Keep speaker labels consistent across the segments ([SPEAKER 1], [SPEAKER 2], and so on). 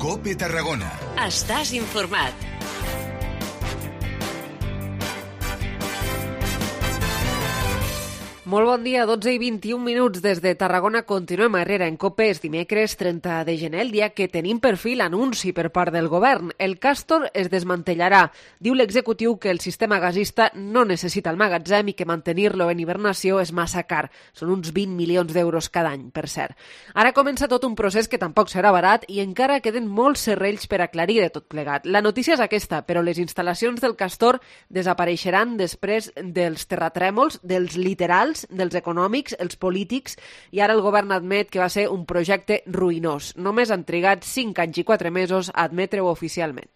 [SPEAKER 1] COPE Tarragona.
[SPEAKER 2] Estàs informat.
[SPEAKER 3] Molt bon dia, 12 i 21 minuts des de Tarragona. Continuem a Herrera en COPE. És dimecres 30 de gener, el dia que tenim per fi l'anunci per part del govern. El Castor es desmantellarà. Diu l'executiu que el sistema gasista no necessita el magatzem i que mantenir-lo en hibernació és massa car. Són uns 20 milions d'euros cada any, per cert. Ara comença tot un procés que tampoc serà barat i encara queden molts serrells per aclarir de tot plegat. La notícia és aquesta, però les instal·lacions del Castor desapareixeran després dels terratrèmols, dels literals, dels econòmics, els polítics, i ara el govern admet que va ser un projecte ruïnós. Només han trigat 5 anys i 4 mesos a admetre-ho oficialment.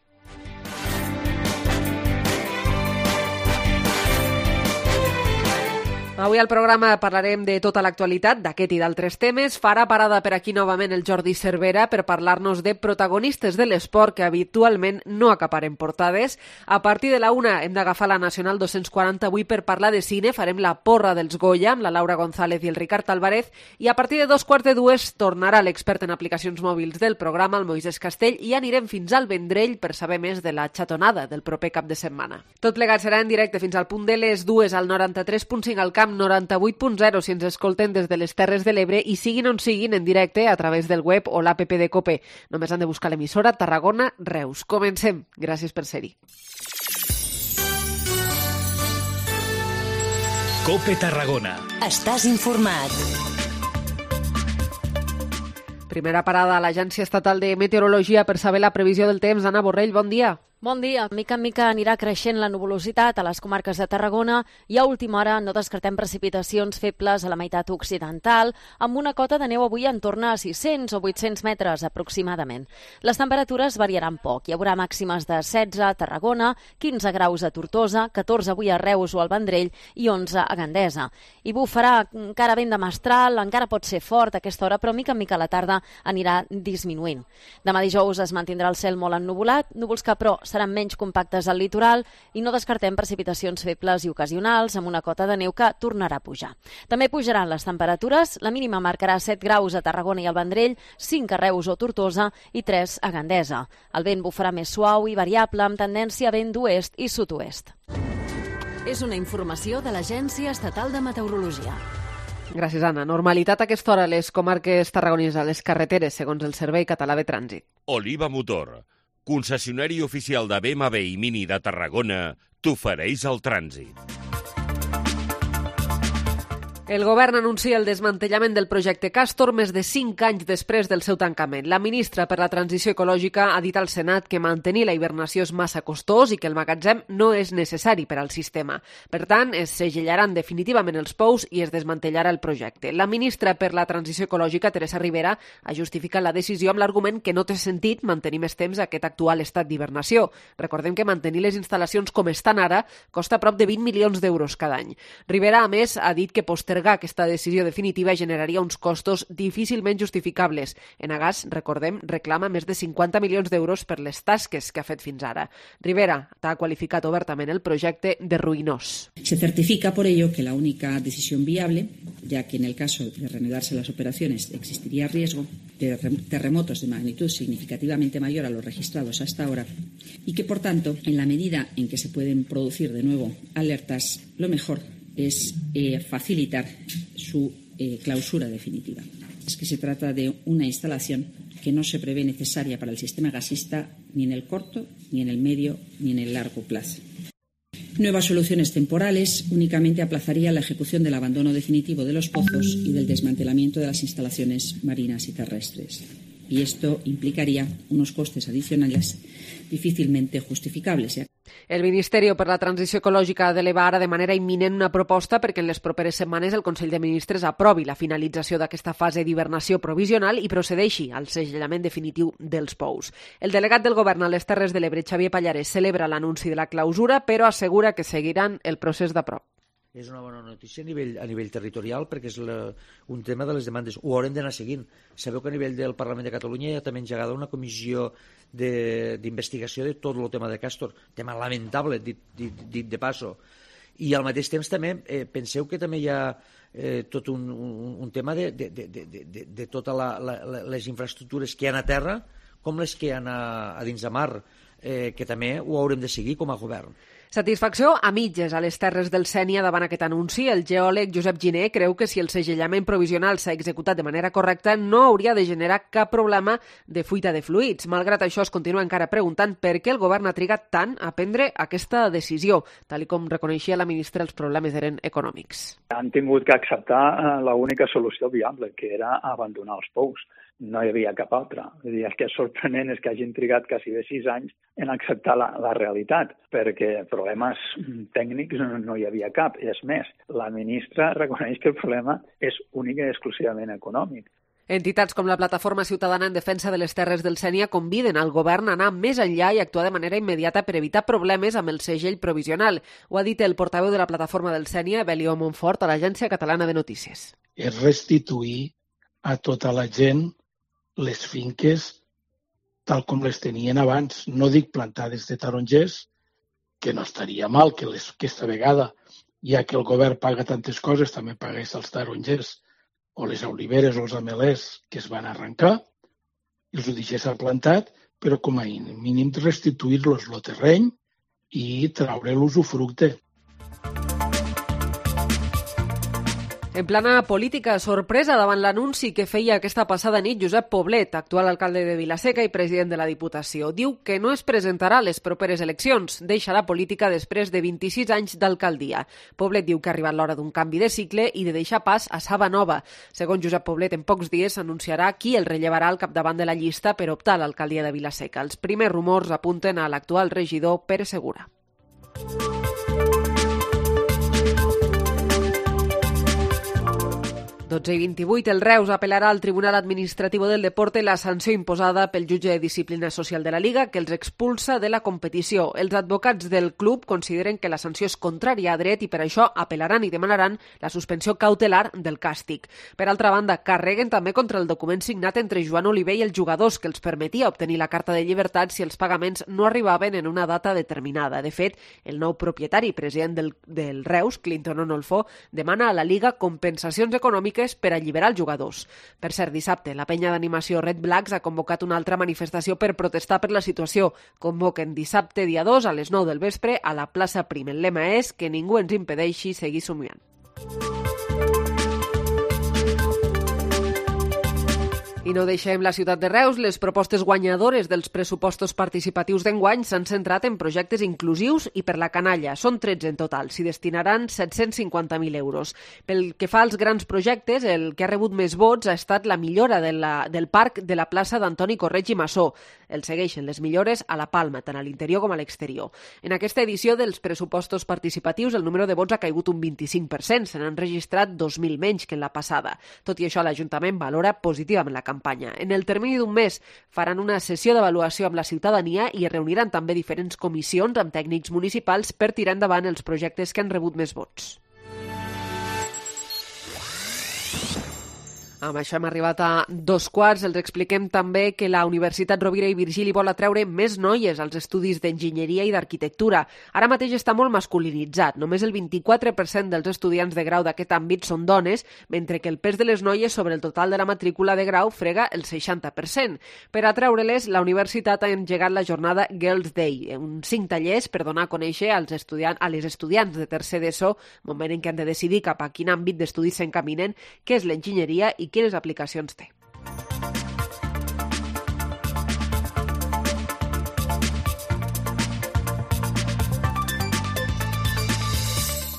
[SPEAKER 3] Avui al programa parlarem de tota l'actualitat, d'aquest i d'altres temes. Farà parada per aquí novament el Jordi Cervera per parlar-nos de protagonistes de l'esport que habitualment no acaparen portades. A partir de la 1 hem d'agafar la Nacional 240 avui per parlar de cine. Farem la porra dels Goya amb la Laura González i el Ricard Álvarez. I a partir de 2:45 tornarà l'expert en aplicacions mòbils del programa, el Moisés Castell, i anirem fins al Vendrell per saber més de la xatonada del proper cap de setmana. Tot plegat serà en directe fins al punt de les 2 al 93.5 al Camp 98.0 si ens escolten des de les Terres de l'Ebre i siguin on siguin en directe a través del web o l'APP de COPE. Només han de buscar l'emissora Tarragona Reus. Comencem. Gràcies per ser-hi.
[SPEAKER 4] COPE Tarragona.
[SPEAKER 2] Estàs informat.
[SPEAKER 3] Primera parada a l'Agència Estatal de Meteorologia per saber la previsió del temps. Anna Borrell, bon dia.
[SPEAKER 5] Bon dia. Mica en mica anirà creixent la nuvolositat a les comarques de Tarragona i a última hora no descartem precipitacions febles a la meitat occidental, amb una cota de neu avui en torn a 600 o 800 metres aproximadament. Les temperatures variaran poc. Hi haurà màximes de 16 a Tarragona, 15 graus a Tortosa, 14 avui a Reus o al Vendrell i 11 a Gandesa. I bufarà encara vent de mestral, encara pot ser fort a aquesta hora, però mica en mica a la tarda anirà disminuint. Demà dijous es mantindrà el cel molt ennuvolat, núvols que però seran menys compactes al litoral i no descartem precipitacions febles i ocasionals amb una cota de neu que tornarà a pujar. També pujaran les temperatures, la mínima marcarà 7 graus a Tarragona i al Vendrell, 5 a Reus o Tortosa i 3 a Gandesa. El vent bufarà més suau i variable amb tendència a vent d'oest i sud-oest.
[SPEAKER 2] És una informació de l'Agència Estatal de Meteorologia.
[SPEAKER 3] Gràcies, Anna. Normalitat a aquesta hora a les comarques tarragonines, a les carreteres, segons el Servei Català de Trànsit.
[SPEAKER 6] Oliva Motor, concessionari oficial de BMW i Mini de Tarragona, t'ofereix el trànsit.
[SPEAKER 3] El govern anuncia el desmantellament del projecte Castor més de 5 anys després del seu tancament. La ministra per la Transició Ecològica ha dit al Senat que mantenir la hibernació és massa costós i que el magatzem no és necessari per al sistema. Per tant, es segellaran definitivament els pous i es desmantellarà el projecte. La ministra per la Transició Ecològica, Teresa Ribera, ha justificat la decisió amb l'argument que no té sentit mantenir més temps aquest actual estat d'hibernació. Recordem que mantenir les instal·lacions com estan ara costa prop de 20 milions d'euros cada any. Ribera, a més, ha dit que postergar aquesta decisió definitiva generaria uns costos difícilment justificables. Enagás, recordem, reclama més de 50 milions d'euros per les tasques que ha fet fins ara. Ribera ha qualificat obertament el projecte de ruïnós.
[SPEAKER 7] Se certifica por ello que la única decisión viable, ya que en el caso de reanudarse las operaciones existiría riesgo de terremotos de magnitud significativamente mayor a los registrados hasta ahora y que, por tanto, en la medida en que se pueden producir de nuevo alertas, lo mejor es facilitar su clausura definitiva. Es que se trata de una instalación que no se prevé necesaria para el sistema gasista ni en el corto, ni en el medio, ni en el largo plazo. Nuevas soluciones temporales únicamente aplazarían la ejecución del abandono definitivo de los pozos y del desmantelamiento de las instalaciones marinas y terrestres. Y esto implicaría unos costes adicionales difícilmente justificables.
[SPEAKER 3] El Ministeri per la Transició Ecològica ha d'elevar ara de manera imminent una proposta perquè en les properes setmanes el Consell de Ministres aprovi la finalització d'aquesta fase d'hibernació provisional i procedeixi al segellament definitiu dels pous. El delegat del Govern a les Terres de l'Ebre, Xavier Pallarès, celebra l'anunci de la clausura, però assegura que seguiran el procés d'aprop.
[SPEAKER 8] És una bona notícia a nivell territorial perquè és un tema de les demandes. Ho haurem d'anar seguint. Sabeu que a nivell del Parlament de Catalunya hi ha també engegada una comissió d'investigació de tot el tema de Castor. Tema lamentable, dit de passo. I al mateix temps també penseu que també hi ha tot un tema de totes les infraestructures que hi ha a terra, com les que hi ha a dins de mar, que també ho haurem de seguir com a govern.
[SPEAKER 3] Satisfacció a mitges a les Terres del Sénia davant aquest anunci. El geòleg Josep Giner creu que si el segellament provisional s'ha executat de manera correcta no hauria de generar cap problema de fuita de fluids. Malgrat això, es continua encara preguntant per què el govern ha trigat tant a prendre aquesta decisió, tal com reconeixia la ministra, els problemes eren econòmics.
[SPEAKER 1] Han tingut que acceptar l'única solució viable, que era abandonar els pous. No hi havia cap altra. El que és sorprenent és que hagin trigat quasi 6 anys en acceptar la realitat, perquè problemes tècnics no hi havia cap. És més, la ministra reconeix que el problema és únic i exclusivament econòmic.
[SPEAKER 3] Entitats com la Plataforma Ciutadana en Defensa de les Terres del Sénia conviden al govern a anar més enllà i actuar de manera immediata per evitar problemes amb el segell provisional. Ho ha dit el portaveu de la Plataforma del Sénia, Belio Montfort, a l'Agència Catalana de Notícies.
[SPEAKER 9] És restituir a tota la gent les finques tal com les tenien abans. No dic plantades de tarongers, que no estaria mal que aquesta vegada, ja que el govern paga tantes coses, també pagués els tarongers o les oliveres o els amelers que es van arrencar, i els ho deixés plantat, però com a mínim restituir-los el terreny i traure l'usufructe.
[SPEAKER 3] En plana política, sorpresa davant l'anunci que feia aquesta passada nit Josep Poblet, actual alcalde de Vila-seca i president de la Diputació. Diu que no es presentarà a les properes eleccions. Deixa la política després de 26 anys d'alcaldia. Poblet diu que ha arribat l'hora d'un canvi de cicle i de deixar pas a Saba Nova. Segons Josep Poblet, en pocs dies s'anunciarà qui el rellevarà al capdavant de la llista per optar a l'alcaldia de Vila-seca. Els primers rumors apunten a l'actual regidor Pere Segura. 12:28, el Reus apel·larà al Tribunal Administratiu del Deporte la sanció imposada pel jutge de disciplina social de la Liga que els expulsa de la competició. Els advocats del club consideren que la sanció és contrària a dret i per això apel·laran i demanaran la suspensió cautelar del càstig. Per altra banda, carreguen també contra el document signat entre Joan Oliver i els jugadors que els permetia obtenir la carta de llibertat si els pagaments no arribaven en una data determinada. De fet, el nou propietari i president del Reus, Clinton Onolfo, demana a la Liga compensacions econòmiques per alliberar els jugadors. Per cert, dissabte, la penya d'animació Red Blacks ha convocat una altra manifestació per protestar per la situació. Convoquen dissabte, dia 2, a les 9 del vespre, a la plaça Prim. El lema és que ningú ens impedeixi seguir somiant. I no deixem la ciutat de Reus. Les propostes guanyadores dels pressupostos participatius d'enguany s'han centrat en projectes inclusius i per la canalla. Són 13 en total. S'hi destinaran 750.000 euros. Pel que fa als grans projectes, el que ha rebut més vots ha estat la millora del parc de la plaça d'Antoni Correig i Massó. El segueixen les millores a la Palma, tant a l'interior com a l'exterior. En aquesta edició dels pressupostos participatius, el número de vots ha caigut un 25%. Se n'han registrat 2.000 menys que en la passada. Tot i això, l'Ajuntament valora positivament la campanya. En el termini d'un mes faran una sessió d'avaluació amb la ciutadania i es reuniran també diferents comissions amb tècnics municipals per tirar endavant els projectes que han rebut més vots. Amb això hem arribat a 2:15. Els expliquem també que la Universitat Rovira i Virgili vol atreure més noies als estudis d'enginyeria i d'arquitectura. Ara mateix està molt masculinitzat. Només el 24% dels estudiants de grau d'aquest àmbit són dones, mentre que el pes de les noies sobre el total de la matrícula de grau frega el 60%. Per atreure-les, la universitat ha engegat la jornada Girls Day, uns 5 tallers per donar a conèixer a les estudiants de tercer d'ESO, moment en què han de decidir cap a quin àmbit d'estudis s'encaminen, què és l'enginyeria i quines aplicacions té.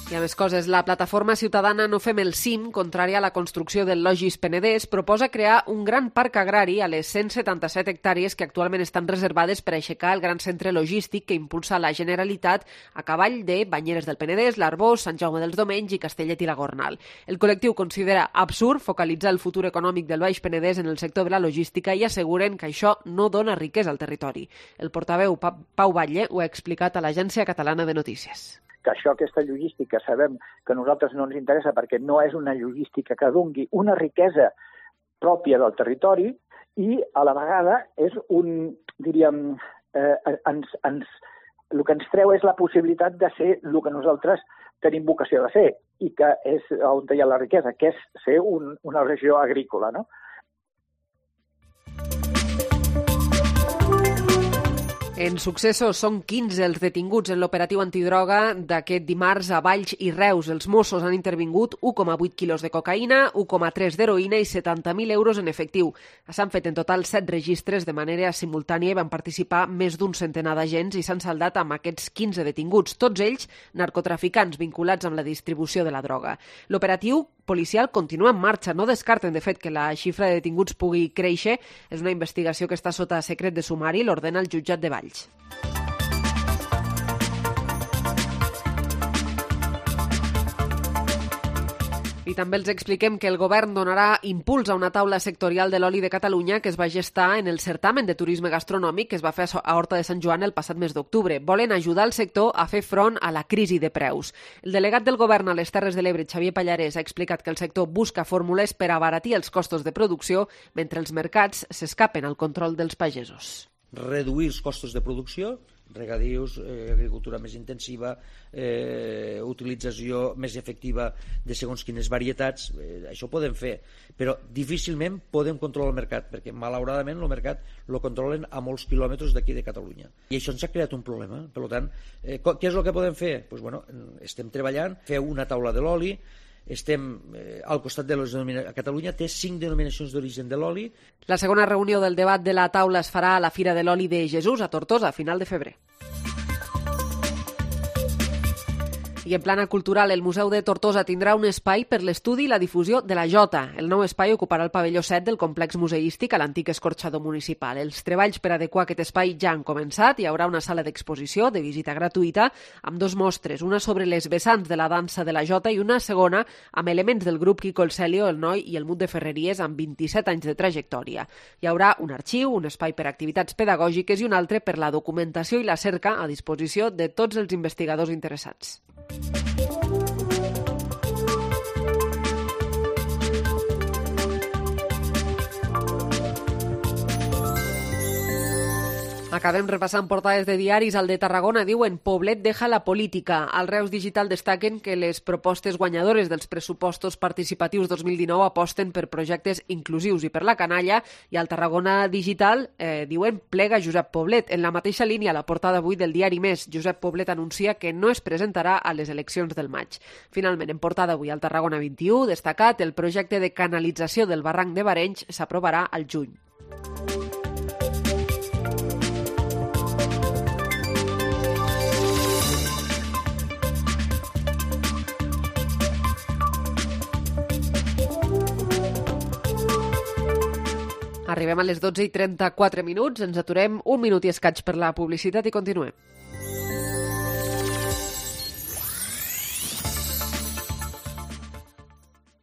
[SPEAKER 3] I a més coses, la plataforma ciutadana No Fem el Cim, contrària a la construcció del Logis Penedès, proposa crear un gran parc agrari a les 177 hectàrees que actualment estan reservades per aixecar el gran centre logístic que impulsa la Generalitat a cavall de Banyeres del Penedès, l'Arboç, Sant Jaume dels Domenys i Castellet i la Gornal. El col·lectiu considera absurd focalitzar el futur econòmic del Baix Penedès en el sector de la logística i asseguren que això no dona riquesa al territori. El portaveu Pau Batlle ho ha explicat a l'Agència Catalana de Notícies.
[SPEAKER 10] Que això, aquesta logística, sabem que a nosaltres no ens interessa perquè no és una logística que dongui una riquesa pròpia del territori i a la vegada és un, diríem, el que ens treu és la possibilitat de ser el que nosaltres tenim vocació de ser i que és on hi ha la riquesa, que és ser una regió agrícola, no?
[SPEAKER 3] En successos són 15 els detinguts en l'operatiu antidroga d'aquest dimarts a Valls i Reus. Els Mossos han intervingut 1,8 quilos de cocaïna, 1,3 d'heroïna i 70.000 euros en efectiu. S'han fet en total 7 registres de manera simultània i van participar més d'un centenar d'agents i s'han saldat amb aquests 15 detinguts, tots ells narcotraficants vinculats amb la distribució de la droga. L'operatiu policial continua en marxa. No descarten, de fet, que la xifra de detinguts pugui créixer. És una investigació que està sota secret de sumari, l'ordena el jutjat de Valls. I també els expliquem que el govern donarà impuls a una taula sectorial de l'oli de Catalunya que es va gestar en el certamen de turisme gastronòmic que es va fer a Horta de Sant Joan el passat mes d'octubre. Volen ajudar el sector a fer front a la crisi de preus. El delegat del govern a les Terres de l'Ebre, Xavier Pallarès, ha explicat que el sector busca fórmules per abaratir els costos de producció mentre els mercats s'escapen al control dels pagesos.
[SPEAKER 8] Reduir els costos de producció, regadius, agricultura més intensiva, utilització més efectiva de segons quines varietats, això ho podem fer, però difícilment podem controlar el mercat, perquè malauradament el mercat el controlen a molts quilòmetres d'aquí de Catalunya. I això ens ha creat un problema. Per tant, què és el que podem fer? Pues, bueno, estem treballant, fer una taula de l'oli, estem al costat de les denominacions. Catalunya té 5 denominacions d'origen de l'oli.
[SPEAKER 3] La segona reunió del debat de la taula es farà a la Fira de l'Oli de Jesús, a Tortosa, a final de febrer. I en plana cultural, el Museu de Tortosa tindrà un espai per l'estudi i la difusió de la jota. El nou espai ocuparà el pavelló 7 del complex museístic a l'antic escorxador municipal. Els treballs per adequar aquest espai ja han començat. Hi haurà una sala d'exposició de visita gratuïta amb 2 mostres, una sobre les vessants de la dansa de la jota i una segona amb elements del grup Quico el Celio, el Noi i el Mut de Ferreries amb 27 anys de trajectòria. Hi haurà un arxiu, un espai per a activitats pedagògiques i un altre per la documentació i la cerca a disposició de tots els investigadors interessats. Acabem repassant portades de diaris. Al de Tarragona diuen Poblet deja la política. Al Reus Digital destaquen que les propostes guanyadores dels pressupostos participatius 2019 aposten per projectes inclusius i per la canalla, i al Tarragona Digital diuen plega Josep Poblet. En la mateixa línia, a la portada avui del diari Més, Josep Poblet anuncia que no es presentarà a les eleccions del maig. Finalment, en portada avui al Tarragona 21, destacat el projecte de canalització del barranc de Barenys s'aprovarà al juny. Arribem a les 12:34, ens aturem un minut i escaig per la publicitat i continuem.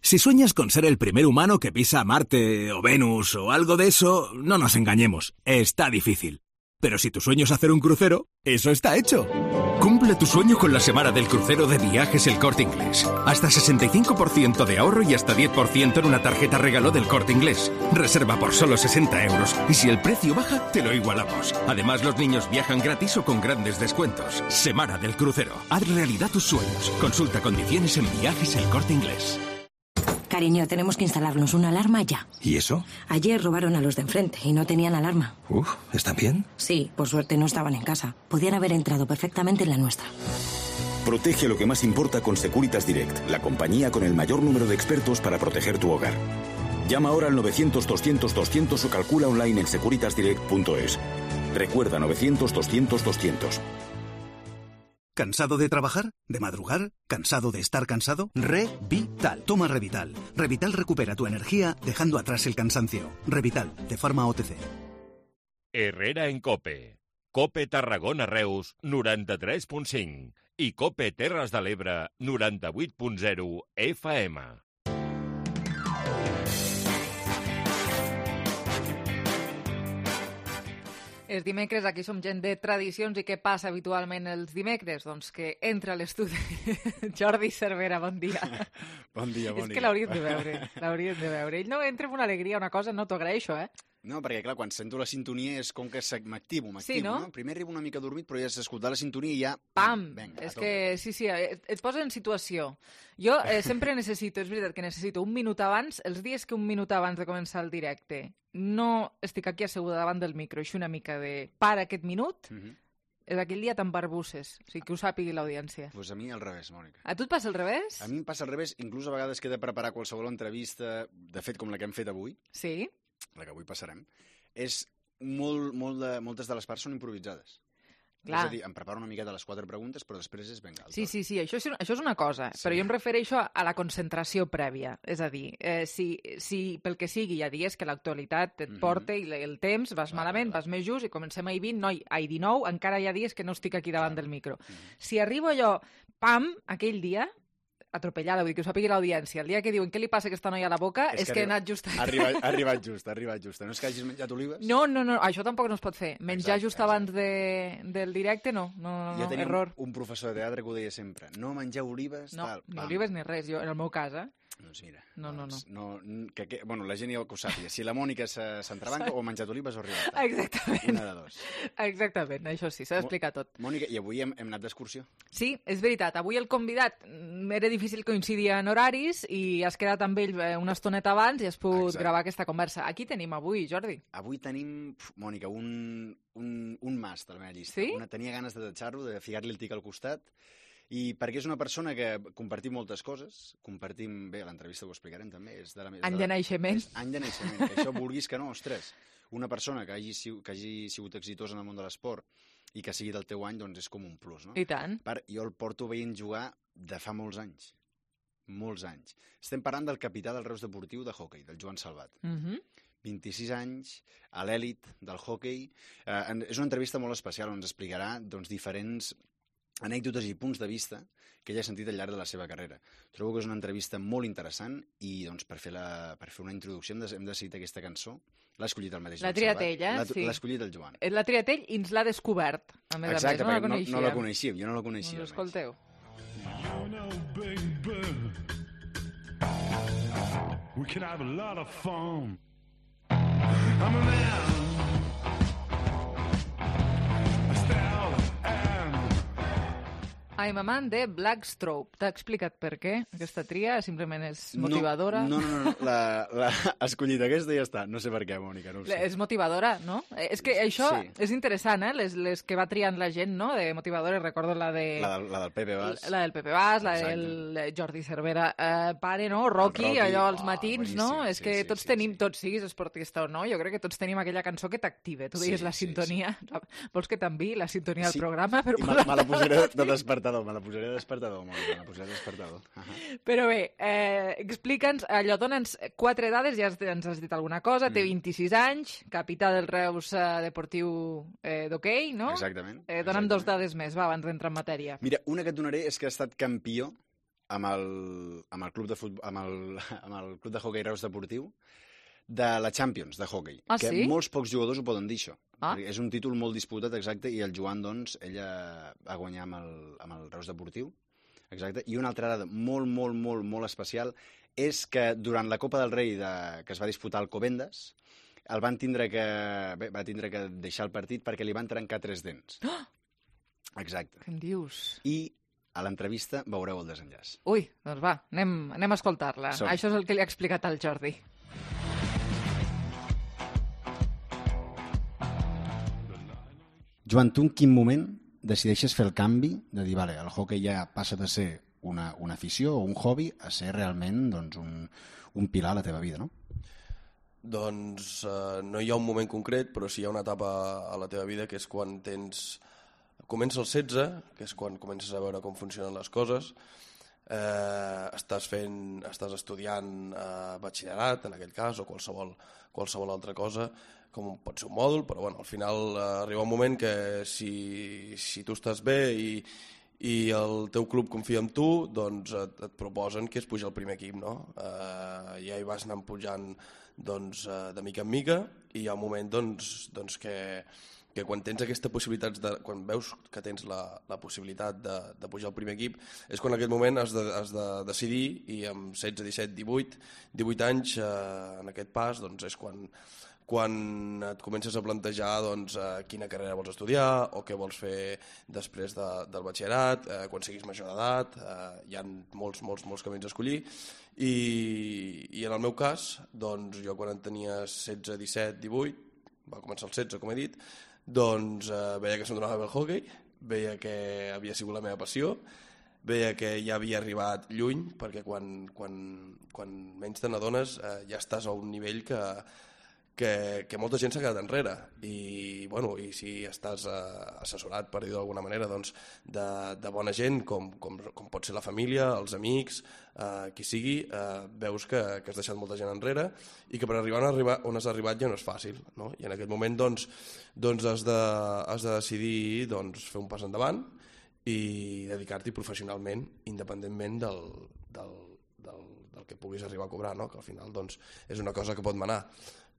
[SPEAKER 11] Si sueñas con ser el primer humano que pisa Marte o Venus o algo de eso, no nos engañemos, está difícil. Pero si tu sueño es hacer un crucero, eso está hecho. Cumple tu sueño con la semana del crucero de Viajes El Corte Inglés. Hasta 65% de ahorro y hasta 10% en una tarjeta regalo del Corte Inglés. Reserva por solo 60 euros y si el precio baja, te lo igualamos. Además, los niños viajan gratis o con grandes descuentos. Semana del crucero. Haz realidad tus sueños. Consulta condiciones en Viajes El Corte Inglés.
[SPEAKER 12] Cariño, tenemos que instalarnos una alarma ya.
[SPEAKER 13] ¿Y eso?
[SPEAKER 12] Ayer robaron a los de enfrente y no tenían alarma.
[SPEAKER 13] ¿Están bien?
[SPEAKER 12] Sí, por suerte no estaban en casa. Podían haber entrado perfectamente en la nuestra.
[SPEAKER 14] Protege lo que más importa con Securitas Direct, la compañía con el mayor número de expertos para proteger tu hogar. Llama ahora al 900-200-200 o calcula online en securitasdirect.es. Recuerda 900-200-200.
[SPEAKER 15] ¿Cansado de trabajar? ¿De madrugar? ¿Cansado de estar cansado? Revital. Toma Revital. Revital recupera tu energía dejando atrás el cansancio. Revital, de Pharma OTC.
[SPEAKER 6] Herrera en COPE. COPE Tarragona Reus 93.5 i COPE Terres de l'Ebre 98.0 FM.
[SPEAKER 16] És dimecres, aquí som gent de tradicions, i què passa habitualment els dimecres? Doncs que entra a l'estudi Jordi Cervera, bon dia.
[SPEAKER 17] Bon dia, bon dia.
[SPEAKER 16] És que l'hauríem de veure, Ell no entra amb una alegria, una cosa, no t'ho agraeixo,
[SPEAKER 13] No, perquè, clar, quan sento la sintonia és com que m'activo,
[SPEAKER 16] Sí, no?
[SPEAKER 13] Primer arribo una mica dormit, però ja has escoltat la sintonia i ja...
[SPEAKER 16] Pam!
[SPEAKER 13] Venga,
[SPEAKER 16] És que, sí, et posa en situació. Jo sempre necessito, és veritat que necessito un minut abans, els dies que un minut abans de començar el directe no estic aquí asseguda davant del micro, així una mica de para aquest minut, és aquell dia tan barbusses, o sigui, que ho sàpigui l'audiència.
[SPEAKER 13] Doncs a mi al revés, Mònica.
[SPEAKER 16] A tu et passa al revés?
[SPEAKER 13] A mi em passa al revés, inclús a vegades que he de preparar qualsevol entrevista, de fet, com la que hem fet avui,
[SPEAKER 16] sí,
[SPEAKER 13] la que avui passarem, és moltes de les parts són improvisades.
[SPEAKER 16] Clar.
[SPEAKER 13] És a dir, em preparo una miqueta les 4 preguntes, però després és venga.
[SPEAKER 16] Sí, això és una cosa, però jo em refereixo a la concentració prèvia. És a dir, si pel que sigui hi ha dies que l'actualitat et porta i el temps, vas malament, vas més just i comencem a I19, encara hi ha dies que no estic aquí davant del micro. Si arribo allò, pam, aquell dia, atropellada, vull dir que ho sàpigui l'audiència. El dia que diuen què li passa a aquesta noia a la boca és que he anat just...
[SPEAKER 13] Ha arribat just. No és que hagis menjat olives?
[SPEAKER 16] No, això tampoc no es pot fer. Menjar just abans del directe, no,
[SPEAKER 13] jo tenia
[SPEAKER 16] error.
[SPEAKER 13] Un professor de teatre que ho deia sempre. No menjar olives, tal.
[SPEAKER 16] No, ni olives ni res. Jo, en el meu cas,
[SPEAKER 13] Doncs mira.
[SPEAKER 16] No.
[SPEAKER 13] Bueno, la gent ja ho sàpiga. Si la Mònica s'entrebanca o ha menjat olives o ha arribat.
[SPEAKER 16] Exactament.
[SPEAKER 13] Una de dos.
[SPEAKER 16] Exactament, això sí, s'ha d'explicar tot.
[SPEAKER 13] Mònica, i avui hem anat d'excursió?
[SPEAKER 16] Sí, és veritat. Avui el convidat era difícil coincidir en horaris i has quedat amb ell una estoneta abans i has pogut gravar aquesta conversa. Aquí tenim avui, Jordi.
[SPEAKER 13] Avui tenim, Mònica, un must a la meva llista.
[SPEAKER 16] Sí?
[SPEAKER 13] Tenia ganes de tatxar-lo, de ficar-li el tic al costat, i perquè és una persona que compartim moltes coses, bé, l'entrevista ho explicarem també.
[SPEAKER 16] Any de naixement.
[SPEAKER 13] Any de naixement, que això vulguis que no, ostres. Una persona que hagi sigut exitosa en el món de l'esport i que sigui del teu any, doncs és com un plus, no?
[SPEAKER 16] I tant.
[SPEAKER 13] Jo el porto veient jugar de fa molts anys. Molts anys. Estem parlant del capità del Reus Deportiu de hoquei, del Joan Salvat. 26 anys, a l'èlit del hoquei. És una entrevista molt especial on ens explicarà diferents anècdotes i punts de vista que ella ha sentit al llarg de la seva carrera. Trobo que és una entrevista molt interessant i per fer una introducció hem decidit aquesta cançó. L'ha escollit el mateix Joan Salvat.
[SPEAKER 16] L'ha triat ell,
[SPEAKER 13] sí. L'ha escollit el Joan.
[SPEAKER 16] L'ha triat ell i ens l'ha descobert, a més a més.
[SPEAKER 13] Exacte, perquè no la coneixíem, jo no la coneixia.
[SPEAKER 16] Doncs escolteu.
[SPEAKER 17] We can have a lot of fun. I'm a man.
[SPEAKER 16] I'm a man de Blackstroke. T'ha explicat per què aquesta tria? Simplement és motivadora?
[SPEAKER 13] No. L'ha escollit aquesta i ja està. No sé per què, Mònica, no ho sé.
[SPEAKER 16] És motivadora, no? És que això és interessant, les que va triant la gent, no? De motivadores, recordo la de...
[SPEAKER 13] La del Pepe Bas.
[SPEAKER 16] La del Pepe Bas, la del Jordi Cervera. Pare, no? Rocky, allò als matins, no? És que tots tenim, tots siguis esportista o no, jo crec que tots tenim aquella cançó que t'active. Tu deies la sintonia. Vols que t'enviï la sintonia del programa?
[SPEAKER 13] Me la posaré de despertar. Me la posaré de despertador, Mònica, me la posaré de despertador.
[SPEAKER 16] Però bé, explica'ns, allò, dona'ns 4 dades, ja ens has dit alguna cosa, té 26 anys, capità del Reus Deportiu d'hoquei, no?
[SPEAKER 13] Exactament.
[SPEAKER 16] Dona'm 2 dades més, va, abans d'entrar en matèria.
[SPEAKER 13] Mira, una que et donaré és que ha estat campió amb el club de hoquei Reus Deportiu de la Champions de hoquei. Que molts pocs jugadors ho poden dir, això. És un títol molt disputat, exacte, i el Joan, doncs, ella va guanyar amb el Reus Deportiu, exacte, i una altra dada molt especial és que durant la Copa del Rei que es va disputar al Alcobendas, va tindre que deixar el partit perquè li van trencar 3 dents. Exacte.
[SPEAKER 16] Què em dius?
[SPEAKER 13] I a l'entrevista veureu el desenllaç.
[SPEAKER 16] Ui, doncs va, anem a escoltar-la. Això és el que li ha explicat al Jordi.
[SPEAKER 13] Joan, tu en quin moment decideixes fer el canvi de dir, vale, el hoquei ja passa de ser una afició o un hobby a ser realment un pilar a la teva vida, no?
[SPEAKER 18] Doncs no hi ha un moment concret, però sí hi ha una etapa a la teva vida que és quan comença els 16, que és quan comences a veure com funcionen les coses, estàs estudiant batxillerat, en aquell cas, o qualsevol altra cosa, com pot ser un mòdul, però bueno, al final arriba un moment que si tu estàs bé i el teu club confia en tu, doncs et proposen que es puja al primer equip, no? Ja hi vas anant pujant de mica en mica i hi ha un moment que quan tens aquesta possibilitat, quan veus que tens la possibilitat de pujar al primer equip, és quan en aquest moment has de decidir i amb 16, 17, 18 anys en aquest pas doncs és quan quan et comences a plantejar doncs, quina carrera vols estudiar o què vols fer després del batxillerat, quan siguis major d'edat, hi ha molts camins a escollir i en el meu cas, doncs, jo quan en tenia 16, 17, 18, va començar els 16, com he dit, doncs veia que se'm donava bé el hoquei, veia que havia sigut la meva passió, veia que ja havia arribat lluny, perquè quan menys te n'adones ja estàs a un nivell que molta gent s'ha quedat enrere i si estàs assessorat, per dir-ho d'alguna manera, doncs, de bona gent com pot ser la família, els amics, qui sigui, veus que has deixat molta gent enrere i que per arribar on has arribat ja no és fàcil, no? I en aquest moment doncs has de decidir fer un pas endavant i dedicar-t'hi professionalment, independentment del que puguis arribar a cobrar, no? Que al final doncs, és una cosa que pot manar.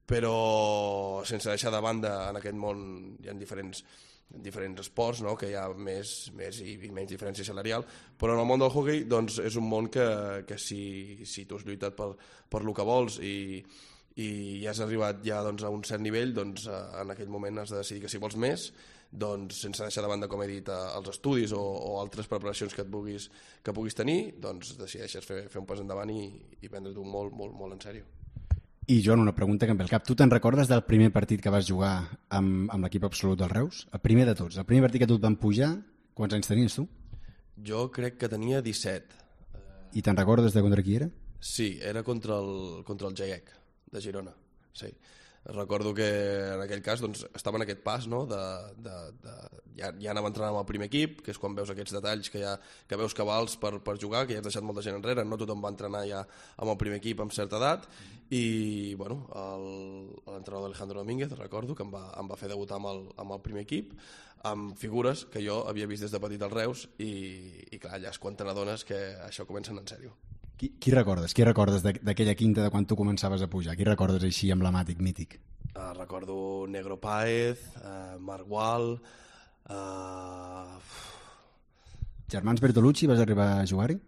[SPEAKER 18] Però sense deixar de banda, en aquest món hi ha diferents esports, no? Que hi ha més i menys diferència salarial, però en el món del hoquei doncs, és un món que si tu has lluitat per el que vols i has arribat ja doncs, a un cert nivell, doncs, en aquell moment has de decidir que si vols més, doncs, sense deixar de banda, com he dit, els estudis o altres preparacions que puguis tenir, doncs decideixes fer un pas endavant i prendre-t'ho molt, molt, molt en sèrio.
[SPEAKER 19] I Joan, una pregunta que em ve al cap. Tu te'n recordes del primer partit que vas jugar amb l'equip absolut del Reus? El primer de tots. El primer partit que tu et van pujar, quants anys tenies tu?
[SPEAKER 18] Jo crec que tenia 17.
[SPEAKER 19] I te'n recordes de contra qui era?
[SPEAKER 18] Sí, era contra el GAEC, de Girona. Sí. Recordo que en aquell cas doncs, estava en aquest pas, no? Ja anava entrenant amb el primer equip, que és quan veus aquests detalls que veus que vals per jugar, que ja has deixat molta gent enrere, no tothom va entrenar ja amb el primer equip amb certa edat, i l'entrenador Alejandro Domínguez, recordo, que em va fer debutar amb el primer equip, amb figures que jo havia vist des de petit als Reus, i clar, allà és quan te n'adones que això comença en sèrio.
[SPEAKER 19] Qui recordes? Qui recordes d'aquella quinta de quan tu començaves a pujar? Qui recordes així emblemàtic, mític?
[SPEAKER 18] Recordo Negro Páez, Marc Gual...
[SPEAKER 19] Germans Bertolucci, vas arribar a jugar-hi?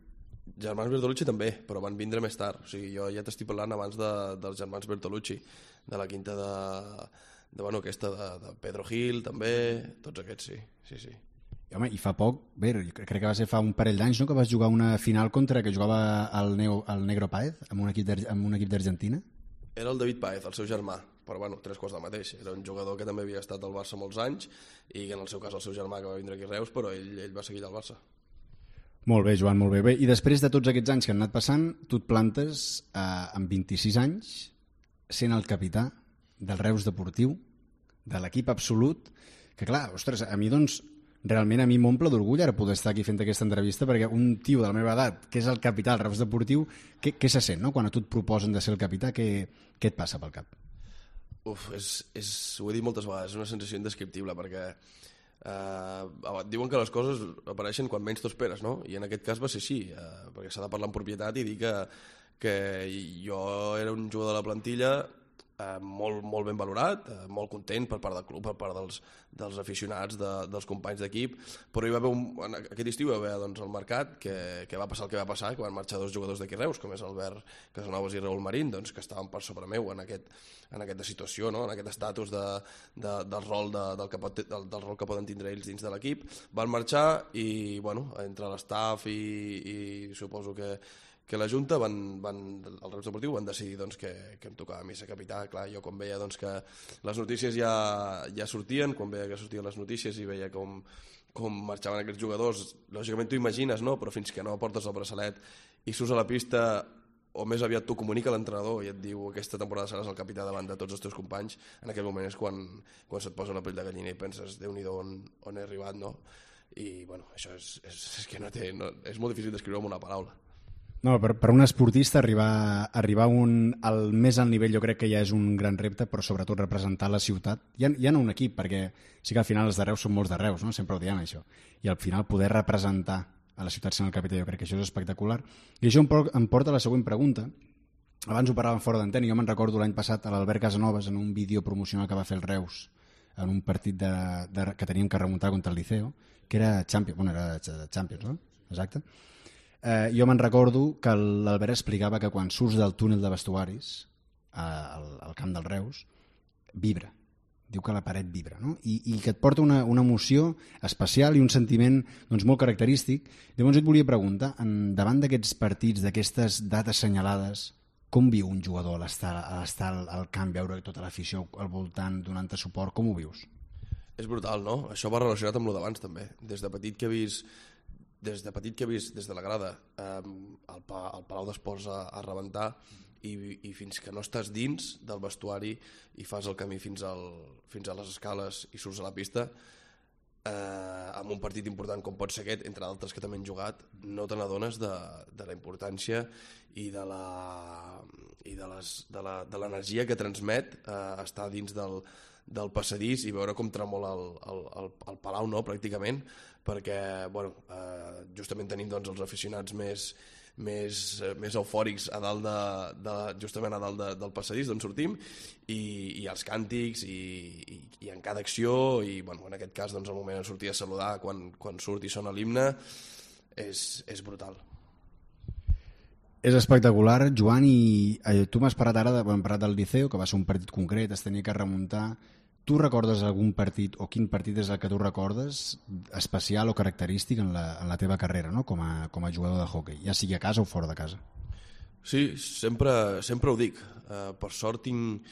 [SPEAKER 18] Germans Bertolucci també, però van vindre més tard. O sigui, jo ja t'estic parlant abans dels Germans Bertolucci, de la quinta de Pedro Gil, també, tots aquests, sí.
[SPEAKER 19] Home, i fa poc, bé, crec que va ser fa un parell d'anys, no?, que vas jugar una final contra que jugava el Negro Páez amb un equip d'Argentina?
[SPEAKER 18] Era el David Páez, el seu germà, però tres quarts del mateix. Era un jugador que també havia estat al Barça molts anys i en el seu cas el seu germà que va vindre aquí a Reus, però ell va seguir al Barça.
[SPEAKER 19] Molt bé, Joan, molt bé. I després de tots aquests anys que han anat passant, tu et plantes amb 26 anys sent el capità del Reus Deportiu, de l'equip absolut, que clar, ostres, a mi doncs realment a mi m'omple d'orgull ara poder estar aquí fent aquesta entrevista, perquè un tio de la meva edat que és el capità del Reus Deportiu, què se sent, no? Quan a tu et proposen de ser el capità, què et passa pel cap?
[SPEAKER 18] Ho he dit moltes vegades, és una sensació indescriptible, perquè diuen que les coses apareixen quan menys t'ho esperes, no? I en aquest cas va ser així, perquè s'ha de parlar amb propietat i dir que jo era un jugador de la plantilla molt ben valorat, molt content per part del club, per part dels aficionats, dels companys d'equip, però hi va haver aquest estiu hi va haver doncs, el mercat que va passar el que va passar, que van marxar dos jugadors d'aquí Reus, com és Albert Casanovas i Raúl Marín, doncs, que estaven per sobre meu en aquesta situació, no? En aquest estatus del rol que poden tindre ells dins de l'equip. Van marxar i entre l'estaf i suposo que la Junta, el Reus Deportiu, van decidir doncs, que em tocava a mi ser capità. Clar, jo quan veia doncs, que les notícies ja sortien, quan veia que sortien les notícies i veia com marxaven aquests jugadors, lògicament tu imagines, no? Però fins que no portes el braçalet i surts a la pista, o més aviat t'ho comunica l'entrenador i et diu aquesta temporada seràs el capità davant de tots els teus companys, en aquell moment és quan se't posa una pell de gallina i penses, Déu-n'hi-do on he arribat, no? I això és que és molt difícil descriure amb una paraula.
[SPEAKER 19] No, per un esportista arribar al més alt nivell jo crec que ja és un gran repte, però sobretot representar la ciutat, ja no un equip, perquè sí que al final els de Reus són molts de Reus, no? Sempre ho diem això, i al final poder representar a la ciutat sent el capità, jo crec que això és espectacular. I això em porta a la següent pregunta. Abans ho parlàvem fora d'antena, i jo me'n recordo l'any passat a l'Albert Casanovas en un vídeo promocional que va fer el Reus en un partit que teníem que remuntar contra el Liceo, que era Champions, no? Exacte. Jo me'n recordo que l'Albert explicava que quan surts del túnel de vestuaris al camp del Reus vibra. Diu que la paret vibra, no? I que et porta una emoció especial i un sentiment doncs, molt característic. Llavors et volia preguntar, davant d'aquests partits, d'aquestes dates assenyalades, com viu un jugador a l'estar al camp, veure tota l'afició al voltant, donant-te suport, com ho vius?
[SPEAKER 18] És brutal, no? Això va relacionat amb lo d'abans també. Des de petit que he vist des de la grada el Palau d'Esports a rebentar, i fins que no estàs dins del vestuari i fas el camí fins a les escales i surts a la pista, amb un partit important com pot ser aquest, entre d'altres que també han jugat, no te n'adones de la importància i de l'energia que transmet estar dins del passadís i veure com tremola el Palau, no, pràcticament, perquè justament tenim doncs, els aficionats més eufòrics justament a dalt del passadís d'on sortim, i els càntics i en cada acció, i en aquest cas doncs, el moment de sortir a saludar quan surt i sona l'himne és brutal.
[SPEAKER 19] És espectacular, Joan, i tu m'has parlat ara hem parlat del Liceo, que va ser un partit concret, es tenia que remuntar. Tu recordes algun partit, o quin partit és el que tu recordes especial o característic en la teva carrera, no? com a jugador de hoquei, ja sigui a casa o fora de casa?
[SPEAKER 18] Sí, sempre ho dic. Per sort tinc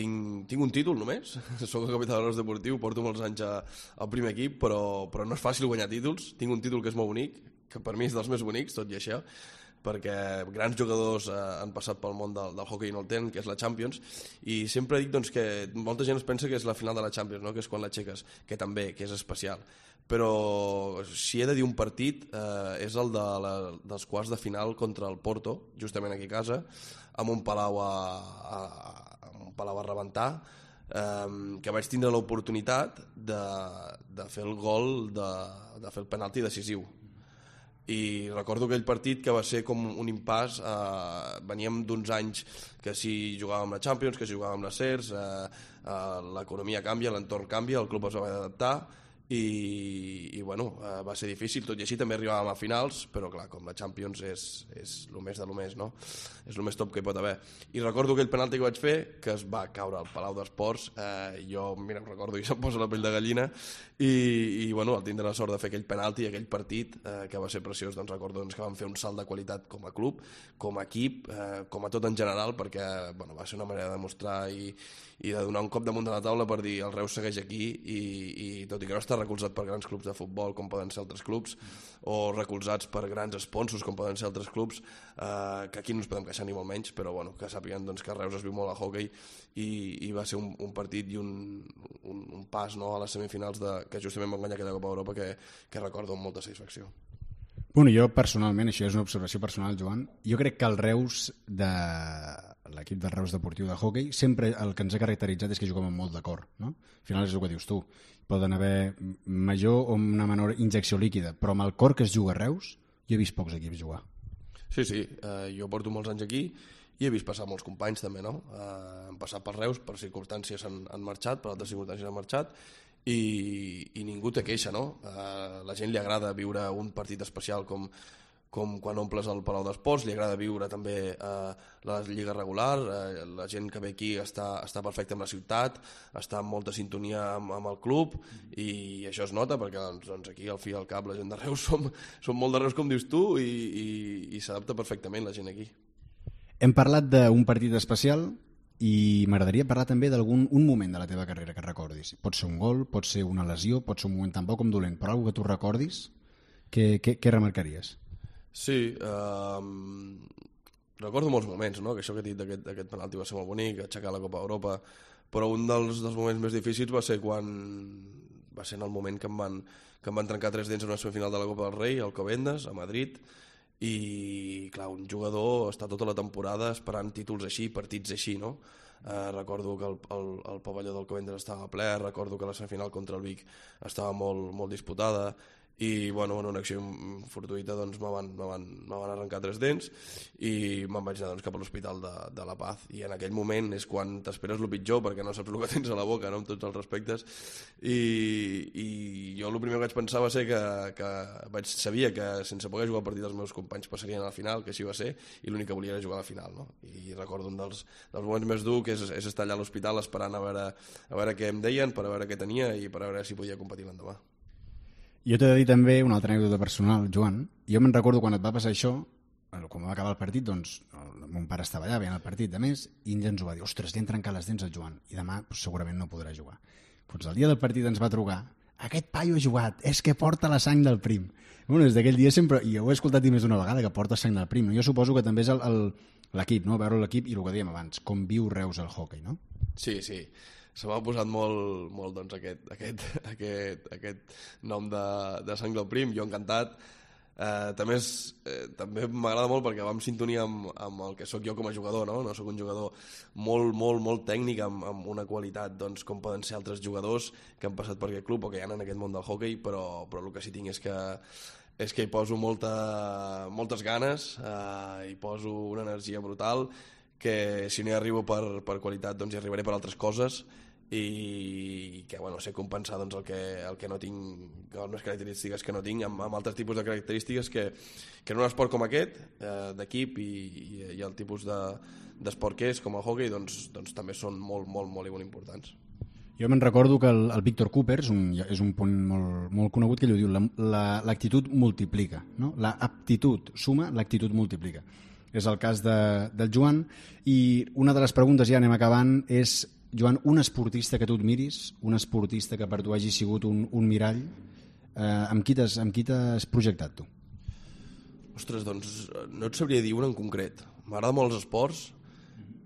[SPEAKER 18] un títol només. Soc el capità del Reus Deportiu, porto molts anys al primer equip, però no és fàcil guanyar títols. Tinc un títol que és molt bonic, que per mi és dels més bonics, tot i això, perquè grans jugadors han passat pel món del hoquei i no el tenen, que és la Champions, i sempre dic doncs, que molta gent es pensa que és la final de la Champions, no? Que és quan l'aixeques, que també, que és especial. Però si he de dir un partit, és el dels quarts de final contra el Porto, justament aquí a casa, amb un Palau a rebentar, que vaig tindre l'oportunitat de fer el gol, de fer el penalti decisiu. I recordo aquell partit que va ser com un impàs, veníem d'uns anys que si jugàvem la Champions, que si jugàvem la CERS, l'economia canvia, l'entorn canvia, el club es va haver d'adaptar i va ser difícil, tot i així també arribàvem a finals, però clar, com la Champions és el més de lo més, no? És el més top que hi pot haver. I recordo aquell penalti que vaig fer, que es va caure al Palau d'Esports, jo, mira, recordo i se'm posa la pell de gallina, i al tindre la sort de fer aquell penalti, aquell partit, que va ser preciós, doncs recordo que vam fer un salt de qualitat com a club, com a equip, com a tot en general, perquè va ser una manera de demostrar i de donar un cop damunt de la taula per dir el Reus segueix aquí, i tot i que no està recolzat per grans clubs de futbol com poden ser altres clubs, o recolzats per grans sponsors com poden ser altres clubs, que aquí no ens podem queixar ni molt menys, però que sàpiguen doncs, que a Reus es viu molt a hoquei, i va ser un partit i un pas, no, a les semifinals que justament van guanyar aquella Copa d'Europa que recordo amb molta satisfacció.
[SPEAKER 19] Bueno, jo personalment, això és una observació personal, Joan, jo crec que el Reus l'equip del Reus Deportiu de hoquei sempre el que ens ha caracteritzat és que juguem amb molt d'acord, no? Al final és el que dius tu, poden haver major o una menor injecció líquida, però amb el cor que es juga a Reus jo he vist pocs equips jugar.
[SPEAKER 18] Sí, jo porto molts anys aquí i he vist passar molts companys també, no? Han passat per Reus, per circumstàncies han marxat, per altres circumstàncies han marxat, i ningú té queixa, no? A la gent li agrada viure un partit especial com quan omples el Palau d'Esports, li agrada viure també la lliga regular, la gent que ve aquí està perfecta amb la ciutat, està en molta sintonia amb el club, i això es nota perquè doncs, aquí al fi i al cap la gent de Reus som molt de Reus com dius tu, i s'adapta perfectament la gent aquí.
[SPEAKER 19] Hem parlat d'un partit especial i m'agradaria parlar també d'algun moment de la teva carrera que recordis. Pot ser un gol, pot ser una lesió, pot ser un moment tan bo com dolent, però alguna que tu recordis, què remarcaries?
[SPEAKER 18] Sí, recordo molts moments, no? Que això que he dit d'aquest penalti va ser molt bonic, aixecar la Copa d'Europa, però un dels moments més difícils va ser en el moment que em van trencar 3 dents en una semifinal de la Copa del Rei, al Alcobendas, a Madrid, i clar, un jugador està tota la temporada esperant títols així, partits així, no? Recordo que el pavelló del Alcobendas estava ple, recordo que la semifinal contra el Vic estava molt, molt disputada, i bueno, en una acció fortuïta doncs, me van arrencar 3 dents i me'n vaig anar cap a l'Hospital de la Paz, i en aquell moment és quan t'esperes el pitjor perquè no saps el que tens a la boca, no? Amb tots els respectes, i jo el primer que vaig pensar va ser que sabia que sense poder jugar el partit els meus companys passarien a la final, que així va ser, i l'únic que volia era jugar a la final, no? I recordo un dels moments més durs que és estar allà a l'hospital esperant a veure què em deien, per a veure què tenia i per a veure si podia competir l'endemà.
[SPEAKER 19] Jo t'he de dir també una altra anècdota personal, Joan. Jo me'n recordo quan et va passar això, quan va acabar el partit, doncs mon pare estava allà veient el partit, de més, i ell ens ho va dir, ostres, li han trencat les dents al Joan, i demà segurament no podrà jugar. Doncs el dia del partit ens va trucar, aquest paio ha jugat, és que porta la sang del prim. Bueno, des d'aquell dia sempre, i ho he escoltat més d'una vegada, que porta sang del prim. Jo suposo que també és l'equip, no? Veure l'equip i el que dèiem abans, com viu Reus el hoquei, no?
[SPEAKER 18] Sí. Se m'ha posat molt doncs, aquest nom de sang del prim, jo encantat. També m'agrada molt perquè va en sintonia amb el que sóc jo com a jugador, no? No sóc un jugador molt tècnic, amb una qualitat doncs, com poden ser altres jugadors que han passat per aquest club o que hi ha en aquest món del hoquei, però el que sí tinc és que hi poso moltes ganes, hi poso una energia brutal, que si no hi arribo per qualitat doncs hi arribaré per altres coses, i que sé compensar doncs, el que no tinc, les meves característiques que no tinc amb altres tipus de característiques que en un esport com aquest d'equip i el tipus d'esport que és com el hoquei doncs també són molt importants.
[SPEAKER 19] Jo me'n recordo que el Víctor Cooper és un punt molt conegut que ell ho diu, l'actitud multiplica, no? L'aptitud suma, l'actitud multiplica. És el cas del Joan, i una de les preguntes, ja anem acabant, és, Joan, un esportista que tu admiris, un esportista que per tu hagi sigut un mirall, amb qui t'has projectat tu?
[SPEAKER 18] Ostres, doncs no et sabria dir un en concret. M'agraden molt els esports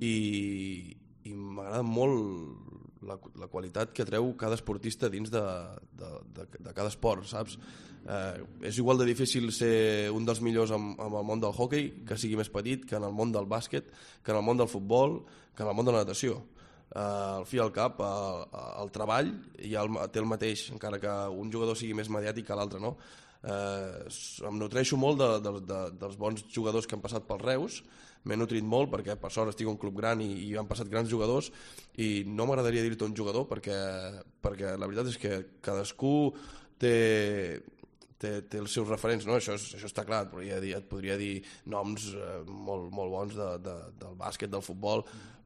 [SPEAKER 18] i m'agrada molt la qualitat que treu cada esportista dins de cada esport, saps? És igual de difícil ser un dels millors en el món del hoquei, que sigui més petit, que en el món del bàsquet, que en el món del futbol, que en el món de la natació. Al fi i al cap, el treball ja té el mateix, encara que un jugador sigui més mediàtic que l'altre, no? Em nutreixo molt dels bons jugadors que han passat pels Reus, m'he nutrit molt perquè per sort estic en un club gran i han passat grans jugadors, i no m'agradaria dir-te un jugador perquè la veritat és que cadascú té els seus referents, no? Això està clar, et podria dir noms molt bons del bàsquet, del futbol,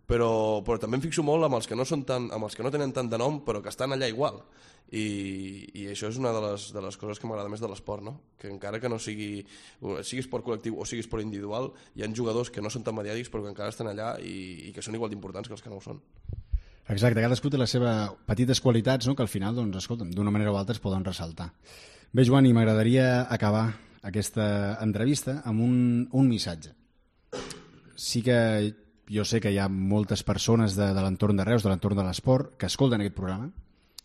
[SPEAKER 18] però també em fixo molt amb els que no tenen tant de nom però que estan allà igual, i això és una de les coses que m'agrada més de l'esport, no? Que encara que no sigui esport col·lectiu o sigui esport individual, hi ha jugadors que no són tan mediàtics però que encara estan allà i que són igual d'importants que els que no ho són.
[SPEAKER 19] Exacte, cadascú té les seves petites qualitats, no? Que al final, doncs, escolta'm, d'una manera o altra es poden ressaltar. Bé, Joan, i m'agradaria acabar aquesta entrevista amb un missatge. Sí que jo sé que hi ha moltes persones de l'entorn de Reus, de l'entorn de l'esport, que escolten aquest programa.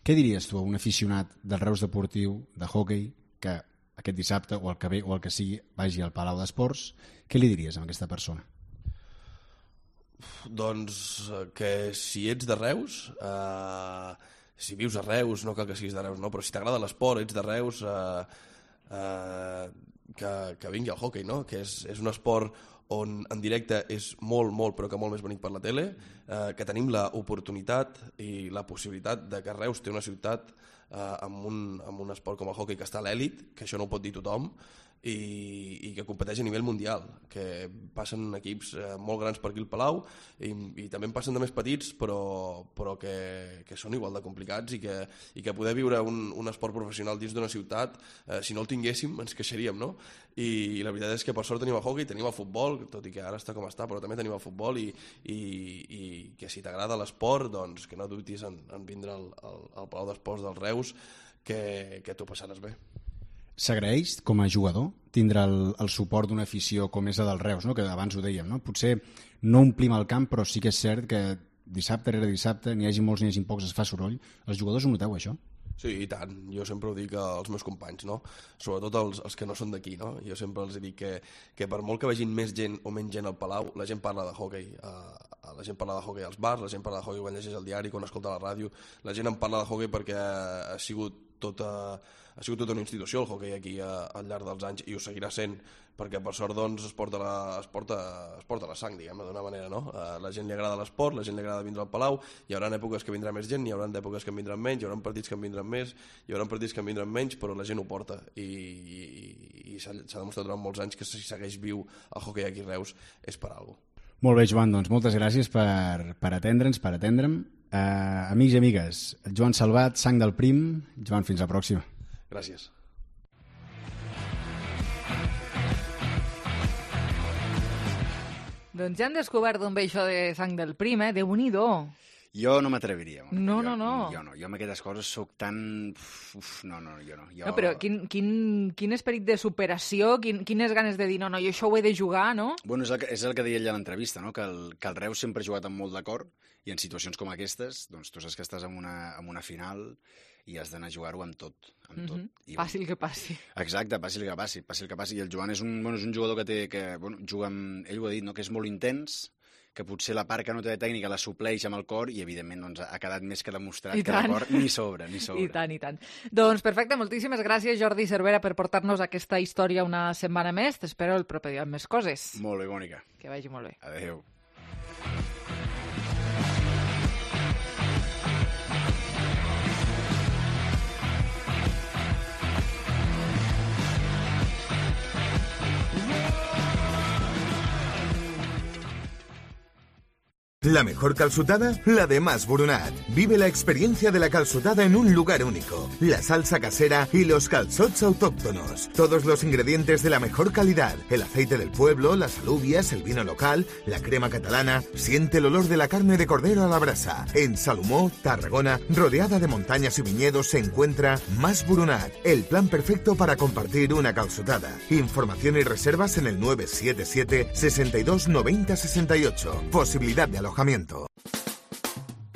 [SPEAKER 19] Què diries tu a un aficionat del Reus deportiu, de hoquei, que aquest dissabte o el que ve o el que sigui vagi al Palau d'Esports? Què li diries a aquesta persona?
[SPEAKER 18] Doncs que si ets de Reus, si vius a Reus, no cal que siguis de Reus, no? Però si t'agrada l'esport, ets de Reus, que vingui al hoquei, no? Que és un esport on en directe és molt, però que molt més bonic per la tele, que tenim l'oportunitat i la possibilitat de que Reus té una ciutat amb un esport com el hoquei que està a l'èlit, que això no ho pot dir tothom, i que competeix a nivell mundial, que passen equips molt grans per aquí al Palau i també en passen de més petits però que són igual de complicats i que poder viure un esport professional dins d'una ciutat, si no el tinguéssim ens queixaríem, no? I la veritat és que per sort tenim el hoquei, tenim el futbol, tot i que ara està com està, però també tenim el futbol i que si t'agrada l'esport, doncs que no dubtis en vindre al Palau d'Esports dels Reus, que t'ho passaràs bé.
[SPEAKER 19] S'agraeix, com a jugador, tindre el suport d'una afició com és la del Reus, no? Que abans ho dèiem, no? Potser no omplim el camp, però sí que és cert que dissabte rere dissabte, n'hi hagi molts n'hi hagi pocs, es fa soroll. Els jugadors ho noteu, això?
[SPEAKER 18] Sí, i tant. Jo sempre ho dic als meus companys, no? Sobretot els que no són d'aquí, no? Jo sempre els dic que per molt que vegin més gent o menys gent al Palau, la gent parla de hoquei. La gent parla de hoquei als bars, la gent parla de hoquei quan llegeix el diari, quan escolta la ràdio. La gent en parla de hoquei perquè ha sigut ha sigut tota una institució el hoquei aquí al llarg dels anys, i ho seguirà sent, perquè per sort doncs es porta la sang, diguem-ne, d'una manera, no? La gent li agrada l'esport, la gent li agrada vindre al Palau, hi haurà èpoques que vindrà més gent, hi haurà èpoques que en vindran menys, hi haurà partits que en vindran més, hi haurà partits que en vindran menys, però la gent ho porta, i s'ha demostrat durant molts anys que si segueix viu el hoquei aquí a Reus és per alguna cosa.
[SPEAKER 19] Molt bé, Joan, doncs moltes gràcies per atendre'm. Amics i amigues, Joan Salvat, Sang del Prim. Joan, fins la pròxima.
[SPEAKER 18] Gràcies.
[SPEAKER 16] Doncs ja han descobert d'on ve això de Sang del Prim, Déu-n'hi-do.
[SPEAKER 13] Jo no m'atreviria.
[SPEAKER 16] No.
[SPEAKER 13] Jo amb aquestes coses sóc tan... Jo no.
[SPEAKER 16] No, però quin esperit de superació, quines ganes de dir no, jo això ho he de jugar, no?
[SPEAKER 13] Bueno, és el que deia ell a l'entrevista, no? Que el Reus sempre ha jugat amb molt d'acord, i en situacions com aquestes, doncs tu saps que estàs en una final i has d'anar a jugar-ho amb tot.
[SPEAKER 16] Passi el que passi.
[SPEAKER 13] Exacte, passi el que passi. I el Joan és un jugador que juga amb... Ell ho ha dit, no? Que és molt intens, que potser la part que no té de tècnica la supleix amb el cor, i evidentment doncs, ha quedat més que demostrat que el cor ni sobra.
[SPEAKER 16] I tant. Doncs perfecte, moltíssimes gràcies, Jordi Cervera, per portar-nos aquesta història una setmana més. T'espero el proper dia amb més coses.
[SPEAKER 13] Molt bé, Mònica.
[SPEAKER 16] Que vagi molt bé.
[SPEAKER 13] Adéu.
[SPEAKER 20] La mejor calçotada, la de Mas Boronat. Vive la experiencia de la calçotada en un lugar único. La salsa casera y los calçots autóctonos. Todos los ingredientes de la mejor calidad. El aceite del pueblo, las alubias, el vino local, la crema catalana. Siente el olor de la carne de cordero a la brasa. En Salomó, Tarragona, rodeada de montañas y viñedos, se encuentra Mas Boronat. El plan perfecto para compartir una calçotada. Información y reservas en el 977 62 90 68. Posibilidad de alojamiento.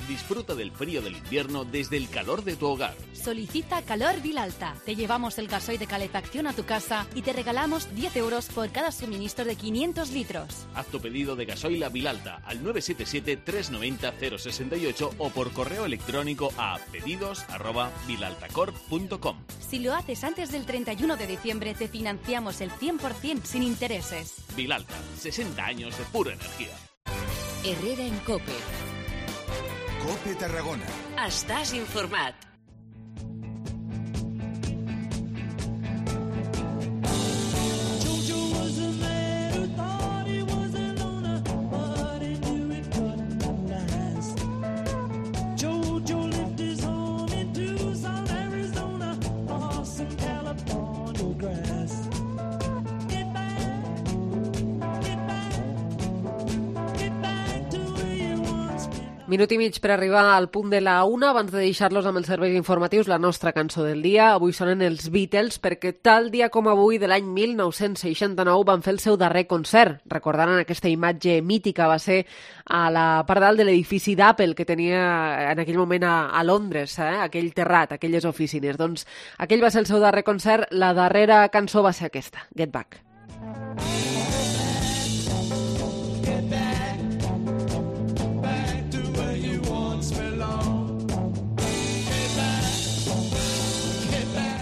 [SPEAKER 21] Disfruta del frío del invierno desde el calor de tu hogar.
[SPEAKER 22] Solicita Calor Vilalta. Te llevamos el gasoil de calefacción a tu casa y te regalamos 10 euros por cada suministro de 500 litros.
[SPEAKER 21] Haz tu pedido de gasoil a Vilalta al 977-390-068 o por correo electrónico a pedidos@vilaltacorp.com.
[SPEAKER 22] Si lo haces antes del 31 de diciembre, te financiamos el 100% sin intereses.
[SPEAKER 21] Vilalta, 60 años de pura energía.
[SPEAKER 2] Herrera en COPE.
[SPEAKER 11] COPE Tarragona.
[SPEAKER 2] Estàs informat.
[SPEAKER 3] Minut i mig per arribar al punt de la 1. Abans de deixar-los amb els serveis informatius, la nostra cançó del dia. Avui sonen els Beatles, perquè tal dia com avui de l'any 1969 van fer el seu darrer concert. Recordaran aquesta imatge mítica, va ser a la part dalt de l'edifici d'Apple que tenia en aquell moment a Londres, aquell terrat, aquelles oficines. Doncs aquell va ser el seu darrer concert. La darrera cançó va ser aquesta, Get Back.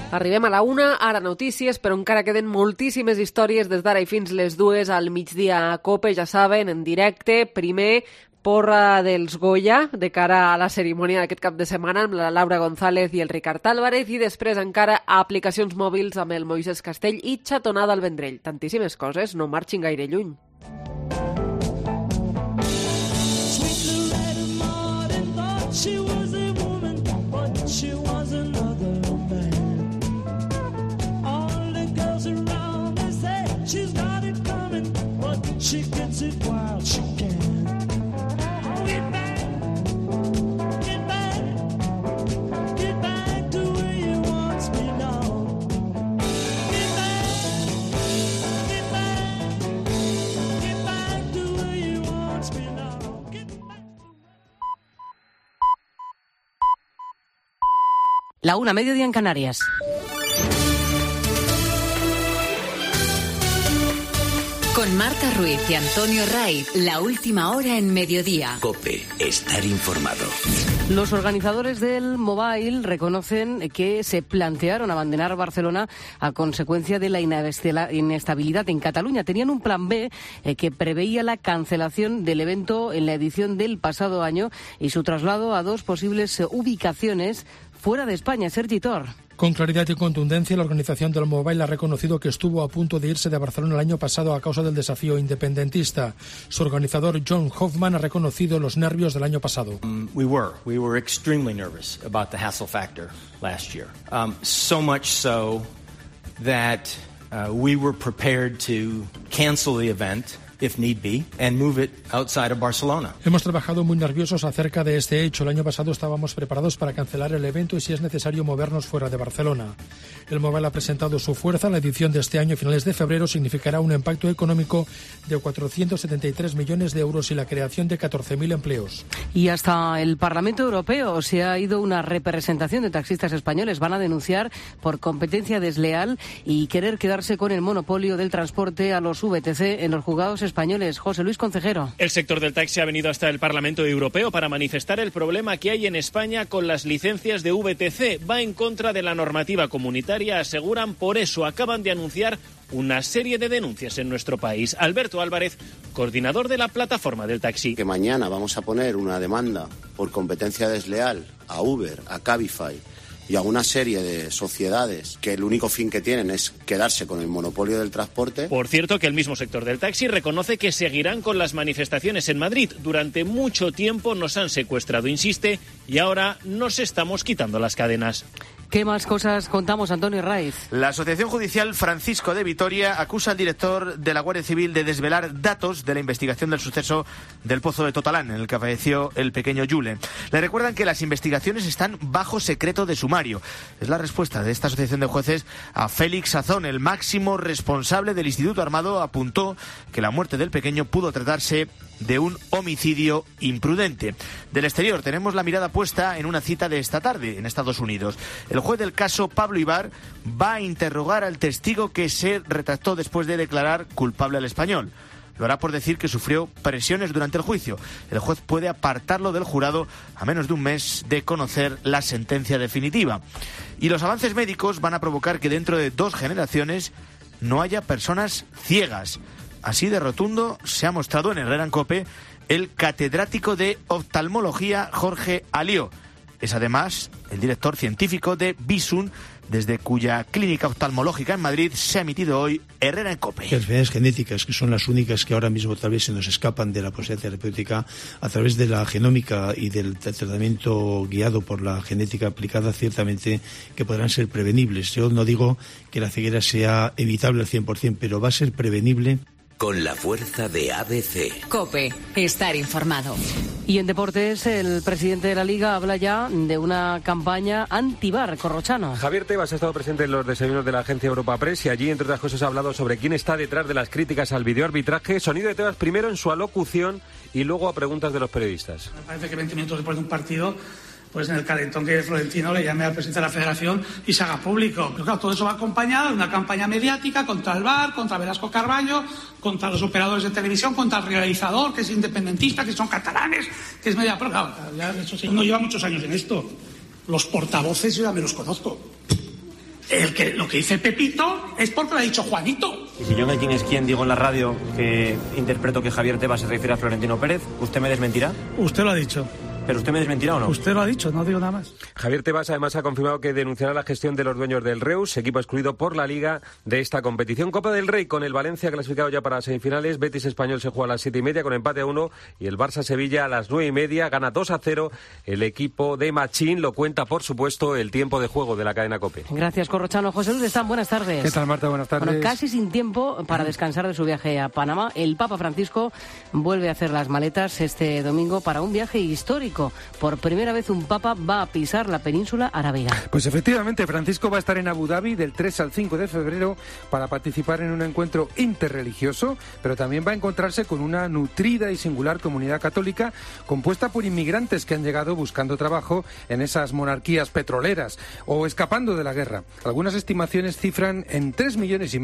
[SPEAKER 3] Arribem a la 1, ara notícies, però encara queden moltíssimes històries des d'ara i fins les 2 al migdia a COPE, ja saben, en directe. Primer, porra dels Goya, de cara a la cerimònia d'aquest cap de setmana amb la Laura González i el Ricard Álvarez, i després encara aplicacions mòbils amb el Moisés Castell i xatonada al Vendrell. Tantíssimes coses, no marxin gaire lluny.
[SPEAKER 23] She gets it while she can. Get back, get back, get back to where you once belonged. Get back, get back, get back to where you once belonged. Get back.
[SPEAKER 12] La 1, mediodía en Canarias.
[SPEAKER 2] Con Marta Ruiz y Antonio Raiz, la última hora en mediodía.
[SPEAKER 4] COPE, estar informado.
[SPEAKER 3] Los organizadores del Mobile reconocen que se plantearon abandonar Barcelona a consecuencia de la inestabilidad en Cataluña. Tenían un plan B que preveía la cancelación del evento en la edición del pasado año y su traslado a 2 posibles ubicaciones fuera de España. Sergi Tor.
[SPEAKER 5] Con claridad y contundencia, la organización del Mobile ha reconocido que estuvo a punto de irse de Barcelona el año pasado a causa del desafío independentista. Su organizador, John Hoffman, ha reconocido los nervios del año pasado.
[SPEAKER 7] We were extremely nervous about the hassle factor last year. So much so that we were prepared to cancel the event if need be, and move it outside of Barcelona.
[SPEAKER 5] Hemos trabajado muy nerviosos acerca de este hecho. El año pasado estábamos preparados para cancelar el evento y, si es necesario, movernos fuera de Barcelona. El Mobile ha presentado su fuerza. La edición de este año, a finales de febrero, significará un impacto económico de 473 millones de euros y la creación de 14.000 empleos.
[SPEAKER 3] Y hasta el Parlamento Europeo se ha ido una representación de taxistas españoles. Van a denunciar por competencia desleal y querer quedarse con el monopolio del transporte a los VTC en los juzgados españoles. José Luis Concejero.
[SPEAKER 24] El sector del taxi ha venido hasta el Parlamento Europeo para manifestar el problema que hay en España con las licencias de VTC. Va en contra de la normativa comunitaria, aseguran. Por eso acaban de anunciar una serie de denuncias en nuestro país. Alberto Álvarez, coordinador de la plataforma del taxi.
[SPEAKER 25] Que mañana vamos a poner una demanda por competencia desleal a Uber, a Cabify y a una serie de sociedades que el único fin que tienen es quedarse con el monopolio del transporte.
[SPEAKER 24] Por cierto, que el mismo sector del taxi reconoce que seguirán con las manifestaciones en Madrid. Durante mucho tiempo nos han secuestrado, insiste, y ahora nos estamos quitando las cadenas.
[SPEAKER 3] ¿Qué más cosas contamos, Antonio Raiz?
[SPEAKER 26] La Asociación Judicial Francisco de Vitoria acusa al director de la Guardia Civil de desvelar datos de la investigación del suceso del Pozo de Totalán, en el que falleció el pequeño Yule. Le recuerdan que las investigaciones están bajo secreto de sumario. Es la respuesta de esta asociación de jueces a Félix Sazón. El máximo responsable del Instituto Armado apuntó que la muerte del pequeño pudo tratarse de un homicidio imprudente. Del exterior tenemos la mirada puesta en una cita de esta tarde en Estados Unidos. El juez del caso, Pablo Ibar, va a interrogar al testigo que se retractó después de declarar culpable al español. Lo hará por decir que sufrió presiones durante el juicio. El juez puede apartarlo del jurado a menos de un mes de conocer la sentencia definitiva. Y los avances médicos van a provocar que dentro de 2 generaciones no haya personas ciegas. Así de rotundo se ha mostrado en Herrera en COPE el catedrático de oftalmología Jorge Alió. Es además el director científico de Bisun, desde cuya clínica oftalmológica en Madrid se ha emitido hoy Herrera en COPE.
[SPEAKER 27] Las enfermedades genéticas, que son las únicas que ahora mismo tal vez se nos escapan de la posibilidad terapéutica, a través de la genómica y del tratamiento guiado por la genética aplicada, ciertamente que podrán ser prevenibles. Yo no digo que la ceguera sea evitable al 100%, pero va a ser prevenible.
[SPEAKER 4] Con la fuerza de ABC.
[SPEAKER 2] COPE, estar informado.
[SPEAKER 3] Y en deportes, el presidente de la Liga habla ya de una campaña anti-VAR. Corrochano.
[SPEAKER 28] Javier Tebas ha estado presente en los desayunos de la agencia Europa Press y allí, entre otras cosas, ha hablado sobre quién está detrás de las críticas al videoarbitraje. Sonido de Tebas primero en su alocución y luego a preguntas de los periodistas.
[SPEAKER 29] Me parece que 20 minutos después de un partido, pues en el calentón que Florentino le llame al presidente de la Federación y se haga público. Pero claro, todo eso va acompañado de una campaña mediática contra el VAR, contra Velasco Carballo, contra los operadores de televisión, contra el realizador, que es independentista, que son catalanes, que es media... Pero claro, ya eso sí, no lleva muchos años en esto. Los portavoces yo ya me los conozco. Lo que dice Pepito es porque lo ha dicho Juanito.
[SPEAKER 30] Y si yo no quién es quién digo en la radio que interpreto que Javier Tebas se refiere a Florentino Pérez, ¿usted me desmentirá?
[SPEAKER 29] Usted lo ha dicho.
[SPEAKER 30] ¿Pero usted me desmentirá o no?
[SPEAKER 29] Usted lo ha dicho, no digo nada más.
[SPEAKER 28] Javier Tebas además ha confirmado que denunciará la gestión de los dueños del Reus, equipo excluido por la Liga de esta competición. Copa del Rey con el Valencia clasificado ya para semifinales. Betis Español se juega a las 7:30 con empate a 1 y el Barça Sevilla a las 9:30. Gana 2-0 el equipo de Machín. Lo cuenta, por supuesto, el tiempo de juego de la cadena COPE.
[SPEAKER 3] Gracias, Corrochano. José Luis Están, buenas tardes.
[SPEAKER 28] ¿Qué tal, Marta? Buenas tardes.
[SPEAKER 3] Bueno, casi sin tiempo para descansar de su viaje a Panamá. El Papa Francisco vuelve a hacer las maletas este domingo para un viaje histórico.
[SPEAKER 1] Francisco. Por primera vez un papa va a pisar la península arábiga.
[SPEAKER 6] Pues efectivamente, Francisco va a estar en Abu Dhabi del 3 al 5 de febrero para participar en un encuentro interreligioso, pero también va a encontrarse con una nutrida y singular comunidad católica compuesta por inmigrantes que han llegado buscando trabajo en esas monarquías petroleras o escapando de la guerra. Algunas estimaciones cifran en 3,5 millones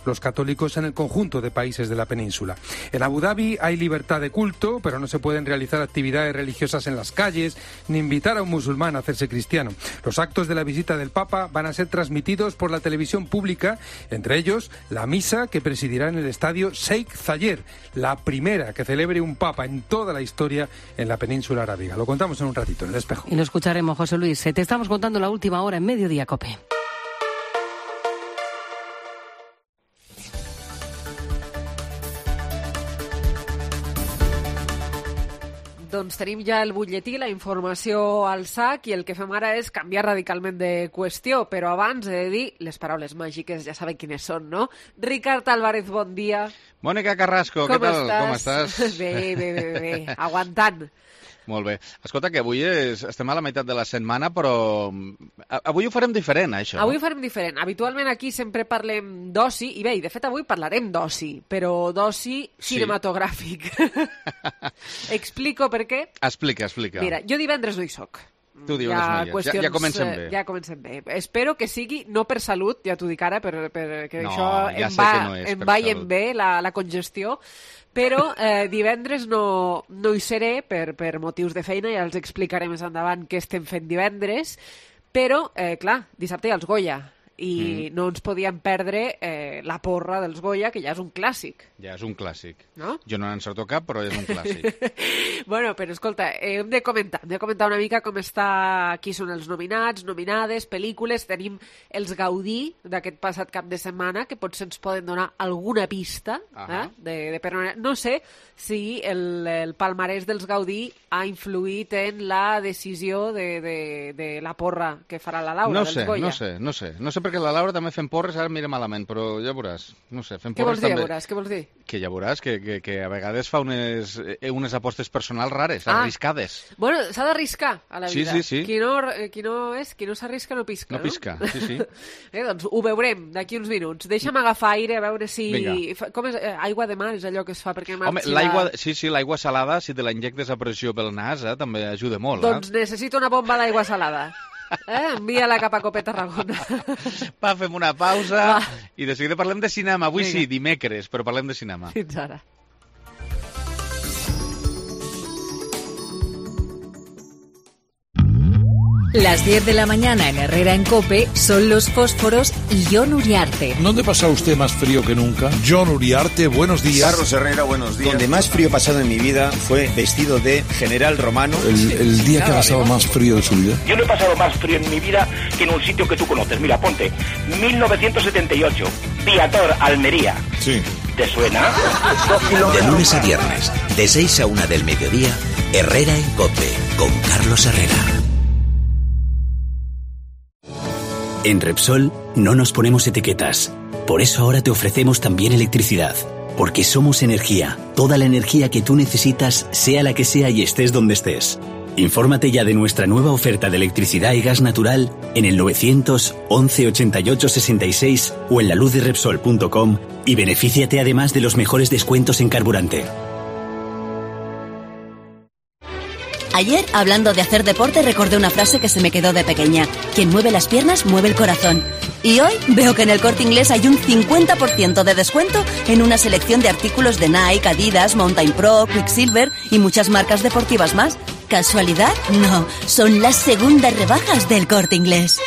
[SPEAKER 6] los católicos en el conjunto de países de la península. En Abu Dhabi hay libertad de culto, pero no se pueden realizar actividades religiosas en las calles, ni invitar a un musulmán a hacerse cristiano. Los actos de la visita del Papa van a ser transmitidos por la televisión pública, entre ellos la misa que presidirá en el estadio Sheikh Zayed, la primera que celebre un Papa en toda la historia en la península arábiga. Lo contamos en un ratito en El Espejo.
[SPEAKER 1] Y lo escucharemos, José Luis. Te estamos contando la última hora en Mediodía Cope.
[SPEAKER 3] Doncs tenim ja el butlletí, la informació al sac, i el que fem ara és canviar radicalment de qüestió, però abans he de dir les paraules màgiques, ja sabeu quines són, no? Ricard Álvarez, bon dia.
[SPEAKER 8] Mònica Carrasco, què tal? Com estàs?
[SPEAKER 3] Bé, aguantant.
[SPEAKER 8] Molt bé. Escolta, que avui estem a la meitat de la setmana, però avui ho farem diferent, això.
[SPEAKER 3] Avui ho farem diferent. Habitualment aquí sempre parlem d'oci, i bé, de fet avui parlarem d'oci, però d'oci cinematogràfic. Explico per què?
[SPEAKER 8] Explica.
[SPEAKER 3] Mira, jo divendres no hi soc.
[SPEAKER 8] Tu divendres no hi és. Ja comencem bé.
[SPEAKER 3] Ja comencem bé. Espero que sigui, no per salut, ja t'ho dic ara, perquè
[SPEAKER 8] no,
[SPEAKER 3] això em va i em ve la congestió, però divendres no hi seré per motius de feina, ja els explicaré més endavant què estem fent divendres, però, clar, dissabte hi ha els Goya, i no ens podíem perdre la porra dels Goya, que ja és un clàssic.
[SPEAKER 8] Ja és un clàssic.
[SPEAKER 3] No?
[SPEAKER 8] Jo no n'encerto cap, però és un clàssic.
[SPEAKER 3] Bueno, però escolta, hem de comentar una mica com està, qui són els nominats, nominades, pel·lícules. Tenim els Gaudí d'aquest passat cap de setmana, que potser ens poden donar alguna pista de per on... No sé si el palmarès dels Gaudí ha influït en la decisió de la porra que farà la Laura dels Goya.
[SPEAKER 8] No sé, perquè la Laura també fem porres, ara mira malament, però ja veuràs. No sé, fem porres també.
[SPEAKER 3] Què vols dir?
[SPEAKER 8] Que ja veuràs que a vegades fa unes apostes personals rares, arriscades.
[SPEAKER 3] Bueno, s'ha d'arriscar a la vida.
[SPEAKER 8] Sí.
[SPEAKER 3] Qui no s'arrisca no pisca, no?
[SPEAKER 8] No pisca, sí.
[SPEAKER 3] Doncs ho veurem d'aquí uns minuts. Deixa'm agafar aire, a veure si... Com és? Aigua de mar és allò que es fa perquè marxi...
[SPEAKER 8] Home, l'aigua salada, si te la injectes a pressió pel nas, també ajuda molt.
[SPEAKER 3] Doncs necessito una bomba d'aigua salada. Envia-la cap a Cope Tarragona.
[SPEAKER 8] Va, fem una pausa i de seguida parlem de cinema. Avui sí, dimecres, però parlem de cinema.
[SPEAKER 3] Fins ara.
[SPEAKER 9] Las 10 de la mañana en Herrera en COPE son Los Fósforos y Jon Uriarte.
[SPEAKER 10] ¿Dónde pasa usted más frío que nunca? Jon Uriarte, buenos días.
[SPEAKER 14] Carlos Herrera, buenos días. Donde más frío he pasado en mi vida fue vestido de general romano.
[SPEAKER 10] El día que ha pasado más frío de su vida.
[SPEAKER 15] Yo no he pasado más frío en mi vida que en un sitio que tú conoces. Mira, ponte, 1978, Viator, Almería.
[SPEAKER 10] Sí.
[SPEAKER 15] ¿Te suena?
[SPEAKER 4] De lunes a viernes, de 6 a 1 del mediodía, Herrera en COPE, con Carlos Herrera. En Repsol no nos ponemos etiquetas. Por eso ahora te ofrecemos también electricidad. Porque somos energía. Toda la energía que tú necesitas, sea la que sea y estés donde estés. Infórmate ya de nuestra nueva oferta de electricidad y gas natural en el 911 88 66 o en laluzderepsol.com y benefíciate además de los mejores descuentos en carburante.
[SPEAKER 17] Ayer, hablando de hacer deporte, recordé una frase que se me quedó de pequeña. Quien mueve las piernas, mueve el corazón. Y hoy veo que en el Corte Inglés hay un 50% de descuento en una selección de artículos de Nike, Adidas, Mountain Pro, Quicksilver y muchas marcas deportivas más. ¿Casualidad? No, son las segundas rebajas del Corte Inglés.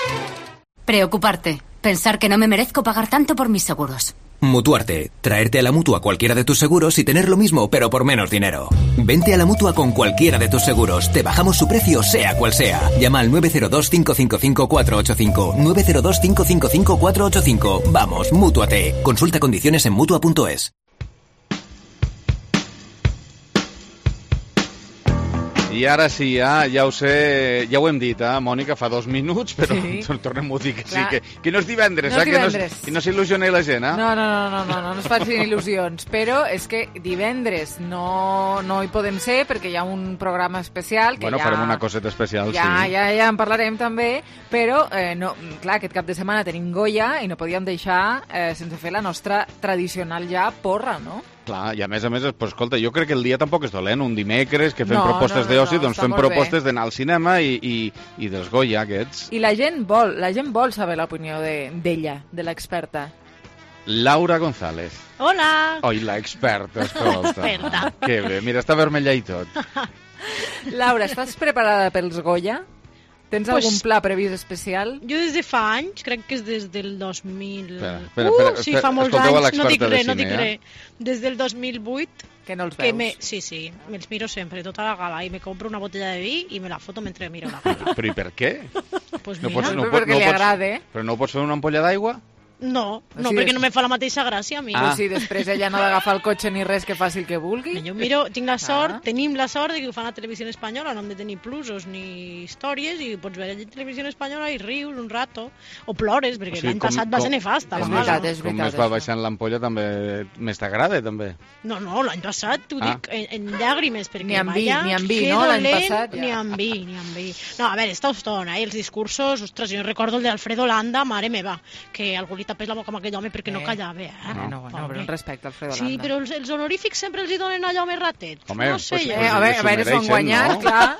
[SPEAKER 22] Preocuparte. Pensar que no me merezco pagar tanto por mis seguros.
[SPEAKER 18] Mutuarte. Traerte a la Mutua cualquiera de tus seguros y tener lo mismo, pero por menos dinero. Vente a la Mutua con cualquiera de tus seguros. Te bajamos su precio, sea cual sea. Llama al 902-555-485. 902-555-485. Vamos, Mútuate. Consulta condiciones en Mutua.es.
[SPEAKER 8] I ara sí, ja ho sé, ja ho hem dit, Mònica, fa 2 minuts, però tornem-ho a dir que sí, que no és divendres, que no s'il·lusioni la gent,
[SPEAKER 5] No es facin il·lusions, però és que divendres no hi podem ser perquè hi ha un programa especial que
[SPEAKER 8] farem una coseta especial, sí.
[SPEAKER 5] Ja en parlarem també, però clar, aquest cap de setmana tenim Goya i no podíem deixar sense fer la nostra tradicional ja porra, no?
[SPEAKER 8] Clar, i a més, escolta, jo crec que el dia tampoc és dolent, un dimecres que fem propostes d'oci, doncs fem propostes d'anar al cinema i dels Goya aquests.
[SPEAKER 5] I la gent vol saber l'opinió d'ella, de l'experta.
[SPEAKER 8] Laura González.
[SPEAKER 7] Hola!
[SPEAKER 8] Oi, l'experta, escolta. Que bé, mira, està vermella i tot.
[SPEAKER 5] Laura, estàs preparada pels Goya? Tens algun pla previst especial?
[SPEAKER 7] Jo des de fa anys, crec que és des del 2000...
[SPEAKER 8] Espera,
[SPEAKER 7] sí, fa molts anys, no dic res. Des del 2008...
[SPEAKER 5] Que no els veus?
[SPEAKER 7] Sí, me'ls miro sempre, tota la gala, i me compro una botella de vi i me la foto mentre miro la gala.
[SPEAKER 8] Però i per què?
[SPEAKER 7] Pues mira,
[SPEAKER 5] perquè li agrada.
[SPEAKER 8] Però no pots fer una ampolla d'aigua?
[SPEAKER 7] No, perquè no me fa la mateixa gràcia a mi.
[SPEAKER 5] Però si després ella no ha d'agafar el cotxe ni res que faci el que vulgui.
[SPEAKER 7] Jo miro, tenim la sort de que ho fan a Televisió Espanyola, no hem de tenir plusos ni històries, i pots veure a Televisió Espanyola i rius un rato, o plores, perquè l'any passat va ser nefasta.
[SPEAKER 5] És veritat.
[SPEAKER 8] Com més va baixant l'ampolla, també més t'agrada, també.
[SPEAKER 7] No, l'any passat, t'ho dic, en llàgrimes, perquè
[SPEAKER 5] ni amb vi, no? L'any passat,
[SPEAKER 7] ni amb vi. No, a veure, està estona, els discursos, ostres, jo recordo el d'Alfredo Landa, mare meva, que algú li tapés la boca amb aquell home perquè no callava,
[SPEAKER 5] No, però un respecte al Alfredo Landa.
[SPEAKER 7] Sí, però els honorífics sempre els hi donen allò més ratet.
[SPEAKER 8] Home,
[SPEAKER 7] no sé jo.
[SPEAKER 5] A veure, s'ho han guanyat, clar.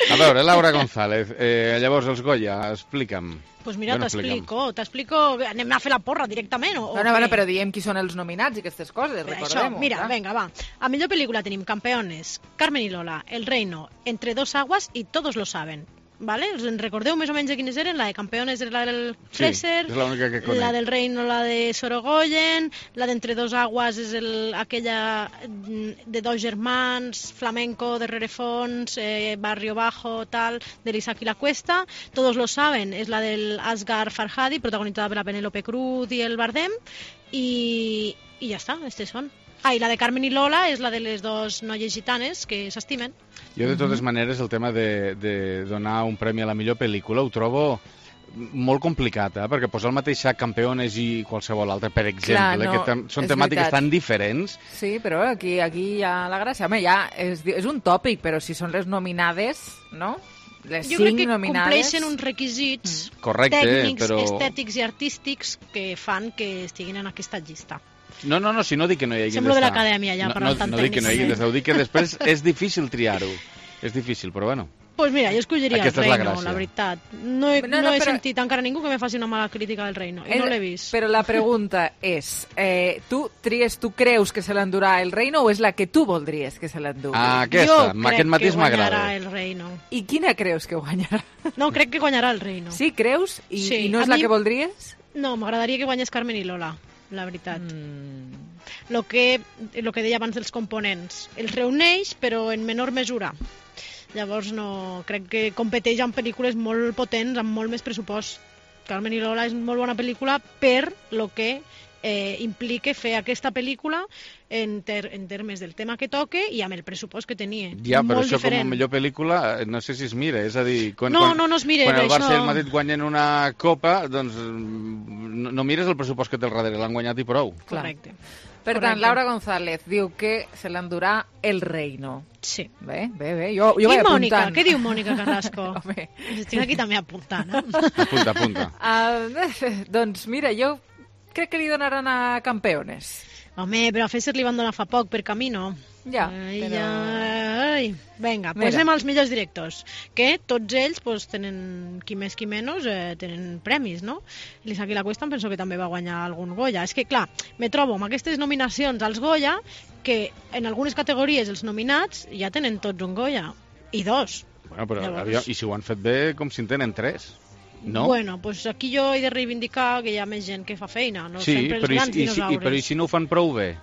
[SPEAKER 8] A veure, Laura González, llavors els Goya, explica'm.
[SPEAKER 7] Pues mira, t'explico, anem a fer la porra directament.
[SPEAKER 5] Bueno, però diem qui són els nominats i aquestes coses, recordem-ho.
[SPEAKER 7] Mira, venga, va. A millor pel·lícula tenim Campeones, Carmen y Lola, El Reino, Entre dos aguas y Todos lo saben. ¿Vale? ¿Os recordeu més o menys de quines eren? La de Campeones era la del Fraser,
[SPEAKER 8] és l'única que conec.
[SPEAKER 7] La del Reino, la de Sorogoyen, la d'Entre dos aguas és aquella de dos germans, flamenco, de rerefons, barrio bajo, tal, de l'Isaac i la Cuesta. Todos lo saben, és la del Asghar Farhadi, protagonitzada per la Penélope Cruz i el Bardem, i ja està, aquestes són. I la de Carmen i Lola és la de les dos noies gitanes que s'estimen.
[SPEAKER 8] Jo, de totes maneres, el tema de donar un premi a la millor pel·lícula ho trobo molt complicat, perquè posar el mateix sac Campeones i qualsevol altre, per exemple, que són temàtiques tan diferents.
[SPEAKER 5] Sí, però aquí hi ha la gràcia. Home, ja és un tòpic, però si són les nominades, no? Les 5 nominades... Jo crec que
[SPEAKER 7] compleixen uns requisits tècnics, estètics i artístics que fan que estiguin en aquesta llista.
[SPEAKER 8] No, si no dic que no hi hagi d'estar.
[SPEAKER 7] Semblo de l'acadèmia, ja, parlant tant tècnic.
[SPEAKER 8] No dic que no hi hagi d'estar, dic que després és difícil triar-ho. És difícil, però bueno.
[SPEAKER 7] Pues mira, jo escolliria El Reino, la veritat. No he sentit encara ningú que me faci una mala crítica del Reino, i no l'he vist.
[SPEAKER 5] Però la pregunta és, tu creus que se l'endurà El Reino o és la que tu voldries que se l'endugui?
[SPEAKER 8] Aquesta, aquest mateix m'agrada.
[SPEAKER 7] Jo crec que guanyarà El Reino.
[SPEAKER 5] I quina creus que guanyarà?
[SPEAKER 7] No, crec que guanyarà El Reino.
[SPEAKER 5] Sí, creus? I no és la que voldries?
[SPEAKER 7] No, m'agradaria que guanyés Carmen i Lola, la veritat. Lo que deia abans dels components. Els reuneix, però en menor mesura. Llavors crec que competeix amb pel·lícules molt potents, amb molt més pressupost. Carmen i Lola és molt bona pel·lícula per lo que implica fer aquesta pel·lícula en termes del tema que toque i amb el pressupost que tenia.
[SPEAKER 8] Ja, però això com a millor pel·lícula no sé si es mira, és a dir, quan
[SPEAKER 7] es mira,
[SPEAKER 8] quan el Barça i el Madrid guanyen una copa, doncs no mires el pressupost que té al darrere, l'han guanyat i prou.
[SPEAKER 7] Correcte.
[SPEAKER 5] Per tant, Laura González diu que se l'endurà El Reino.
[SPEAKER 7] Sí.
[SPEAKER 5] Bé, jo vaig apuntant.
[SPEAKER 7] Què diu Mònica Carrasco? Estic aquí també apuntant.
[SPEAKER 8] Apunta.
[SPEAKER 5] Doncs mira, jo crec que li donaran a Campeones.
[SPEAKER 7] Home, però a Fesser li van donar fa poc per Camino.
[SPEAKER 5] Ja,
[SPEAKER 7] però... Vinga, posem als millors directors, que tots ells tenen, qui més qui menys, tenen premis, no? L'Isaac i la Cuesta em penso que també va guanyar algun Goya. És que, clar, me trobo amb aquestes nominacions als Goya que en algunes categories els nominats ja tenen tots un Goya, i 2.
[SPEAKER 8] Bueno, però i si ho han fet bé, com si en tenen 3. No?
[SPEAKER 7] Bueno, pues aquí jo he de reivindicar que hi ha més gent que fa feina, no sempre els grans dinosaures.
[SPEAKER 8] Però i si no ho fan prou bé?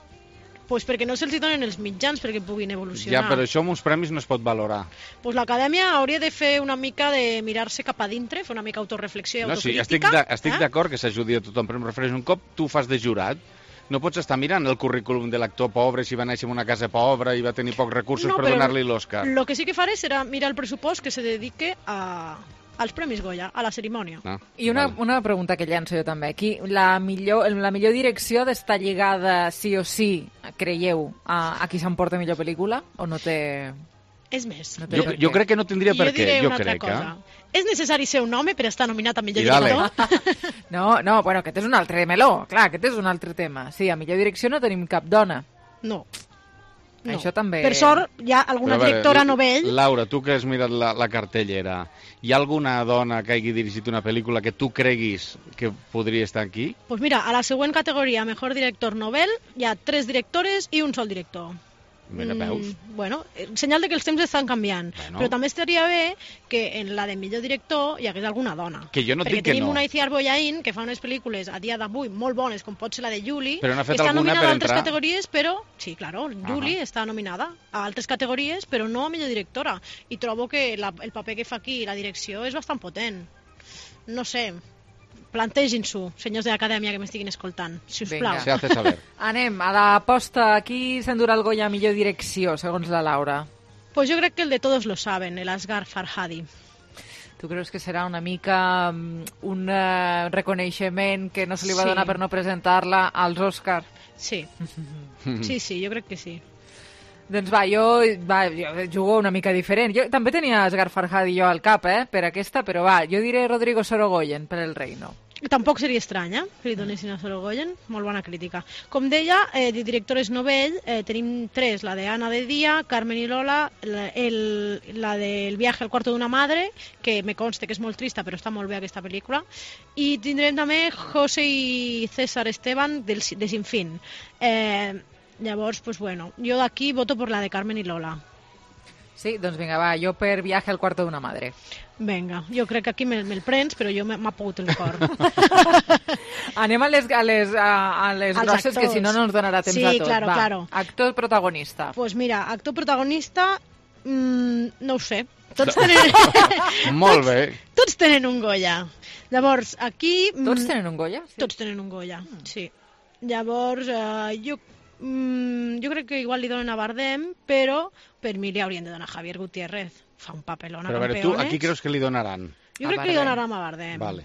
[SPEAKER 7] Pues perquè no se'ls donen els mitjans perquè puguin evolucionar.
[SPEAKER 8] Ja, però això amb uns premis no es pot valorar.
[SPEAKER 7] Pues l'Acadèmia hauria de fer una mica de mirar-se cap a dintre, fer una mica autoreflexió i autocrítica.
[SPEAKER 8] No, sí, estic d'acord que s'ajudi a tothom, però em refereixo un cop tu fas de jurat, no pots estar mirant el currículum de l'actor pobre, si va néixer en una casa pobra i va tenir pocs recursos per donar-li l'Oscar.
[SPEAKER 7] El que sí que faré serà mirar el pressupost que se dedique als Premis Goya, a la cerimònia.
[SPEAKER 5] I una pregunta que llanço jo també. Aquí, la millor direcció ha d'estar lligada sí o sí, creieu, a qui s'emporta millor pel·lícula? O no té...
[SPEAKER 7] És més.
[SPEAKER 8] Jo crec que no tindria per què.
[SPEAKER 7] Jo diré una altra cosa. És necessari ser un home per estar nominat a millor
[SPEAKER 8] director?
[SPEAKER 5] No, bueno, aquest és un altre meló. Clar, aquest és un altre tema. Sí, a millor direcció no tenim cap dona.
[SPEAKER 7] No.
[SPEAKER 5] Això també...
[SPEAKER 7] Per sort, hi ha alguna directora novell...
[SPEAKER 8] Laura, tu que has mirat la cartellera, hi ha alguna dona que hagi dirigit una pel·lícula que tu creguis que podria estar aquí?
[SPEAKER 7] Pues mira, a la següent categoria, Mejor Director Novel, hi ha 3 directores i un sol director.
[SPEAKER 8] Mira, veus?
[SPEAKER 7] Bueno, senyal de que els temps estan canviant. Però també estaria bé que en la de millor director hi hagués alguna dona.
[SPEAKER 8] Que jo no dic que no.
[SPEAKER 7] Perquè tenim una Itziar Boyain que fa unes pel·lícules a dia d'avui molt bones, com pot ser la de Julie.
[SPEAKER 8] Però n'ha fet
[SPEAKER 7] està
[SPEAKER 8] alguna
[SPEAKER 7] nominada
[SPEAKER 8] per
[SPEAKER 7] a altres
[SPEAKER 8] entrar?
[SPEAKER 7] categories, però... Sí, claro, Julie està nominada a altres categories, però no a millor directora. I trobo que el paper que fa aquí, la direcció, és bastant potent. No sé... Plantegin-s'ho, senyors de l'acadèmia que m'estiguin escoltant, si us plau.
[SPEAKER 8] Se hace saber.
[SPEAKER 5] Anem a l'aposta. Qui s'endurà el Goya a millor direcció, segons la Laura?
[SPEAKER 7] Pues jo crec que el de Todos lo saben, el Asghar Farhadi.
[SPEAKER 5] Tu creus que serà una mica un reconeixement que no se li va donar per no presentar-la als Òscar?
[SPEAKER 7] Sí. Sí, jo crec que sí.
[SPEAKER 5] Doncs jo jugo una mica diferent. Jo també tenia Asghar Farhadi jo al cap, per aquesta, però jo diré Rodrigo Sorogoyen per El Reino.
[SPEAKER 7] Tampoc seria estrany, que li donessin a Sorogoyen. Molt bona crítica. Com deia, de directores novell, tenim 3, la de Ana de Día, Carmen y Lola, la del viaje al cuarto de una madre, que me conste que és molt trista, però està molt bé aquesta pel·lícula, i tindrem també José y César Esteban de Sin Fin. Llavors, pues bueno, jo d'aquí voto per la de Carmen y Lola.
[SPEAKER 5] Sí, doncs vinga, jo per Viaje al cuarto de una madre.
[SPEAKER 7] Vinga, jo crec que aquí me'l prens, però jo m'ha pogut el cor.
[SPEAKER 5] Anem a les grosses, actors, que si no ens donarà temps a tot.
[SPEAKER 7] Claro.
[SPEAKER 5] Actor protagonista.
[SPEAKER 7] Pues mira, actor protagonista, no ho sé. Tots tenen...
[SPEAKER 8] Molt bé.
[SPEAKER 7] Tots tenen un Goya. Llavors, aquí...
[SPEAKER 5] Tots tenen un Goya?
[SPEAKER 7] Sí. Tots tenen un Goya, sí. Llavors, jo crec que igual li donen a Bardem, però per mi li haurien de donar a Javier Gutiérrez. Fa un papelón a
[SPEAKER 8] Campeones. Però a veure, tu, aquí creus que li donaran?
[SPEAKER 7] Jo crec que li donaran a Bardem.
[SPEAKER 8] Vale.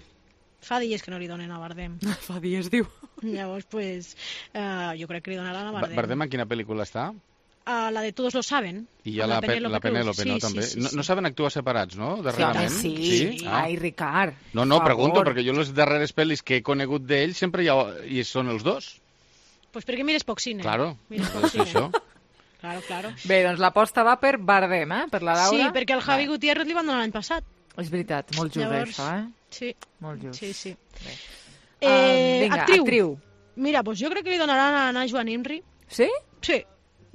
[SPEAKER 7] Fa dies que no li donen a Bardem.
[SPEAKER 5] Fa dies, diu.
[SPEAKER 7] Llavors, pues, jo crec que li donaran a Bardem.
[SPEAKER 8] Bardem a quina pel·lícula està?
[SPEAKER 7] La de Todos lo saben.
[SPEAKER 8] I hi ha la Penélope, no? També. No saben actuar separats, no? Darrerament.
[SPEAKER 5] Sí. Ai, Ricard.
[SPEAKER 8] No, pregunto, perquè jo les darreres pel·lis que he conegut d'ell sempre hi són els dos.
[SPEAKER 7] Pues perquè mires poc cine.
[SPEAKER 8] Claro, és això.
[SPEAKER 7] Claro.
[SPEAKER 5] Bé, doncs l'aposta va per Bardem, per la Laura.
[SPEAKER 7] Sí, perquè el Javi Gutiérrez li van donar l'any passat.
[SPEAKER 5] És veritat, molt just això,
[SPEAKER 7] Sí.
[SPEAKER 5] Molt just.
[SPEAKER 7] Sí.
[SPEAKER 5] Vinga, actriu.
[SPEAKER 7] Mira, doncs jo crec que li donaran a Najwa Nimri.
[SPEAKER 5] Sí?
[SPEAKER 7] Sí,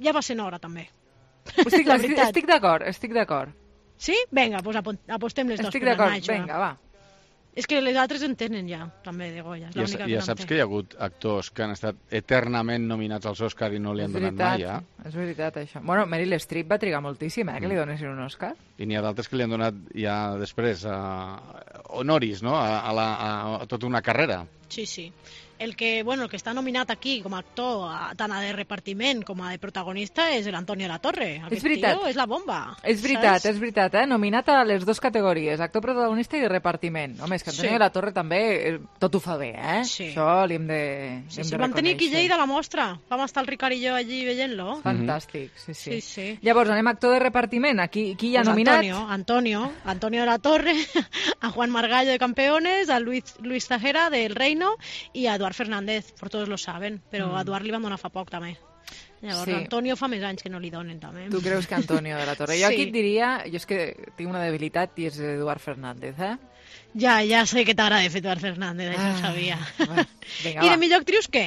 [SPEAKER 7] ja va sent hora, també.
[SPEAKER 5] Estic d'acord.
[SPEAKER 7] Sí? Vinga, doncs apostem les dues per la Najwa.
[SPEAKER 5] Estic d'acord, vinga, va.
[SPEAKER 7] És que les altres en tenen ja, també, de Goya.
[SPEAKER 8] Ja saps que hi ha hagut actors que han estat eternament nominats als Òscar i no li han donat mai, ja?
[SPEAKER 5] És veritat, això. Bueno, Meryl Streep va trigar moltíssim, que li donessin un Òscar.
[SPEAKER 8] I n'hi ha d'altres que li han donat ja després honoris, no?, a tota una carrera.
[SPEAKER 7] Sí. El que està nominat aquí com a actor, tant a de repartiment com a de protagonista, és l'Antonio de la Torre. Aquest tio és la bomba.
[SPEAKER 5] És veritat, nominat a les dues categories, actor protagonista i de repartiment. Home, és que Antonio de la Torre també tot ho fa bé,
[SPEAKER 7] Sí.
[SPEAKER 5] Això li hem de reconèixer.
[SPEAKER 7] Vam tenir aquí a Lleida la mostra. Vam estar el Ricard i jo allí veient-lo.
[SPEAKER 5] Fantàstic, sí.
[SPEAKER 7] Sí.
[SPEAKER 5] Llavors, anem a actor de repartiment. Aquí qui hi ha nominat?
[SPEAKER 7] Antonio de la Torre, a Juan Margallo de Campeones, a Luis Zahera del Reino i a Eduard Fernández, por todos lo saben, però a Eduard li van donar fa poc també. Llavors, Antonio fa més anys que no li donen també.
[SPEAKER 5] Tu creus que Antonio de la Torre? Jo aquí et diria, jo és que tinc una debilitat i és Eduard Fernández,
[SPEAKER 7] Ja sé que t'agrada fer Eduard Fernández, això ho sabia.
[SPEAKER 5] Vinga,
[SPEAKER 7] I de millor actrius què?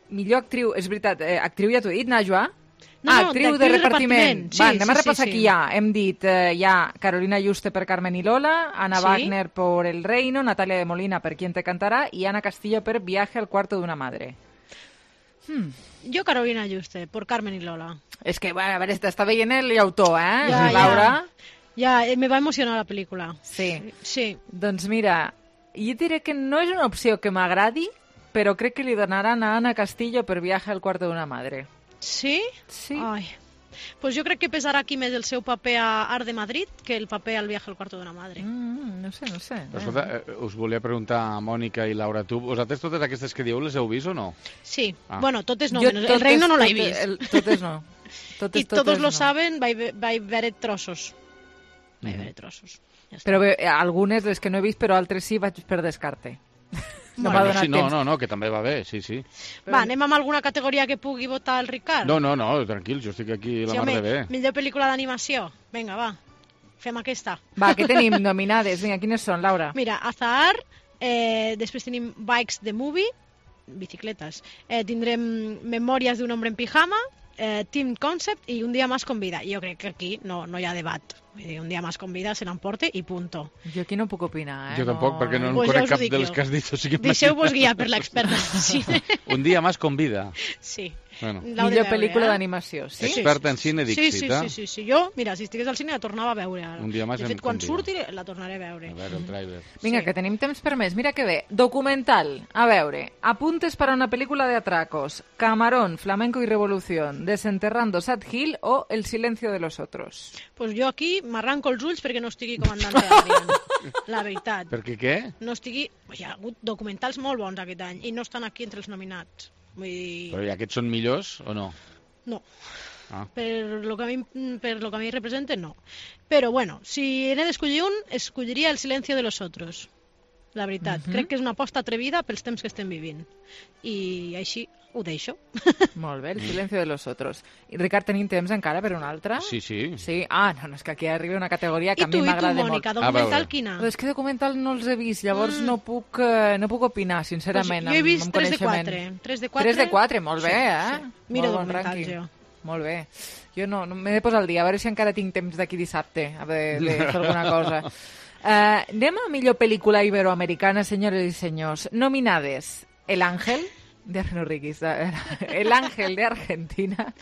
[SPEAKER 5] Millor actriu, és veritat, actriu ja t'ho he dit, Najwa?
[SPEAKER 7] No,
[SPEAKER 5] actriu de repartiment.
[SPEAKER 7] Sí,
[SPEAKER 5] anem a repassar qui hi ha. Hem dit, hi ha Carolina Juste per Carmen y Lola, Ana Wagner por El Reino, Natalia de Molina per Quién te cantará i Ana Castillo per Viaje al cuarto de una madre.
[SPEAKER 7] Jo Carolina Juste, por Carmen y Lola.
[SPEAKER 5] És que, a veure, està veient l'autor, Laura?
[SPEAKER 7] Ja, me va emocionar la pel·lícula.
[SPEAKER 5] Sí.
[SPEAKER 7] Sí.
[SPEAKER 5] Doncs mira, jo diré que no és una opció que m'agradi, però crec que li donaran a Ana Castillo per Viaje al cuarto de una madre.
[SPEAKER 7] Sí?
[SPEAKER 5] Sí.
[SPEAKER 7] Ai. Pues jo crec que pesarà aquí més el seu paper a Art de Madrid que el paper al Viaje al cuarto de una madre.
[SPEAKER 5] No sé.
[SPEAKER 8] Però, escolta, us volia preguntar a Mònica i Laura, vosaltres totes aquestes que dieu les heu vist o no?
[SPEAKER 7] Sí. Bueno, totes no. El Reino no l'he vist.
[SPEAKER 5] Totes no.
[SPEAKER 7] I todos lo saben, vaig veure trossos. Vaig veure trossos.
[SPEAKER 5] Però algunes les que no he vist, però altres sí vaig per descarte.
[SPEAKER 8] No, que també va bé, sí.
[SPEAKER 7] Va, anem amb alguna categoria que pugui votar el Ricard?
[SPEAKER 8] No, tranquil, jo estic aquí la mar de bé.
[SPEAKER 7] Millor pel·lícula d'animació. Vinga, va, fem aquesta.
[SPEAKER 5] Va, què tenim nominades? Vinga, quines són, Laura?
[SPEAKER 7] Mira, Azahar, després tenim Bikes the Movie, bicicletes, tindrem Memòries d'un hombre en pijama, Team Concept i Un dia más con vida. Jo crec que aquí no hi ha debat. Un dia más con vida se l'emporte i punto.
[SPEAKER 5] Jo aquí no puc opinar,
[SPEAKER 8] Jo tampoc, perquè no conec cap de les que has dit.
[SPEAKER 7] Deixeu-vos guiar per l'experta de cine.
[SPEAKER 8] Un dia más con vida.
[SPEAKER 7] Sí.
[SPEAKER 8] Bueno.
[SPEAKER 5] Millor pel·lícula d'animació, sí?
[SPEAKER 8] Experta en cine Dixit,
[SPEAKER 7] Sí. Jo, mira, si estigués al cine la tornava a veure ara.
[SPEAKER 8] Un dia més
[SPEAKER 7] de fet, quan surti la tornaré a veure.
[SPEAKER 8] A veure, el tràiler.
[SPEAKER 5] Vinga, que tenim temps per més. Mira que bé. Documental. A veure. Apuntes para una película de atracos. Camarón, Flamenco y Revolución. Desenterrando Sad Hill o El silencio de los otros.
[SPEAKER 7] Pues jo aquí m'arranco els ulls perquè no estigui comandante Adrián. La veritat.
[SPEAKER 8] Perquè què?
[SPEAKER 7] No estigui... Hi ha hagut documentals molt bons aquest any i no estan aquí entre els nominats. Vull dir...
[SPEAKER 8] Però aquests són millors o no?
[SPEAKER 7] No. Per lo que a mi representa, no. Però bueno, si n'he d'escollir un, escolliria El silencio de los otros. La veritat. Crec que és una aposta atrevida pels temps que estem vivint. I així ho deixo.
[SPEAKER 5] Molt bé, El silencio de los otros. I Ricard, tenim temps encara per una altra?
[SPEAKER 8] Sí.
[SPEAKER 5] Sí? No, és que aquí arriba una categoria que a mi m'agrada molt.
[SPEAKER 7] I tu, Mònica, documental quina?
[SPEAKER 5] És que documental no els he vist, llavors no puc opinar, sincerament,
[SPEAKER 7] jo he vist
[SPEAKER 5] 3 de 4. 3 de 4, molt bé,
[SPEAKER 7] Mira documentals, jo.
[SPEAKER 5] Molt bé. Jo no m'he de posar al dia, a veure si encara tinc temps d'aquí dissabte de fer alguna cosa. Anem a millor pel·lícula iberoamericana, senyores i senyors. Nominades: El Ángel, de Arno Riquis, El Ángel de Argentina,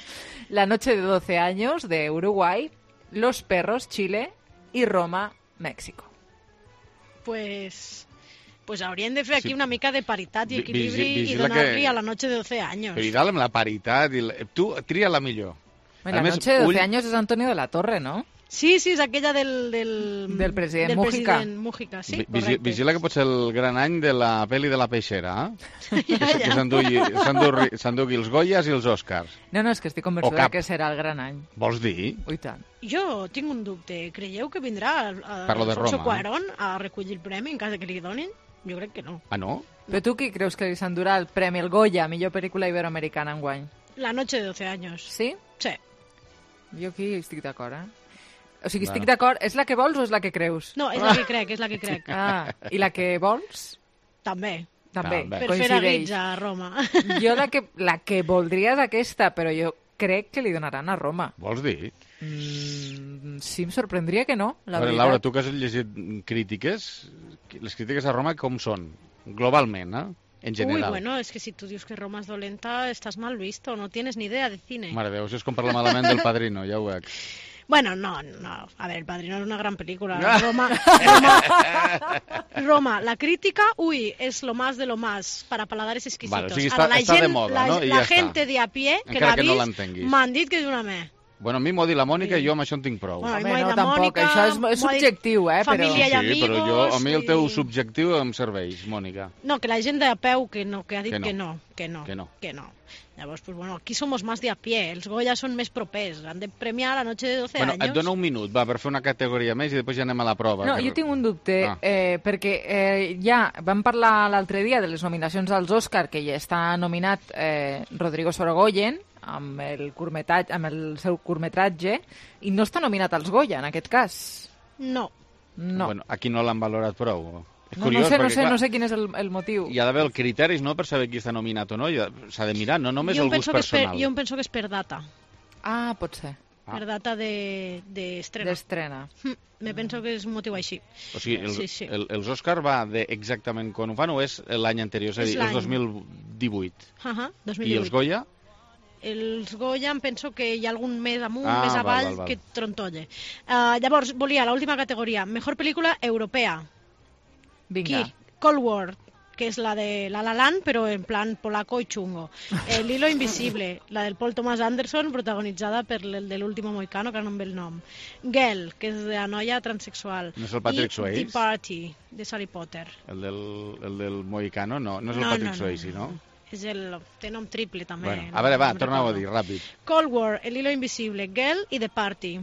[SPEAKER 5] La noche de 12 años de Uruguay, Los perros, Chile y Roma, México.
[SPEAKER 7] Pues haurien de fer aquí una mica de paritat i equilibri i donar-li a La noche de 12 años.
[SPEAKER 8] Però i dalt amb la paritat, tu tria la millor.
[SPEAKER 5] La noche de 12 años és Antonio de la Torre, no?
[SPEAKER 7] Sí, és aquella del
[SPEAKER 5] president Mújica.
[SPEAKER 7] Mújica, sí, correcte.
[SPEAKER 8] Vigila que pot ser el gran any de la pel·li de la peixera, que s'endugui els Goyas i els Oscars.
[SPEAKER 5] No, és que estic convençuda que serà el gran any.
[SPEAKER 8] Vols dir?
[SPEAKER 5] I tant.
[SPEAKER 7] Jo tinc un dubte. Creieu que vindrà Alfonso Cuarón a recollir el premi en cas que li donin? Jo crec que no.
[SPEAKER 8] Ah, no?
[SPEAKER 5] Però tu qui creus que li s'endurà el premi, el Goya, millor pel·lícula iberoamericana enguany?
[SPEAKER 7] La noche de 12 años.
[SPEAKER 5] Sí?
[SPEAKER 7] Sí.
[SPEAKER 5] Jo aquí estic d'acord, O sigui, estic d'acord. És la que vols o és la que creus?
[SPEAKER 7] No, és la que crec,
[SPEAKER 5] I la que vols?
[SPEAKER 7] També.
[SPEAKER 5] Per
[SPEAKER 7] fer a guitza a Roma.
[SPEAKER 5] Jo la que voldria és aquesta, però jo crec que li donaran a Roma.
[SPEAKER 8] Vols dir?
[SPEAKER 5] Sí, em sorprendria que no, la veritat.
[SPEAKER 8] Laura, tu que has llegit crítiques, les crítiques a Roma com són? Globalment, en general.
[SPEAKER 7] Bueno, es que si tú dices que Roma es dolenta, estás mal visto, no tienes ni idea de cine.
[SPEAKER 8] Mare Déu, si és com parlar malament del Padrino, ja ho veig.
[SPEAKER 7] Bueno, no. A ver, El Padrino es una gran película. Roma, la crítica, es lo más de lo más para paladares exquisitos.
[SPEAKER 8] Vale, o sigui, està de moda, no?
[SPEAKER 7] La gente de a pie que l'ha vist m'han dit que és una me.
[SPEAKER 8] Bueno, a mi m'ho ha dit la Mònica i jo amb això en tinc prou.
[SPEAKER 5] No, tampoc, això és subjectiu,
[SPEAKER 7] Família i amigos...
[SPEAKER 8] Sí, però a mi el teu subjectiu em serveix, Mònica.
[SPEAKER 7] No, que la gent de a peu que ha dit que no. Llavors, pues bueno, aquí somos más de a pie, els Goya són més propers, han de premiar La noche de 12 años.
[SPEAKER 8] Et dono un minut, per fer una categoria més i després ja anem a la prova.
[SPEAKER 5] No, jo tinc un dubte, perquè ja vam parlar l'altre dia de les nominacions als Òscar, que ja està nominat Rodrigo Sorogoyen, amb el seu curtmetratge, i no està nominat als Goya, en aquest cas.
[SPEAKER 7] No.
[SPEAKER 8] Bueno, aquí no l'han valorat prou.
[SPEAKER 5] No sé quin és el motiu.
[SPEAKER 8] Hi ha d'haver els criteris, no?, per saber qui està nominat o no. S'ha de mirar, no només el gust personal.
[SPEAKER 7] Jo em penso que és per data.
[SPEAKER 5] Ah, pot ser.
[SPEAKER 7] Per data d'estrena.
[SPEAKER 5] D'estrena.
[SPEAKER 7] Me penso que és un motiu així.
[SPEAKER 8] O sigui, els Òscar va exactament quan ho fan o és l'any anterior? És a dir, és 2018.
[SPEAKER 7] 2018.
[SPEAKER 8] I els Goya?
[SPEAKER 7] Els Goya em penso que hi ha algun més amunt, més avall, que trontolle. Llavors, volia l'última categoria. Mejor pel·lícula europea.
[SPEAKER 5] Vinga.
[SPEAKER 7] Cold War, que és la de La La Land, però en plan polaco i chungo. L'Hilo Invisible, la del Paul Thomas Anderson, protagonitzada per el de l'Último Mohicano, que no em ve el nom. Girl, que és de la noia transexual.
[SPEAKER 8] No és el Patrick Swayze?
[SPEAKER 7] I The Party, de Harry Potter.
[SPEAKER 8] El del Mohicano, no és el Patrick Swayze, no?
[SPEAKER 7] Té nom triple, també.
[SPEAKER 8] Bueno, a veure, va, torna-ho a dir, ràpid.
[SPEAKER 7] Cold War, El Hilo Invisible, Girl i The Party.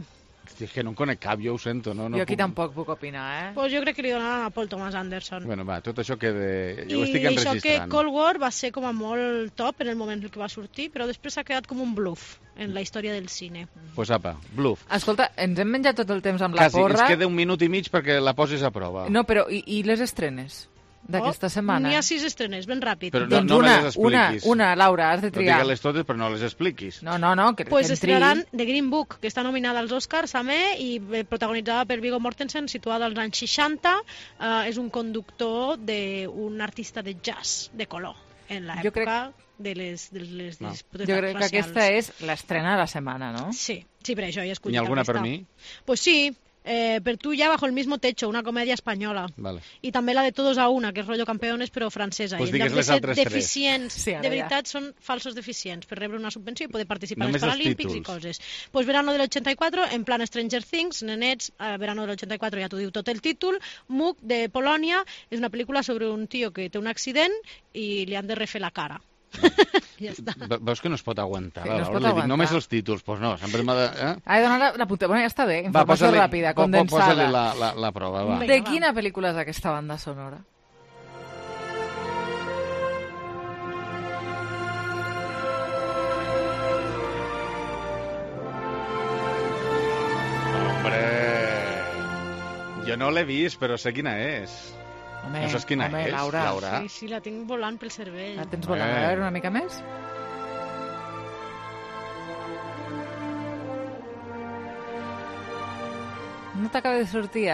[SPEAKER 8] És que no en conec cap, jo ho sento. No
[SPEAKER 5] jo aquí tampoc puc opinar,
[SPEAKER 7] Pues jo crec que li donaran a Paul Thomas Anderson.
[SPEAKER 8] Bueno, va, tot això queda... Jo ho estic enregistrant.
[SPEAKER 7] I això que Cold War va ser com a molt top en el moment en què va sortir, però després s'ha quedat com un bluff en la història del cine.
[SPEAKER 8] Pues apa, bluff.
[SPEAKER 5] Escolta, ens hem menjat tot el temps amb la porra.
[SPEAKER 8] Quasi, ens queda un minut i mig perquè la posis a prova.
[SPEAKER 5] No, però i les estrenes d'aquesta setmana?
[SPEAKER 7] N'hi ha 6 estrenes, ben ràpid.
[SPEAKER 8] Però no me les expliquis.
[SPEAKER 5] Una, Laura, has de triar.
[SPEAKER 8] No digues-les totes, però no les expliquis.
[SPEAKER 5] No, que
[SPEAKER 7] pues estrenaran The Green Book, que està nominada als Oscars, també, i protagonitzada per Viggo Mortensen, situada als anys 60. És un conductor d'un artista de jazz de color, en l'època de les disputes racials.
[SPEAKER 5] Jo crec que aquesta és l'estrena de la setmana, no?
[SPEAKER 7] Sí, per això he escollit aquesta.
[SPEAKER 8] N'hi ha alguna per mi?
[SPEAKER 7] Pues sí. Per tu ya bajo el mismo techo, una comèdia espanyola.
[SPEAKER 8] Vale.
[SPEAKER 7] I també la de Todos a una, que és rotllo campeones, però francesa.
[SPEAKER 8] Pues
[SPEAKER 7] I en lloc de ser deficients,
[SPEAKER 5] sí,
[SPEAKER 7] de veritat, són falsos deficients per rebre una subvenció i poder participar
[SPEAKER 8] només
[SPEAKER 7] als Paralímpics i coses. Pues Verano del 84, en plan Stranger Things, nenets, Verano del 84 ja t'ho diu tot el títol. Muk, de Polònia, és una pel·lícula sobre un tio que té un accident i li han de refer la cara. Ja està.
[SPEAKER 8] Veus que no es pot aguantar,
[SPEAKER 5] no es pot aguantar.
[SPEAKER 8] Només els títols, doncs no, sempre m'ha de...
[SPEAKER 5] He donat la punta, bueno, ja està bé, informació ràpida, condensada.
[SPEAKER 8] Posa-li la prova, va.
[SPEAKER 5] De quina pel·lícula és aquesta banda sonora?
[SPEAKER 8] Hombre, jo no l'he vist, però sé quina és. No saps quina és, Laura?
[SPEAKER 7] Sí, la tinc volant pel cervell.
[SPEAKER 5] La tens volant. A veure, una mica més? No t'acaba de sortir,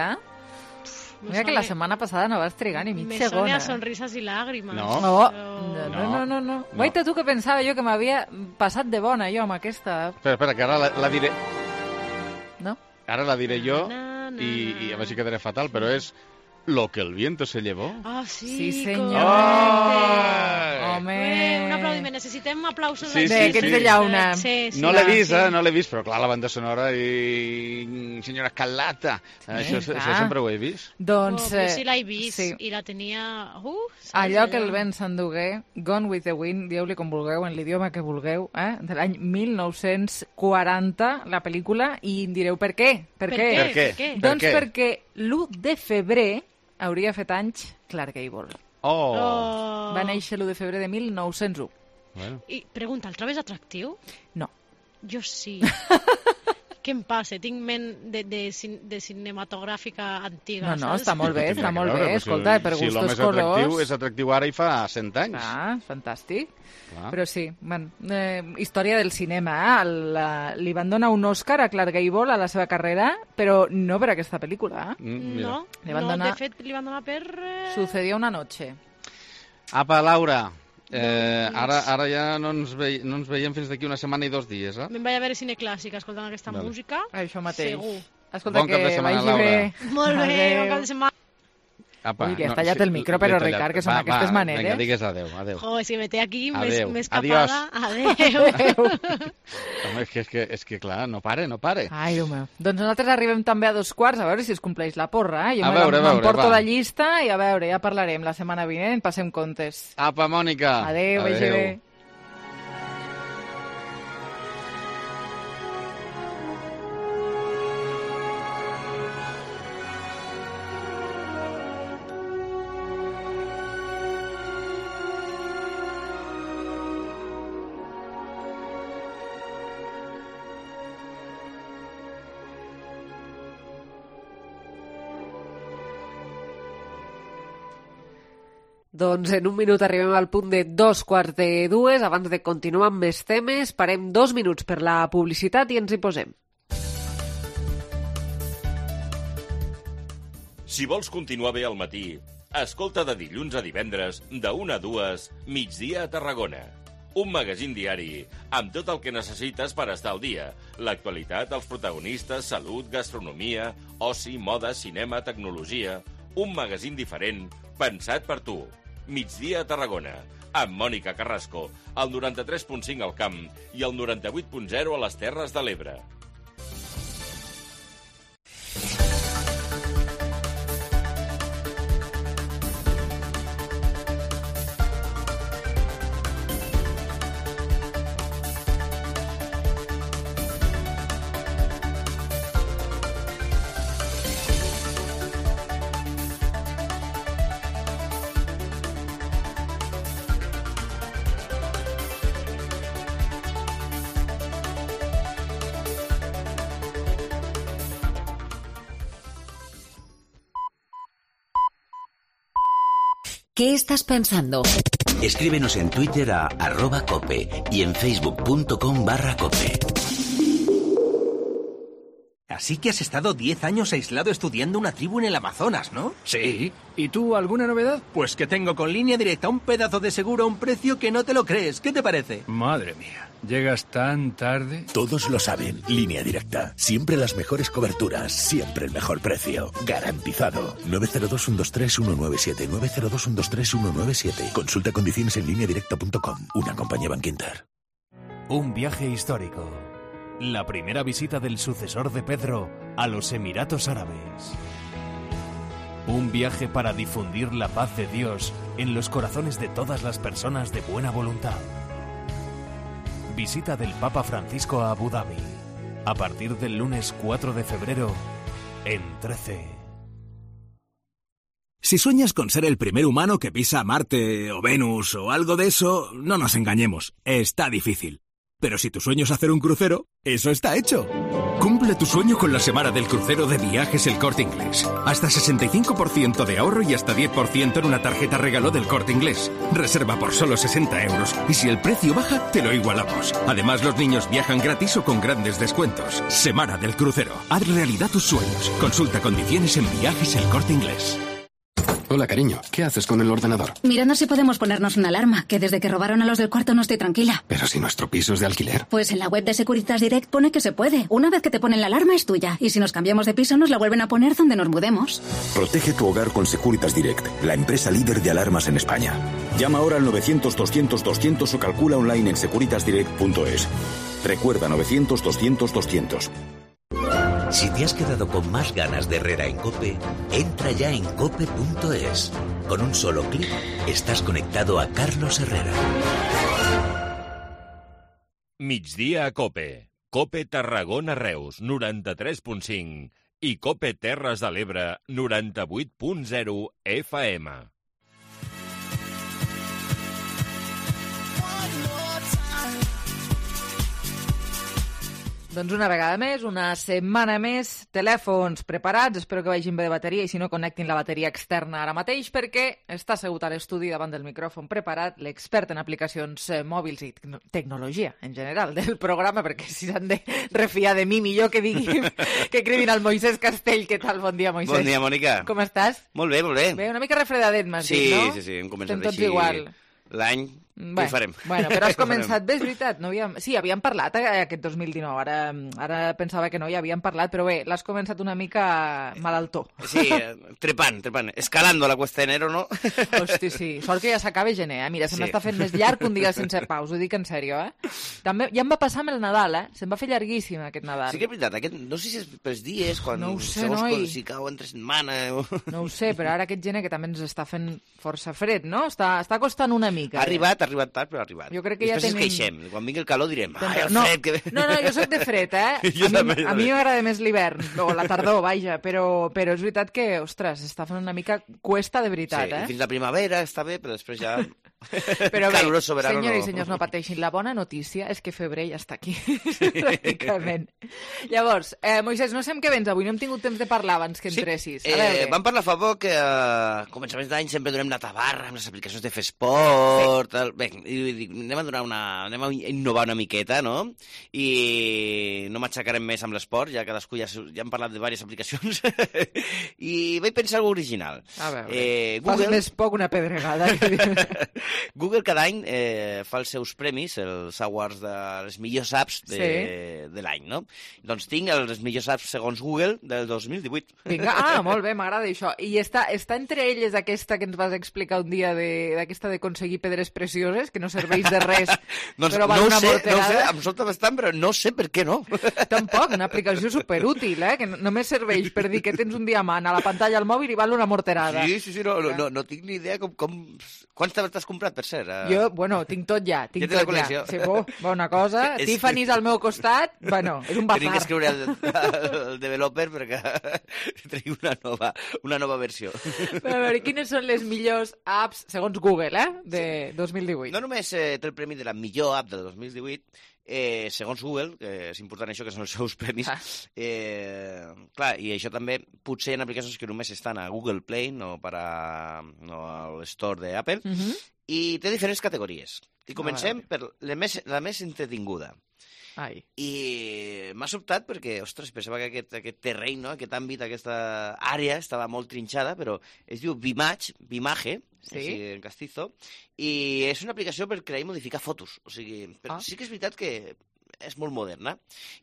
[SPEAKER 5] Mira que la setmana passada no vas trigar ni mig segon.
[SPEAKER 7] Me sona sonrisas i làgrimes.
[SPEAKER 5] No. Guaita, tu que pensava jo que m'havia passat de bona jo amb aquesta.
[SPEAKER 8] Espera, que ara la diré...
[SPEAKER 5] No?
[SPEAKER 8] Ara la diré jo i a veure si quedaré fatal, però és... Lo que el viento se llevó.
[SPEAKER 7] Ah,
[SPEAKER 5] sí, senyor.
[SPEAKER 7] Home. Un aplaudiment. Necessitem aplausos.
[SPEAKER 8] Sí.
[SPEAKER 5] Que ets de llauna.
[SPEAKER 8] No l'he vist, no l'he vist, però clar, la banda sonora i... Senyora Escarlata. Això sempre ho he vist.
[SPEAKER 5] Doncs...
[SPEAKER 7] sí l'he vist i la tenia...
[SPEAKER 5] Allò que el vent s'endugué, Gone with the Wind, dieu-li com vulgueu, en l'idioma que vulgueu, de l'any 1940, la pel·lícula, i em direu per què? Per què? Doncs perquè l'1 de febrer hauria fet anys Clark Gable. Va néixer l'1 de febrer de 1901.
[SPEAKER 7] Bueno. I pregunta, el trobes atractiu?
[SPEAKER 5] No.
[SPEAKER 7] Jo sí. Què em passa? Tinc ment de cinematogràfica antiga.
[SPEAKER 5] No, està molt bé, Escolta, per gustos colors...
[SPEAKER 8] Si l'home és atractiu ara i fa 100 anys.
[SPEAKER 5] Fantàstic. Però sí, història del cinema. Li van donar un Òscar a Clark Gable a la seva carrera, però no per aquesta pel·lícula.
[SPEAKER 7] No, de fet li van donar per...
[SPEAKER 5] Sucedió una noche.
[SPEAKER 8] Apa, Laura... Ara ja no ens veiem fins d'aquí una setmana i 2 dies,
[SPEAKER 7] Me'n vaig a veure cine clàssic escoltant aquesta música.
[SPEAKER 5] Això mateix.
[SPEAKER 7] Segur.
[SPEAKER 5] Escolta,
[SPEAKER 8] bon cap de setmana, Laura.
[SPEAKER 7] Molt bé, bon cap de setmana.
[SPEAKER 5] Ui, li has tallat el micro, però Ricard, que són aquestes maneres.
[SPEAKER 8] Vinga, digues adeu.
[SPEAKER 7] Joder, si me té aquí més capada. Adéu.
[SPEAKER 8] Home, és que clar, no pare.
[SPEAKER 5] Ai, Déu meu. Doncs nosaltres arribem també a 2:15, a veure si es compleix la porra. Jo
[SPEAKER 8] m'emporto
[SPEAKER 5] la llista i a veure, ja parlarem la setmana vinent, passem comptes.
[SPEAKER 8] Apa, Mònica.
[SPEAKER 5] Adéu, vagi bé. Doncs en un minut arribem al punt de 2:15. Abans de continuar amb més temes, parem 2 minuts per la publicitat i ens hi posem.
[SPEAKER 11] Si vols continuar bé al matí, escolta de dilluns a divendres, de 1 a 2, Migdia a Tarragona. Un magazín diari amb tot el que necessites per estar al dia. L'actualitat, els protagonistes, salut, gastronomia, oci, moda, cinema, tecnologia... Un magazín diferent, pensat per tu. Migdia a Tarragona, amb Mònica Carrasco, al 93.5 al Camp i al 98.0 a les Terres de l'Ebre.
[SPEAKER 9] ¿Qué estás pensando?
[SPEAKER 12] Escríbenos en Twitter a @cope y en facebook.com/cope.
[SPEAKER 13] Así que has estado 10 años aislado estudiando una tribu en el Amazonas, ¿no?
[SPEAKER 16] Sí. ¿Y tú, alguna novedad?
[SPEAKER 13] Pues que tengo con Línea Directa un pedazo de seguro a un precio que no te lo crees. ¿Qué te parece?
[SPEAKER 16] Madre mía. ¿Llegas tan tarde?
[SPEAKER 19] Todos lo saben. Línea Directa. Siempre las mejores coberturas. Siempre el mejor precio. Garantizado. 902-123-197. 902-123-197. Consulta condiciones en lineadirecta.com. Una compañía Bankinter.
[SPEAKER 20] Un viaje histórico. La primera visita del sucesor de Pedro a los Emiratos Árabes. Un viaje para difundir la paz de Dios en los corazones de todas las personas de buena voluntad. Visita del Papa Francisco a Abu Dhabi. A partir del lunes 4 de febrero en 13.
[SPEAKER 21] Si sueñas con ser el primer humano que pisa Marte o Venus o algo de eso, no nos engañemos, está difícil. Pero si tu sueño es hacer un crucero, eso está hecho. Cumple tu sueño con la semana del crucero de Viajes El Corte Inglés. Hasta 65% de ahorro y hasta 10% en una tarjeta regalo del Corte Inglés. Reserva por solo 60 euros y si el precio baja, te lo igualamos. Además, los niños viajan gratis o con grandes descuentos. Semana del crucero. Haz realidad tus sueños. Consulta condiciones en Viajes El Corte Inglés.
[SPEAKER 23] Hola, cariño. ¿Qué haces con el ordenador?
[SPEAKER 24] Mirando si podemos ponernos una alarma, que desde que robaron a los del cuarto no estoy tranquila.
[SPEAKER 23] Pero si nuestro piso es de alquiler.
[SPEAKER 24] Pues en la web de Securitas Direct pone que se puede. Una vez que te ponen la alarma es tuya. Y si nos cambiamos de piso nos la vuelven a poner donde nos mudemos.
[SPEAKER 25] Protege tu hogar con Securitas Direct, la empresa líder de alarmas en España. Llama ahora al 900-200-200 o calcula online en securitasdirect.es. Recuerda 900-200-200.
[SPEAKER 12] Si te has quedado con más ganas de Herrera en COPE, entra ya en cope.es. Con un solo clic, estás conectado a Carlos Herrera. Migdia a COPE. COPE Tarragona Reus, 93.5 i COPE Terres de l'Ebre, 98.0 FM.
[SPEAKER 5] Doncs una vegada més, una setmana més, telèfons preparats, espero que vagin bé de bateria i si no connectin la bateria externa ara mateix perquè està assegut a l'estudi davant del micròfon preparat l'expert en aplicacions mòbils i tecnologia en general del programa, perquè si s'han de refiar de mi millor que diguin que cridin al Moisès Castell. Què tal? Bon dia, Moisès.
[SPEAKER 26] Bon dia, Mònica.
[SPEAKER 5] Com estàs?
[SPEAKER 26] Molt bé, molt bé.
[SPEAKER 5] Bé, una mica refredadet, m'has dit, no?
[SPEAKER 26] Sí, hem començat
[SPEAKER 5] Estem tots
[SPEAKER 26] així
[SPEAKER 5] igual.
[SPEAKER 26] L'any. Què farem?
[SPEAKER 5] Bueno, però has començat bé, és veritat. No havíem parlat aquest 2019. Ara pensava que no hi havíem parlat, però bé, l'has començat una mica malaltó.
[SPEAKER 26] Sí, trepant. Escalando la cuesta de enero, ¿no?
[SPEAKER 5] Hosti, sí. Sort que ja s'acaba gener, eh? Mira, se m'està fent més llarg un dia sense paus, ho dic en sèrio, eh? També ja em va passar amb el Nadal, eh? Se'm va fer llarguíssim aquest Nadal.
[SPEAKER 26] Sí que és veritat, no sé si és pels dies, quan
[SPEAKER 5] no ho sé,
[SPEAKER 26] si cau entre setmana...
[SPEAKER 5] No ho sé, però ara aquest gener que també ens està fent força fred, no? Està costant una mica.
[SPEAKER 26] Ha arribat tard, però ha arribat.
[SPEAKER 5] Jo crec que
[SPEAKER 26] després
[SPEAKER 5] ja tenim...
[SPEAKER 26] ens queixem. Quan vingui el calor direm, ai, el
[SPEAKER 5] no,
[SPEAKER 26] fred... Que...
[SPEAKER 5] No, jo soc de fred, eh? A mi m'agrada més l'hivern, o la tardor, vaja, però és veritat que, ostres, està fent una mica cuesta de veritat,
[SPEAKER 26] eh? Fins la primavera està bé, però després ja...
[SPEAKER 5] Però bé, senyors i senyors, no pateixin. La bona notícia és que febrer ja està aquí, pràcticament. Llavors, Moisès, no sé amb què vens avui, no hem tingut temps de parlar abans que entressis.
[SPEAKER 26] Vam parlar fa poc que a començaments d'any sempre donem la tabarra amb les aplicacions de fer esport... Bé, anem a innovar una miqueta, no? I no m'aixecarem més amb l'esport, ja cadascú ja hem parlat de diverses aplicacions. I vaig pensar alguna original.
[SPEAKER 5] A veure, fas més poc una pedregada.
[SPEAKER 26] Google cada any fa els seus premis, els awards de les millors apps de l'any, no? Doncs tinc els millors apps segons Google del 2018.
[SPEAKER 5] Vinga, molt bé, m'agrada això. I està entre elles aquesta que ens vas explicar un dia d'aquesta d'aconseguir pedres precioses, que no serveix de res, però val una morterada.
[SPEAKER 26] No sé, em sobta bastant, però no sé per què no.
[SPEAKER 5] Tampoc, una aplicació superútil, que només serveix per dir que tens un diamant a la pantalla al mòbil i val una morterada.
[SPEAKER 26] Sí, no tinc ni idea com... Quants t'has comprat, per cert?
[SPEAKER 5] Jo, tinc tot ja, tinc tot ja. Sí, bona cosa. Tiffany's al meu costat, és un bazar.
[SPEAKER 26] Tenim que escriure al developer perquè tregui una nova versió.
[SPEAKER 5] A veure, quines són les millors apps, segons Google, de 2018?
[SPEAKER 26] No només té el premi de la millor app del 2018, segons Google, que és important això, que són els seus premis, clar, i això també potser en aplicacions que només estan a Google Play, no a l'Store d'Apple, i té diferents categories. I comencem per la més entretinguda. I m'ha sobtat perquè, ostres, pensava que aquest terreny, no? Aquest àmbit, aquesta àrea estava molt trinxada, però es diu Vimage, en castizo, i és una aplicació per crear i modificar fotos. O sigui, sí que és veritat que és molt moderna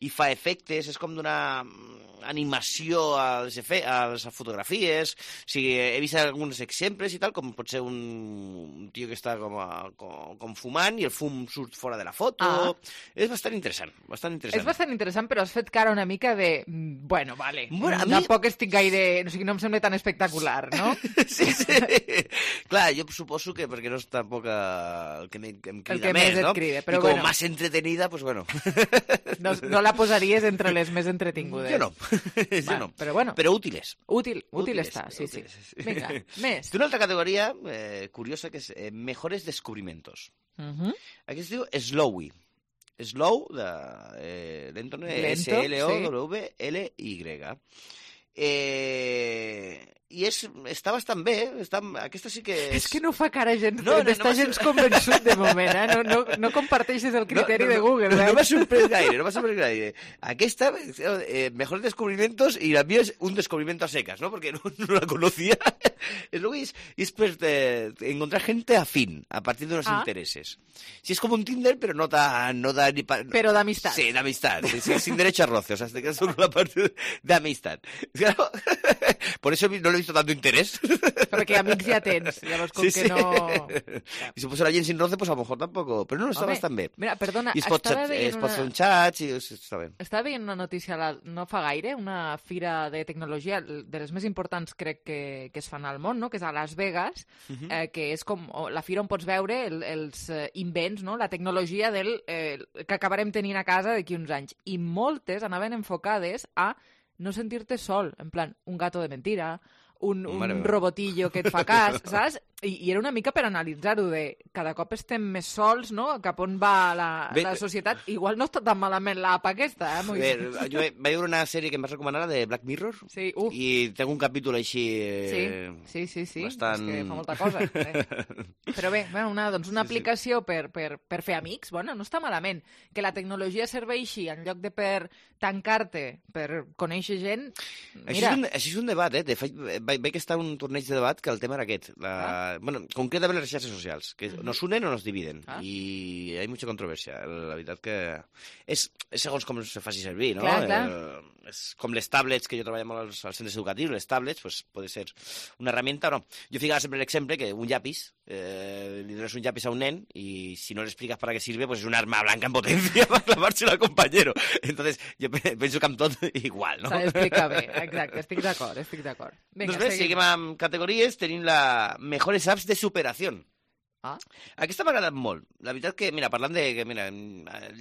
[SPEAKER 26] i fa efectes, és com donar animació a les fotografies. O sigui, he vist alguns exemples i tal, com pot ser un tio que està com fumant i el fum surt fora de la foto. És bastant interessant,
[SPEAKER 5] És bastant interessant, però has fet cara una mica de... Bueno, vale, tampoc estic gaire... O sigui, no em sembla tan espectacular, no?
[SPEAKER 26] Sí. Clar, jo suposo que perquè no és tampoc el que em crida més, no?
[SPEAKER 5] I
[SPEAKER 26] com més entretenida, doncs bueno...
[SPEAKER 5] No la posaries entre les més entretingudes.
[SPEAKER 26] Jo no.
[SPEAKER 5] Però bueno.
[SPEAKER 26] Però útiles.
[SPEAKER 5] Útil està, sí. Vinga, més.
[SPEAKER 26] Té una altra categoria curiosa que és mejores descubrimientos. Aquí es diu Slowy. Slow, lento, S-L-O-W-L-Y. I està bastant bé. Aquesta sí que és...
[SPEAKER 5] És que no fa cara gens convençut de moment, no comparteixes el criteri de Google.
[SPEAKER 26] No m'ha sorprès gaire. Aquesta, mejores descubrimientos, y la mía es un descubrimiento a secas, ¿no? Porque no la conocía. Es per encontrar gente afín, a partir de unos intereses. Sí, es como un Tinder, pero no da ni
[SPEAKER 5] Pero de amistad.
[SPEAKER 26] Sí, de amistad. Sin derecho a roce, o sea, te quedas con la parte de amistad. Claro, por eso no le he visto tanto interés.
[SPEAKER 5] Perquè amics ja tens, llavors com que no...
[SPEAKER 26] I si posa la gent sin roce, pues a lo mejor tampoco. Però no, està bastant bé.
[SPEAKER 5] Mira, perdona,
[SPEAKER 26] es pot fer un xat i està bé.
[SPEAKER 5] Estava veient una notícia no fa gaire, una fira de tecnologia, de les més importants crec que es fan al món, no? Que és a Las Vegas, que és com la fira on pots veure els invents, no? La tecnologia que acabarem tenint a casa d'aquí uns anys. I moltes anaven enfocades a no sentir-te sol, en plan, un gato de mentira, un robotillo que et fa cas, saps? I era una mica per analitzar-ho de cada cop estem més sols, no? Cap on va la societat. Igual no està tan malament l'app aquesta,
[SPEAKER 26] Bé, jo vaig veure una sèrie que em vas recomanar, de Black Mirror, i tengo un capítol així...
[SPEAKER 5] Sí,
[SPEAKER 26] bastant...
[SPEAKER 5] és que fa molta cosa. Però bé, una aplicació per fer amics, bueno, no està malament. Que la tecnologia serveixi en lloc de per tancar-te, per conèixer gent... Mira...
[SPEAKER 26] Això és un debat, De fet, vaig estar en un torneig de debat que el tema era aquest. Bueno, concretament les xarxes socials, que nos unen o nos dividen. I hi ha mucha controversia. La veritat que és segons com se faci servir, no?
[SPEAKER 5] Clar.
[SPEAKER 26] És com les tablets, que jo treballo molt als centres educatius, les tablets, pues, pot ser una herramienta o no. Jo ficava sempre l'exemple que un llapis, li dones un llapis a un nen i si no le explicas para qué sirve, pues es un arma blanca en potencia para clavárselo al compañero. Entonces, jo penso que amb tot igual, no?
[SPEAKER 5] S'ha d'explicar bé, exacte, estic d'acord.
[SPEAKER 26] Vinga, doncs bé, seguim amb categories, tenim la mejores apps de superación. Aquesta m'ha agradat molt. La veritat que, mira, parlant de...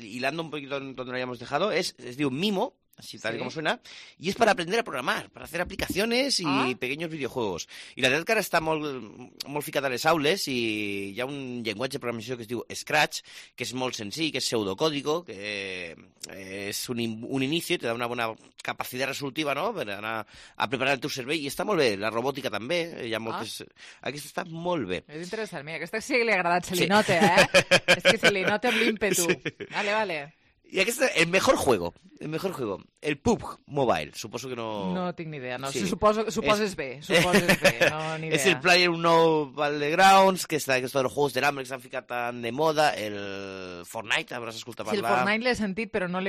[SPEAKER 26] hilando un poquito donde lo habíamos dejado, es diu Mimo, así tal como suena, y es para aprender a programar, para hacer aplicaciones y pequeños videojuegos. I la veritat que ara està molt ficat a les aules i hi ha un llenguatge de programació que es diu Scratch, que és molt senzill, que és pseudocódigo, que és un inici, te da una bona capacitat resolutiva, no?, per anar a preparar el teu cervell, i està molt bé. La robòtica també, hi ha moltes... Aquesta està molt bé.
[SPEAKER 5] És interessant, mira, aquesta sí que li ha agradat, se li nota, És que se li nota amb l'ímpetu. Vale.
[SPEAKER 26] I aquest és el mejor juego. El PUBG Mobile. Suposo que no...
[SPEAKER 5] No tinc ni idea. No.
[SPEAKER 26] Sí.
[SPEAKER 5] Suposes bé. No, ni idea.
[SPEAKER 26] És el Player Nou Battlegrounds, que està de los juegos de l'hambre que s'han ficat tan de moda, el Fortnite, hauràs escoltat parlar...
[SPEAKER 5] Sí, el Fortnite l'he sentit, però no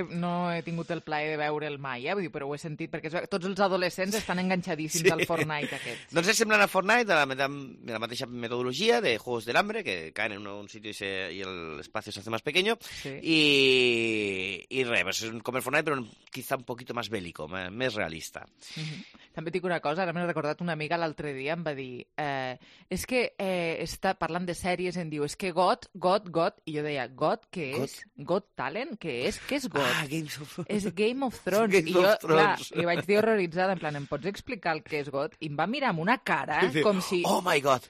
[SPEAKER 5] he tingut el plaer de veure'l mai, Vull dir, però ho he sentit perquè tots els adolescents estan enganxadíssims al Fortnite aquest.
[SPEAKER 26] Doncs és semblant a Fortnite, de la mateixa metodologia de juegos del hambre, que caen en un sitio y el espacio se hace más pequeño, y res, pues és com el Fortnite, però quizá un poquito más bélico, més realista.
[SPEAKER 5] També dic una cosa, ara m'he recordat una amiga l'altre dia, em va dir, és que està parlant de sèries, em diu, és que GOT, i jo deia, GOT, què és? GOT Talent, què és? Què és GOT? És Game of Thrones. I jo, clar, li vaig dir horroritzada, en plan, em pots explicar el que és GOT? I em va mirar amb una cara, com si...
[SPEAKER 26] Oh my God!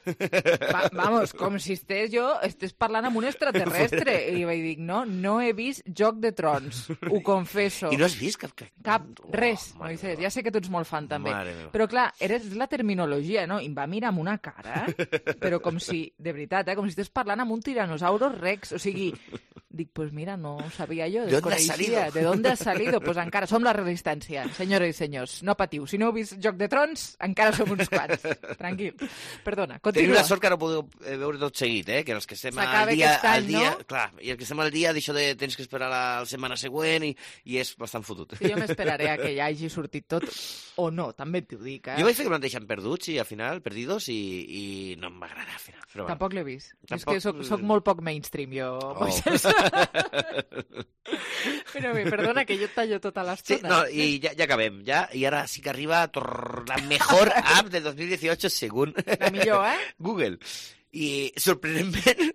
[SPEAKER 5] Vamos, com si estés parlant amb un extraterrestre. I li vaig dir, no he vist Joc de Trons, ho confesso.
[SPEAKER 26] I no has vist cap...
[SPEAKER 5] Res. Ja sé que tu ets molt fan, també. Però clar, és la terminologia, no? I em va mirar amb una cara, però com si, de veritat, com si estigués parlant amb un tiranosaurus rex. O sigui, dic, pues mira, no ho sabia jo, desconeixia. ¿De dónde has salido? Pues encara som la resistència, senyores i senyors. No patiu, si no heu vist Joc de Trons, encara som uns quants. Tranquil. Perdona, continua.
[SPEAKER 26] Tenim la sort que ara ho podeu veure tot seguit, que els que estem al dia... Clar, i el que estem al dia d'això de tens que esperar la setmana següent i és bastant fotut.
[SPEAKER 5] Sí, jo m'esperaré a que ja hagi sortit tot, o no, també t'ho dic,
[SPEAKER 26] Jo vaig fer que em deixen perduts i al final, perdidos, i no em va agradar al final. Però
[SPEAKER 5] tampoc l'he vist. És que soc molt poc mainstream, jo, Moisés. Però bé, perdona que jo et tallo tota l'estona.
[SPEAKER 26] Sí, no, i ja acabem, i ara sí que arriba la mejor app de 2018 según...
[SPEAKER 5] La millor,
[SPEAKER 26] Google. Y sorprendentemente,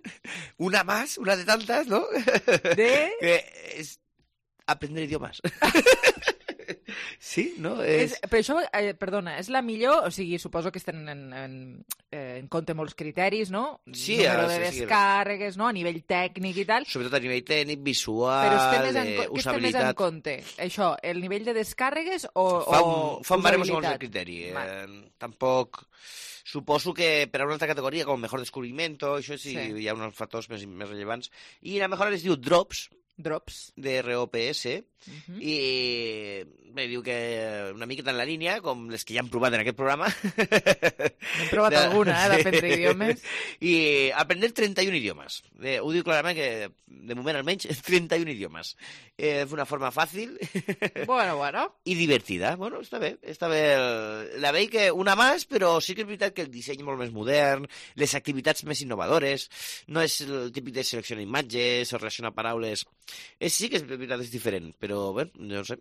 [SPEAKER 26] una de tantas, ¿no? Que es aprender idiomes. Sí, no?
[SPEAKER 5] Però això, perdona, és la millor, o sigui, suposo que estan en compte molts criteris, no?
[SPEAKER 26] Sí,
[SPEAKER 5] número de descàrregues, no? A nivell tècnic i tal.
[SPEAKER 26] Sobretot a nivell tècnic, visual,
[SPEAKER 5] què està més en compte? Això, el nivell de descàrregues o
[SPEAKER 26] Fan baremos segons el criteri. Tampoc... Suposo que per a una altra categoria, com mejor descubrimiento, això sí, hi ha uns factors més rellevants. I la mejor es diu Drops, DROPS, i bé, diu que una miqueta en la línia, com les que ja hem provat en aquest programa.
[SPEAKER 5] N'hem provat alguna, d'aprendre idiomes.
[SPEAKER 26] I aprender 31 idiomes. Ho diu clarament que, de moment almenys, 31 idiomes. D'una forma fàcil.
[SPEAKER 5] Bueno.
[SPEAKER 26] I divertida. Bueno, està bé. La veig que una més, però sí que és veritat que el disseny és molt més modern, les activitats més innovadores, no és el típic de seleccionar imatges o relacionar paraules. Sí que és veritat, és diferent, però bé, no sé.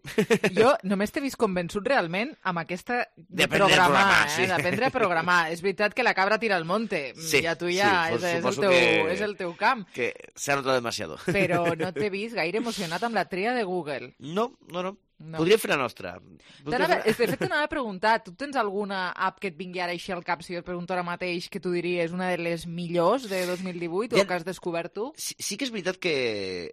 [SPEAKER 26] Jo
[SPEAKER 5] només t'he vist convençut realment amb aquesta de programar, d'aprendre a programar. És veritat que la cabra tira al monte, ja tu és el teu camp.
[SPEAKER 26] Que s'ha notat demasiado.
[SPEAKER 5] Però no t'he vist gaire emocionat amb la tria de Google.
[SPEAKER 26] No. Podríem fer la nostra.
[SPEAKER 5] De fet, t'anava a preguntar, tu tens alguna app que et vingui ara així al cap, si jo et pregunto ara mateix, que tu diries una de les millors de 2018 o que has descobert tu?
[SPEAKER 26] Sí que és veritat que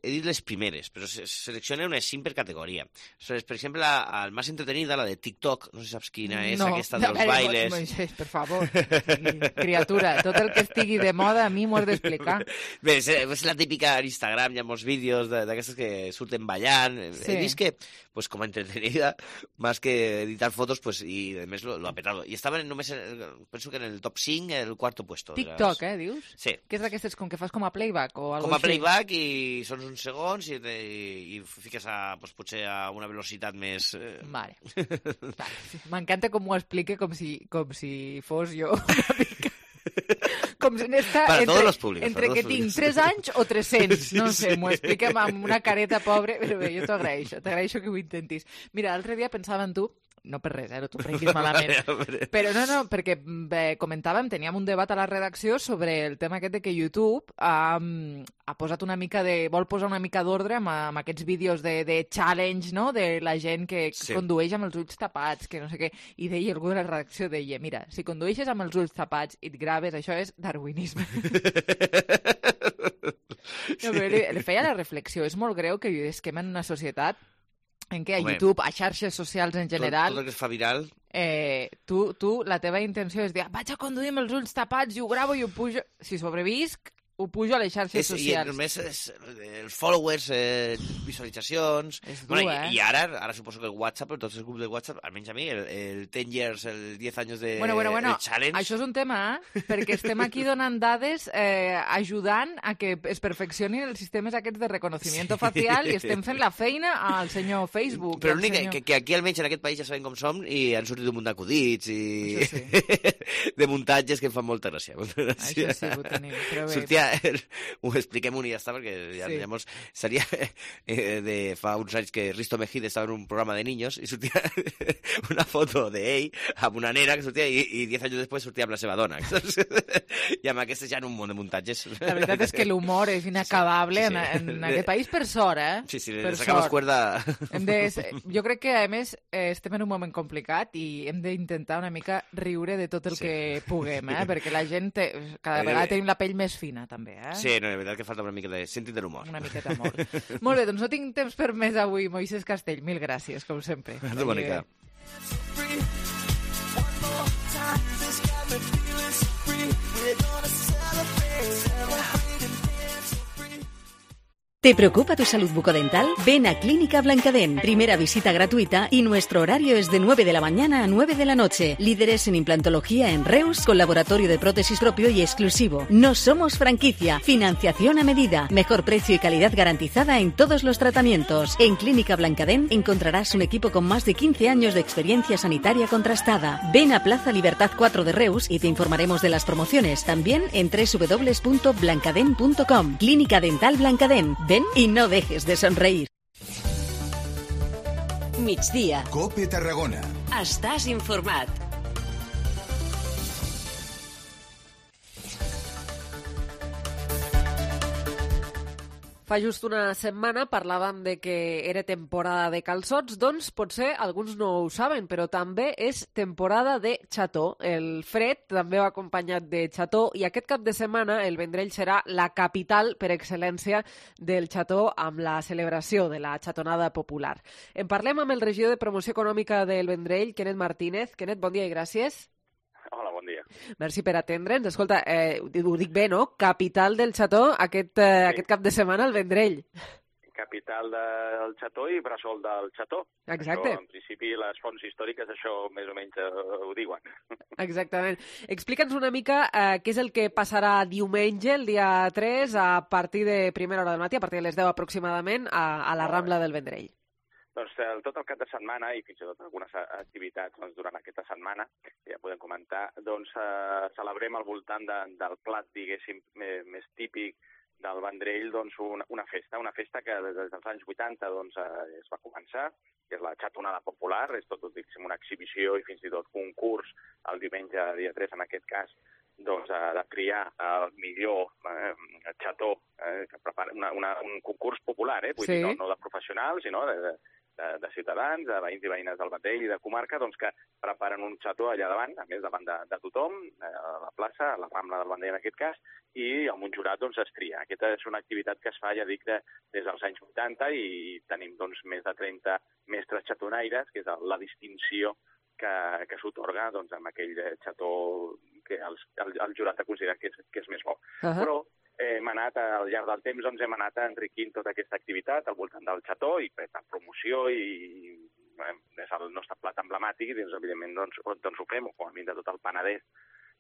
[SPEAKER 26] he dit les primeres, però selecciona unes 5 per categoria. Per exemple, el més entretenida, la de TikTok, no sé si saps quina és, aquesta dels bailes.
[SPEAKER 5] Moisés, per favor, criatura, tot el que estigui de moda a mi m'ho has d'explicar.
[SPEAKER 26] Bé, és la típica en Instagram, hi ha molts vídeos d'aquestes que surten ballant. He vist que, pues com a entretenida, más que editar fotos, pues, y además lo ha petado. Y estaven només, penso que en el top 5, el cuarto puesto.
[SPEAKER 5] TikTok, dius?
[SPEAKER 26] Sí.
[SPEAKER 5] Que és d'aquestes com que fas com a playback o alguna
[SPEAKER 26] com a playback i són uns segons i fiques pues, potser a una velocitat més...
[SPEAKER 5] Vale. M'encanta com ho explique com si fos jo una mica... Com si n'està entre que tinc 3 anys o 300, no sé, m'ho expliquem amb una careta pobre, però bé, jo t'agraeixo que ho intentis. Mira, l'altre dia pensava en tu, no per res, no t'ho prenguis malament, però no, perquè comentàvem, teníem un debat a la redacció sobre el tema aquest de que YouTube ha posat vol posar una mica d'ordre amb aquests vídeos de challenge, no?, de la gent que condueix amb els ulls tapats, que no sé què, i deia algú de la redacció, mira, si condueixes amb els ulls tapats i et graves, això és darwinisme. No, però li feia la reflexió, és molt greu que visquem en una societat en què a YouTube, a xarxes socials en general...
[SPEAKER 26] Tot el que es fa viral...
[SPEAKER 5] Tu, la teva intenció és dir, vaig a conduir amb els ulls tapats i ho gravo i ho pujo... Si sobrevisc, ho pujo a les xarxes socials.
[SPEAKER 26] I només els followers, visualitzacions...
[SPEAKER 5] És dur,
[SPEAKER 26] I ara suposo que el WhatsApp, tots els grups de WhatsApp, almenys a mi, el 10 years, el 10 anys de
[SPEAKER 5] Bueno,
[SPEAKER 26] challenge...
[SPEAKER 5] això és un tema, perquè estem aquí donant dades ajudant a que es perfeccionin els sistemes aquests de reconocimiento facial i estem fent la feina al senyor Facebook.
[SPEAKER 26] Però l'únic que aquí almenys en aquest país ja sabem com som i han sortit un munt d'acudits i de muntatges que em fan molta gràcia.
[SPEAKER 5] Això sí, ho tenim, però bé.
[SPEAKER 26] Sortia, ho expliquem-ho i ja està, perquè llavors seria de fa uns anys que Risto Mejide estava en un programa de niños i sortia una foto d'ell amb una nena que sortia i 10 anys després sortia amb la seva dona. I amb aquestes ja en un munt de muntatges.
[SPEAKER 5] La veritat és que l'humor és inacabable en aquest país, per sort, eh?
[SPEAKER 26] Sí, les acabes cuerda...
[SPEAKER 5] Jo crec que, a més, estem en un moment complicat i hem d'intentar una mica riure de tot el que puguem, perquè la gent cada vegada tenim la pell més fina, també, eh?
[SPEAKER 26] Sí, no, és veritat que falta una mica de sentit de l'humor.
[SPEAKER 5] Una miqueta d'humor. Molt bé, doncs no tinc temps per més avui, Moisés Castell. Mil gràcies, com sempre.
[SPEAKER 26] A tu, Mònica.
[SPEAKER 1] ¿Te preocupa tu salud bucodental? Ven a Clínica Blancadent. Primera visita gratuita y nuestro horario es de 9 de la mañana a 9 de la noche. Líderes en implantología en Reus, con laboratorio de prótesis propio y exclusivo. No somos franquicia. Financiación a medida. Mejor precio y calidad garantizada en todos los tratamientos. En Clínica Blancadent encontrarás un equipo con más de 15 años de experiencia sanitaria contrastada. Ven a Plaza Libertad 4 de Reus y te informaremos de las promociones. También en www.blancadent.com. Clínica Dental Blancadent. Ven y no dejes de sonreír.
[SPEAKER 9] Migdia.
[SPEAKER 2] COPE Tarragona.
[SPEAKER 9] Estàs informat.
[SPEAKER 3] Fa just una setmana parlàvem de que era temporada de calçots, doncs potser alguns no ho saben, però també és temporada de xató. El fred també va acompanyat de xató i aquest cap de setmana el Vendrell serà la capital per excel·lència del xató amb la celebració de la xatonada popular. En parlem amb el regidor de Promoció Econòmica del Vendrell, Kenneth Martínez. Kenneth, bon dia i gràcies.
[SPEAKER 6] Hola, bon dia.
[SPEAKER 3] Merci per atendre'ns. Escolta, ho dic bé, no? Capital del xató aquest cap de setmana al Vendrell.
[SPEAKER 6] Capital del xató i bressol del xató.
[SPEAKER 3] Exacte.
[SPEAKER 6] Això, en principi, les fonts històriques això més o menys ho diuen.
[SPEAKER 3] Exactament. Explica'ns una mica què és el que passarà diumenge, el dia 3, a partir de primera hora del matí, a partir de les 10 aproximadament, a la Rambla del Vendrell.
[SPEAKER 6] Doncs tot el cap de setmana i fins i tot algunes activitats durant aquesta setmana, que ja podem comentar, doncs celebrem al voltant del plat, diguéssim, més típic del Vendrell, doncs una festa que des dels anys 80 doncs, es va començar, que és la xatonada popular, és tot, diguéssim, una exhibició i fins i tot concurs el diumenge, dia 3 en aquest cas, doncs, de triar el millor xató, que prepara un concurs popular, vull dir, no de professionals, sinó de ciutadans, de veïns i veïnes del Vendrell i de comarca, doncs que preparen un xató allà davant, a més davant de tothom, a la plaça, a la Rambla del Vendrell en aquest cas, i amb un jurat doncs es tria. Aquesta és una activitat que es fa, ja dic, des dels anys 80 i tenim doncs més de 30 mestres xatonaires, que és la distinció que s'otorga doncs, amb aquell xató que el jurat ha considerat que és més bo. Però hem anat, al llarg del temps, doncs hem anat enriquint tota aquesta activitat al voltant del xató i per promoció i és el nostre plat emblemàtic i doncs, evidentment doncs ho fem, o com a mínim de tot el Penedès,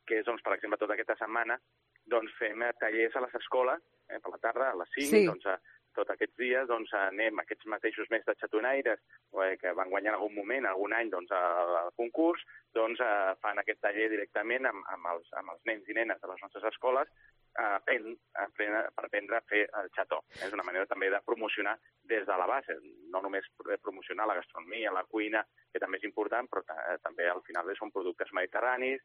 [SPEAKER 6] que és, doncs, per exemple, tota aquesta setmana doncs fem tallers a les escoles, per la tarda, a les 5, doncs tots aquests dies doncs, anem aquests mateixos mestres xatonaires que van guanyar en algun moment, algun any, doncs, al concurs, doncs fan aquest taller directament amb els nens i nenes de les nostres escoles per aprendre a fer el xató. És una manera també de promocionar des de la base, no només promocionar la gastronomia, la cuina, que també és important, però també al final són productes mediterranis,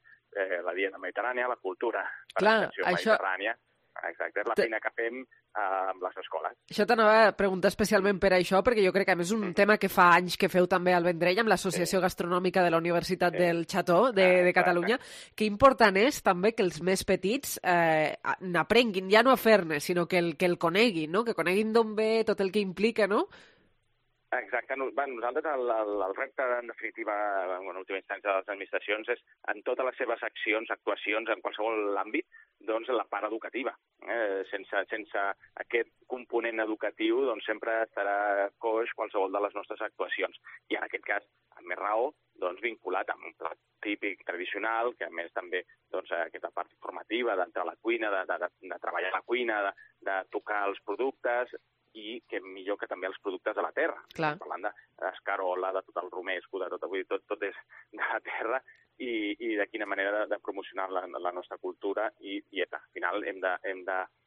[SPEAKER 6] la dieta mediterrània, la cultura per extensió mediterrània. Exacte, és la feina que fem amb les escoles.
[SPEAKER 3] Això t'anava a preguntar especialment per això, perquè jo crec que a més és un tema que fa anys que feu també al Vendrell amb l'Associació Gastronòmica de la Universitat del Xató de Catalunya. Que important és també que els més petits n'aprenguin, ja no a fer-ne, sinó que el coneguin, no? Que coneguin d'on ve tot el que implica, no?
[SPEAKER 6] Exacte. Nosaltres el repte, en definitiva, en última instància de les administracions, és en totes les seves accions, actuacions, en qualsevol àmbit, doncs la part educativa. Sense aquest component educatiu doncs sempre estarà coix qualsevol de les nostres actuacions. I en aquest cas, amb més raó, doncs vinculat amb un plat típic tradicional, que a més també doncs, aquesta part formativa d'entrar a la cuina, de treballar a la cuina, de tocar els productes, i que millor que també els productes de la terra.
[SPEAKER 3] Clar.
[SPEAKER 6] Parlant d'escarola, de tot el romesco, de tot és de la terra, i de quina manera de promocionar la nostra cultura i dieta. Al final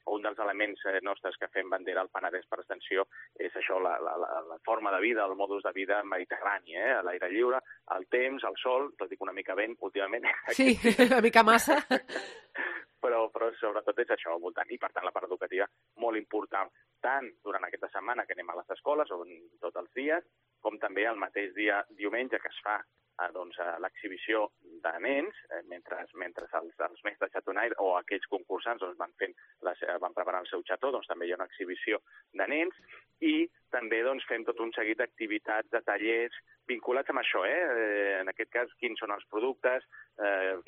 [SPEAKER 6] un dels elements nostres que fem bandera al Penedès per extensió és això, la forma de vida, el modus de vida mediterrani, a l'aire lliure, el temps, el sol, tot dic una mica vent últimament.
[SPEAKER 3] Sí, una mica massa.
[SPEAKER 6] Però sobretot és això al voltant, i per tant la part educativa molt important, tant durant aquesta setmana que anem a les escoles, o tots els dies, com també el mateix dia diumenge que es fa l'exhibició de nens, mentre els mestres xatonaires o aquells concursants van preparar el seu xató, doncs també hi ha una exhibició de nens, i també fem tot un seguit d'activitats, de tallers vinculats amb això, en aquest cas quins són els productes,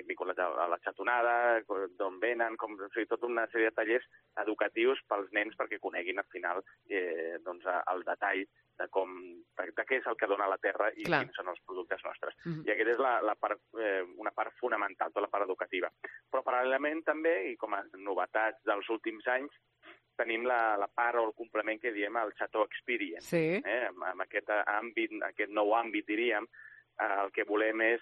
[SPEAKER 6] vinculats a la xatonada, d'on venen, tota una sèrie de tallers educatius pels nens perquè coneguin al final el detall de què és el que dona la terra i quins són els productes nostres. I aquesta és una part fonamental, tota la part educativa. Però paral·lelament també, i com a novetats dels últims anys, tenim la part o el complement que diem el Chateau Experience.
[SPEAKER 3] Sí.
[SPEAKER 6] Amb aquest nou àmbit, diríem, el que volem és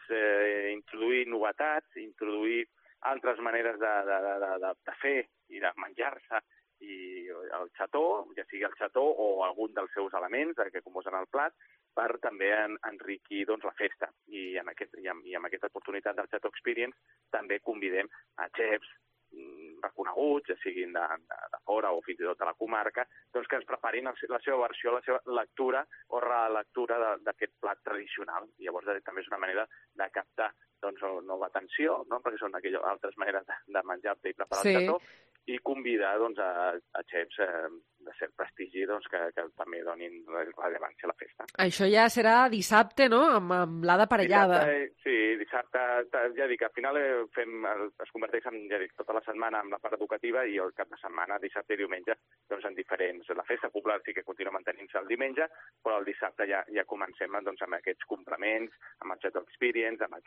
[SPEAKER 6] introduir novetats, introduir altres maneres de fer i de menjar-se i el xató, ja sigui el xató o algun dels seus elements que composen el plat, per també enriquir la festa. I amb aquesta oportunitat del Chateau Experience també convidem a xefs reconeguts, ja siguin de fora o fins i tot de la comarca, que ens preparin la seva versió, la seva lectura o relectura d'aquest plat tradicional. Llavors també és una manera de captar nova atenció, perquè són aquelles altres maneres de menjar-te i preparar el xató, i convidar a xefs de cert prestigi que també donin rellevància a la festa.
[SPEAKER 3] Això ja serà dissabte, no?, amb l'Ada Parellada.
[SPEAKER 6] Sí, dissabte, ja dic, al final es converteix tota la setmana en la part educativa i el cap de setmana, dissabte i diumenge, en diferents. La festa popular sí que continua mantenint-se el diumenge, però el dissabte ja comencem amb aquests complements, amb el Chateau Experience, amb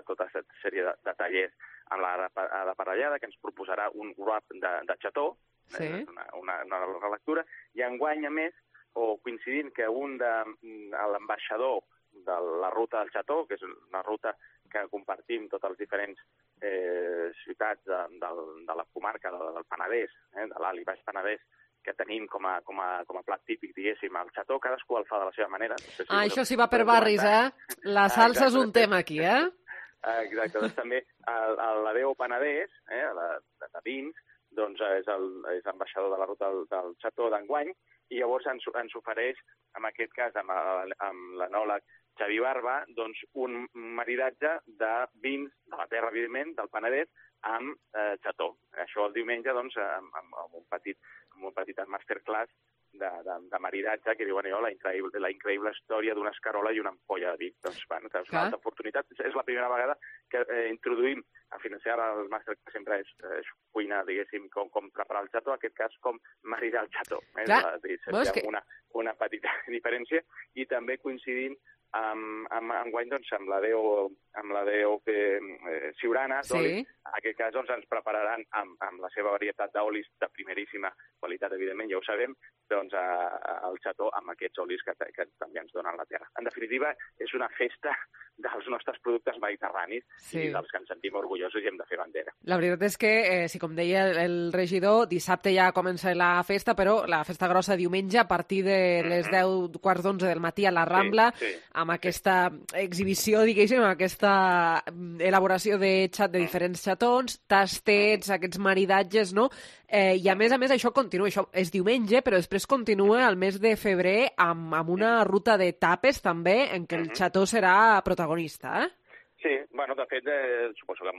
[SPEAKER 6] tota aquesta sèrie de tallers amb l'Ada Parellada, que ens proposarà un wrap de xató, una relectura, i enguany, a més, o coincidint que l'ambaixador de la ruta del xató, que és una ruta que compartim tots els diferents ciutats de la comarca del Penedès, de l'Alt i Baix Penedès, que tenim com a plat típic, diguéssim, el xató, cadascú el fa de la seva manera.
[SPEAKER 3] Això sí va per barris, La salsa és un tema aquí,
[SPEAKER 6] Exacte, doncs també l'Adeo Penedès, de vins, doncs és ambaixador de la ruta del xató d'enguany, i llavors ens ofereix, en aquest cas amb l'enòleg Xavi Barba, doncs un maridatge de vins de la terra, evidentment, del Penedès, amb xató. Això el diumenge, doncs, amb un petit masterclass de maridatge que diuen la increïble història d'una escarola i una ampolla de vi. Doncs, és una altra oportunitat. És la primera vegada que introduïm a finançar el màster, que sempre és cuina, diguéssim, com preparar el xató, en aquest cas com maridar el xató. Una petita diferència, i també coincidint enguany amb l'Adeo Siurana, en aquest cas ens prepararan amb la seva varietat d'olis de primeríssima qualitat, evidentment, ja ho sabem, el xató amb aquests olis que també ens donen la terra. En definitiva, és una festa dels nostres productes mediterranis i dels que ens sentim orgullosos i hem de fer bandera.
[SPEAKER 3] La veritat és que, com deia el regidor, dissabte ja comença la festa, però la festa grossa diumenge a partir de les 10, quarts d'11 del matí a la Rambla, amb aquesta exhibició, diguéssim, amb aquesta elaboració de diferents xatons, tastets, aquests maridatges, no? I a més, això continua, això és diumenge, però després continua el mes de febrer amb una ruta de tapes també, en què el xató serà protagonista,
[SPEAKER 6] Sí, bueno, de fet, suposo que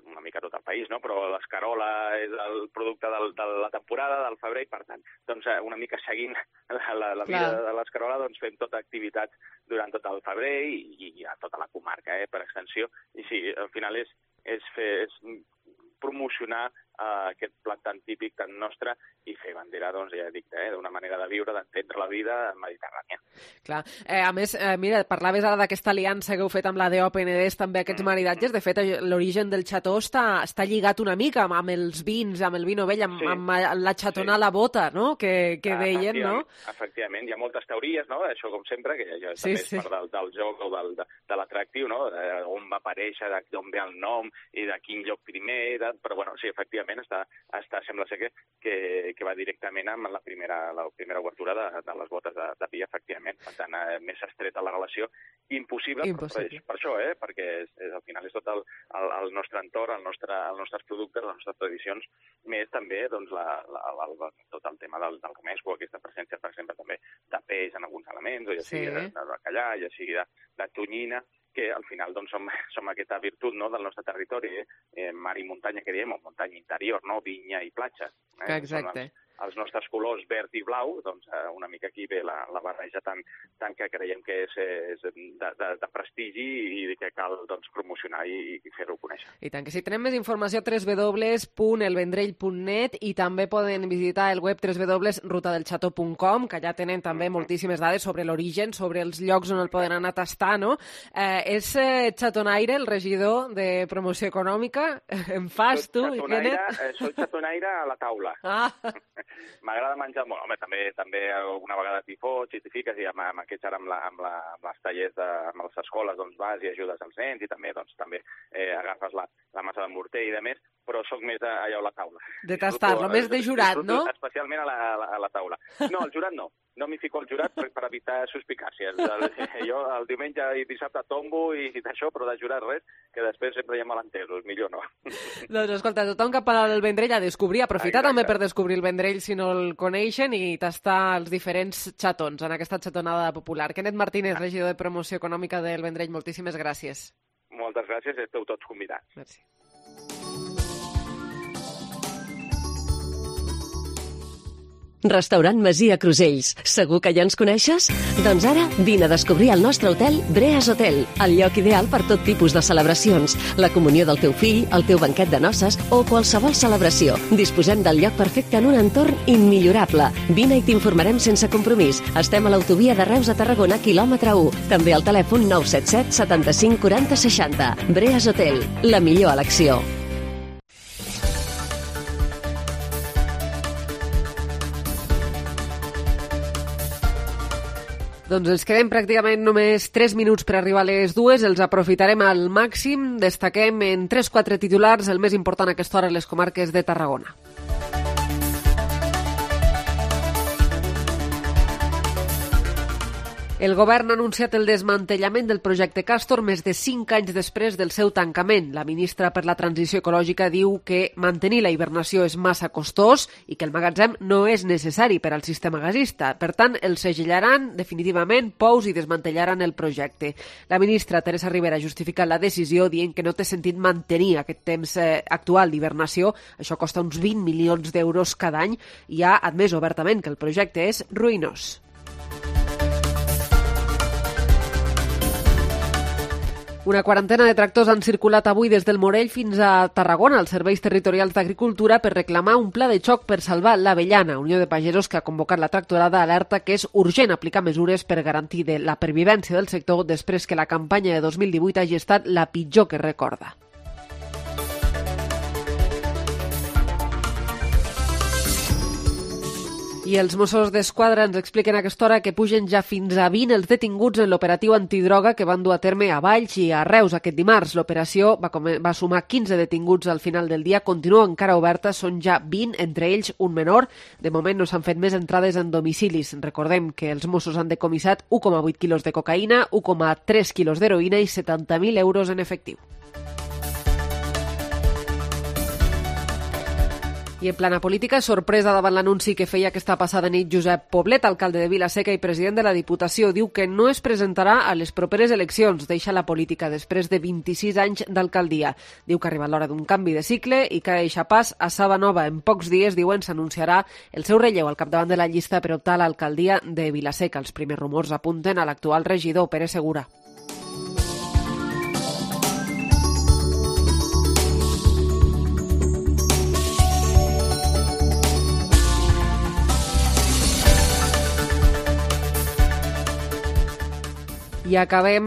[SPEAKER 6] una mica tot el país, no? Però l'escarola és el producte de la temporada, del febrer, i per tant, doncs, una mica seguint la vida de l'escarola, doncs fem tota activitat durant tot el febrer i a tota la comarca, per extensió. I sí, al final és promocionar aquest plat tan típic, tan nostre, i fer bandera, doncs, ja dic, d'una manera de viure, d'entendre la vida mediterrània.
[SPEAKER 3] Clar. A més, mira, parlaves ara d'aquesta aliança que heu fet amb la d'OpenEDES, també aquests maridatges. De fet, l'origen del xató està lligat una mica amb els vins, amb el vi novell, amb la xatona a la bota, no?, que deien, no?
[SPEAKER 6] Efectivament, hi ha moltes teories, no?, això com sempre, que ja també és part del joc o de l'atractiu, no?, on va aparèixer, d'on ve el nom i de quin lloc primer, però, bueno, sí, efectivament, sembla ser que va directament amb la primera obertura de les botes de vi, efectivament. Per tant, més estreta la relació. Impossible. Per això, perquè al final és tot el nostre entorn, els nostres productes, les nostres tradicions, més també doncs, tot el tema del romesco, aquesta presència, per exemple, també de peix en alguns elements, o ja sigui de bacallà, ja sigui de tonyina, que al final doncs, som aquesta virtut, no?, del nostre territori, mar i muntanya, que diem, o muntanya interior, no?, vinya i platja.
[SPEAKER 3] Exacte.
[SPEAKER 6] Els nostres colors verd i blau, doncs una mica aquí ve la barreja tan que creiem que és de prestigi i que cal doncs, promocionar i fer-ho conèixer.
[SPEAKER 3] I tant que sí. Tenem més informació a www.elvendrell.net i també poden visitar el web www.rutadelxató.com, que allà tenen també moltíssimes dades sobre l'origen, sobre els llocs on el poden anar a tastar, no? És Xatonaire, el regidor de promoció econòmica? En fas tu, Kenneth?
[SPEAKER 6] Soy xatonaire a la taula. M'agrada menjar molt. Home, també alguna vegada t'hi fots i t'hi fiques, i amb aquests ara amb les tallers amb les escoles doncs vas i ajudes els nens i també agafes la massa de morter i de més, però sóc més allò a la taula.
[SPEAKER 3] De tastar-lo, més de jurat, no?
[SPEAKER 6] Especialment a la taula. No, el jurat no. No m'hi fico al jurat per evitar suspicàcies. Jo el diumenge i dissabte tombo i d'això, però de jurat res, que després sempre hi ha malentesos, millor no.
[SPEAKER 3] Doncs escolta, tothom cap al Vendrell a descobrir, aprofitar també per descobrir el Vendrell si no el coneixen i tastar els diferents xatons en aquesta xatonada popular. Kenneth Martínez, regidor de promoció econòmica del Vendrell, moltíssimes gràcies.
[SPEAKER 6] Moltes gràcies, esteu tots convidats.
[SPEAKER 3] Merci.
[SPEAKER 2] Restaurant Masia Crusells. Segur que ja ens coneixes? Doncs ara vine a descobrir el nostre hotel Breas Hotel, el lloc ideal per tot tipus de celebracions, la comunió del teu fill, el teu banquet de noces o qualsevol celebració. Disposem del lloc perfecte en un entorn immillorable. Vine i t'informarem sense compromís. Estem a l'autovia de Reus a Tarragona, quilòmetre 1. També al telèfon 977 75 40 60. Breas Hotel, la millor elecció.
[SPEAKER 3] Doncs ens quedem pràcticament només 3 minuts per arribar a les 2, els aprofitarem al màxim, destaquem en 3-4 titulars el més important a aquesta hora a les comarques de Tarragona. El govern ha anunciat el desmantellament del projecte Castor més de 5 anys després del seu tancament. La ministra per la Transició Ecològica diu que mantenir la hibernació és massa costós i que el magatzem no és necessari per al sistema gasista. Per tant, el segellaran definitivament Pous i desmantellaran el projecte. La ministra Teresa Ribera ha justificat la decisió dient que no té sentit mantenir aquest temps actual d'hibernació. Això costa uns 20 milions d'euros cada any i ha admès obertament que el projecte és ruïnós. Una quarantena de tractors han circulat avui des del Morell fins a Tarragona, als serveis territorials d'agricultura, per reclamar un pla de xoc per salvar l'avellana. Unió de Pagesos, que ha convocat la tractorada, alerta que és urgent aplicar mesures per garantir la pervivència del sector després que la campanya de 2018 hagi estat la pitjor que recorda. I els Mossos d'Esquadra ens expliquen a aquesta hora que pugen ja fins a 20 els detinguts en l'operatiu antidroga que van dur a terme a Valls i a Reus aquest dimarts. L'operació va sumar 15 detinguts al final del dia, continua encara oberta, són ja 20, entre ells un menor. De moment no s'han fet més entrades en domicilis. Recordem que els Mossos han decomissat 1,8 quilos de cocaïna, 1,3 quilos d'heroïna i 70.000 euros en efectiu. I en plana política, sorpresa davant l'anunci que feia aquesta passada nit Josep Poblet, alcalde de Vila-seca i president de la Diputació. Diu que no es presentarà a les properes eleccions. Deixa la política després de 26 anys d'alcaldia. Diu que arriba l'hora d'un canvi de cicle i que deixa pas a Saba Nova. En pocs dies, diuen, s'anunciarà el seu relleu al capdavant de la llista per optar a l'alcaldia de Vila-seca. Els primers rumors apunten a l'actual regidor, Pere Segura. I acabem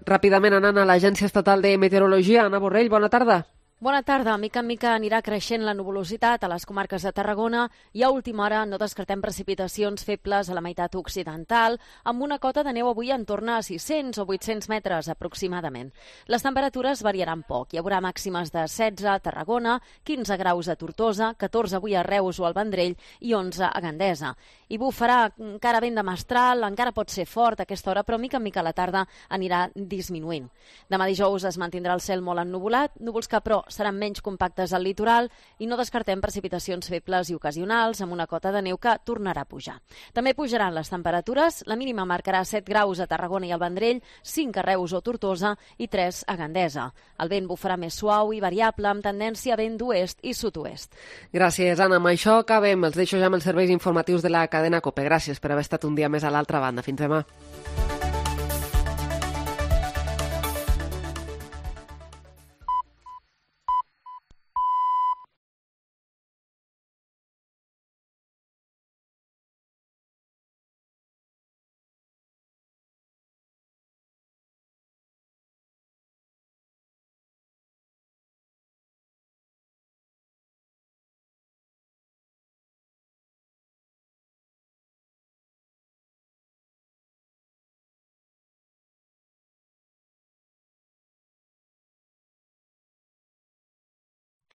[SPEAKER 3] ràpidament anant a l'Agència Estatal de Meteorologia. Anna Borrell, bona tarda.
[SPEAKER 4] Bona tarda. Mica en mica anirà creixent la nuvolositat a les comarques de Tarragona i a última hora no descartem precipitacions febles a la meitat occidental, amb una cota de neu avui en torn a 600 o 800 metres aproximadament. Les temperatures variaran poc. Hi haurà màximes de 16 a Tarragona, 15 graus a Tortosa, 14 avui a Reus o al Vendrell i 11 a Gandesa. I bufarà encara vent de mestral, encara pot ser fort a aquesta hora, però mica en mica a la tarda anirà disminuint. Demà dijous es mantindrà el cel molt ennuvolat, núvols que però seran menys compactes al litoral i no descartem precipitacions febles i ocasionals amb una cota de neu que tornarà a pujar. També pujaran les temperatures, la mínima marcarà 7 graus a Tarragona i al Vendrell, 5 a Reus o Tortosa i 3 a Gandesa. El vent bufarà més suau i variable amb tendència a vent d'oest i sud-oest.
[SPEAKER 3] Gràcies, Anna. Amb això acabem. Els deixo ja amb els serveis informatius de la cadena COPE. Gràcies per haver estat un dia més a l'altra banda. Fins demà.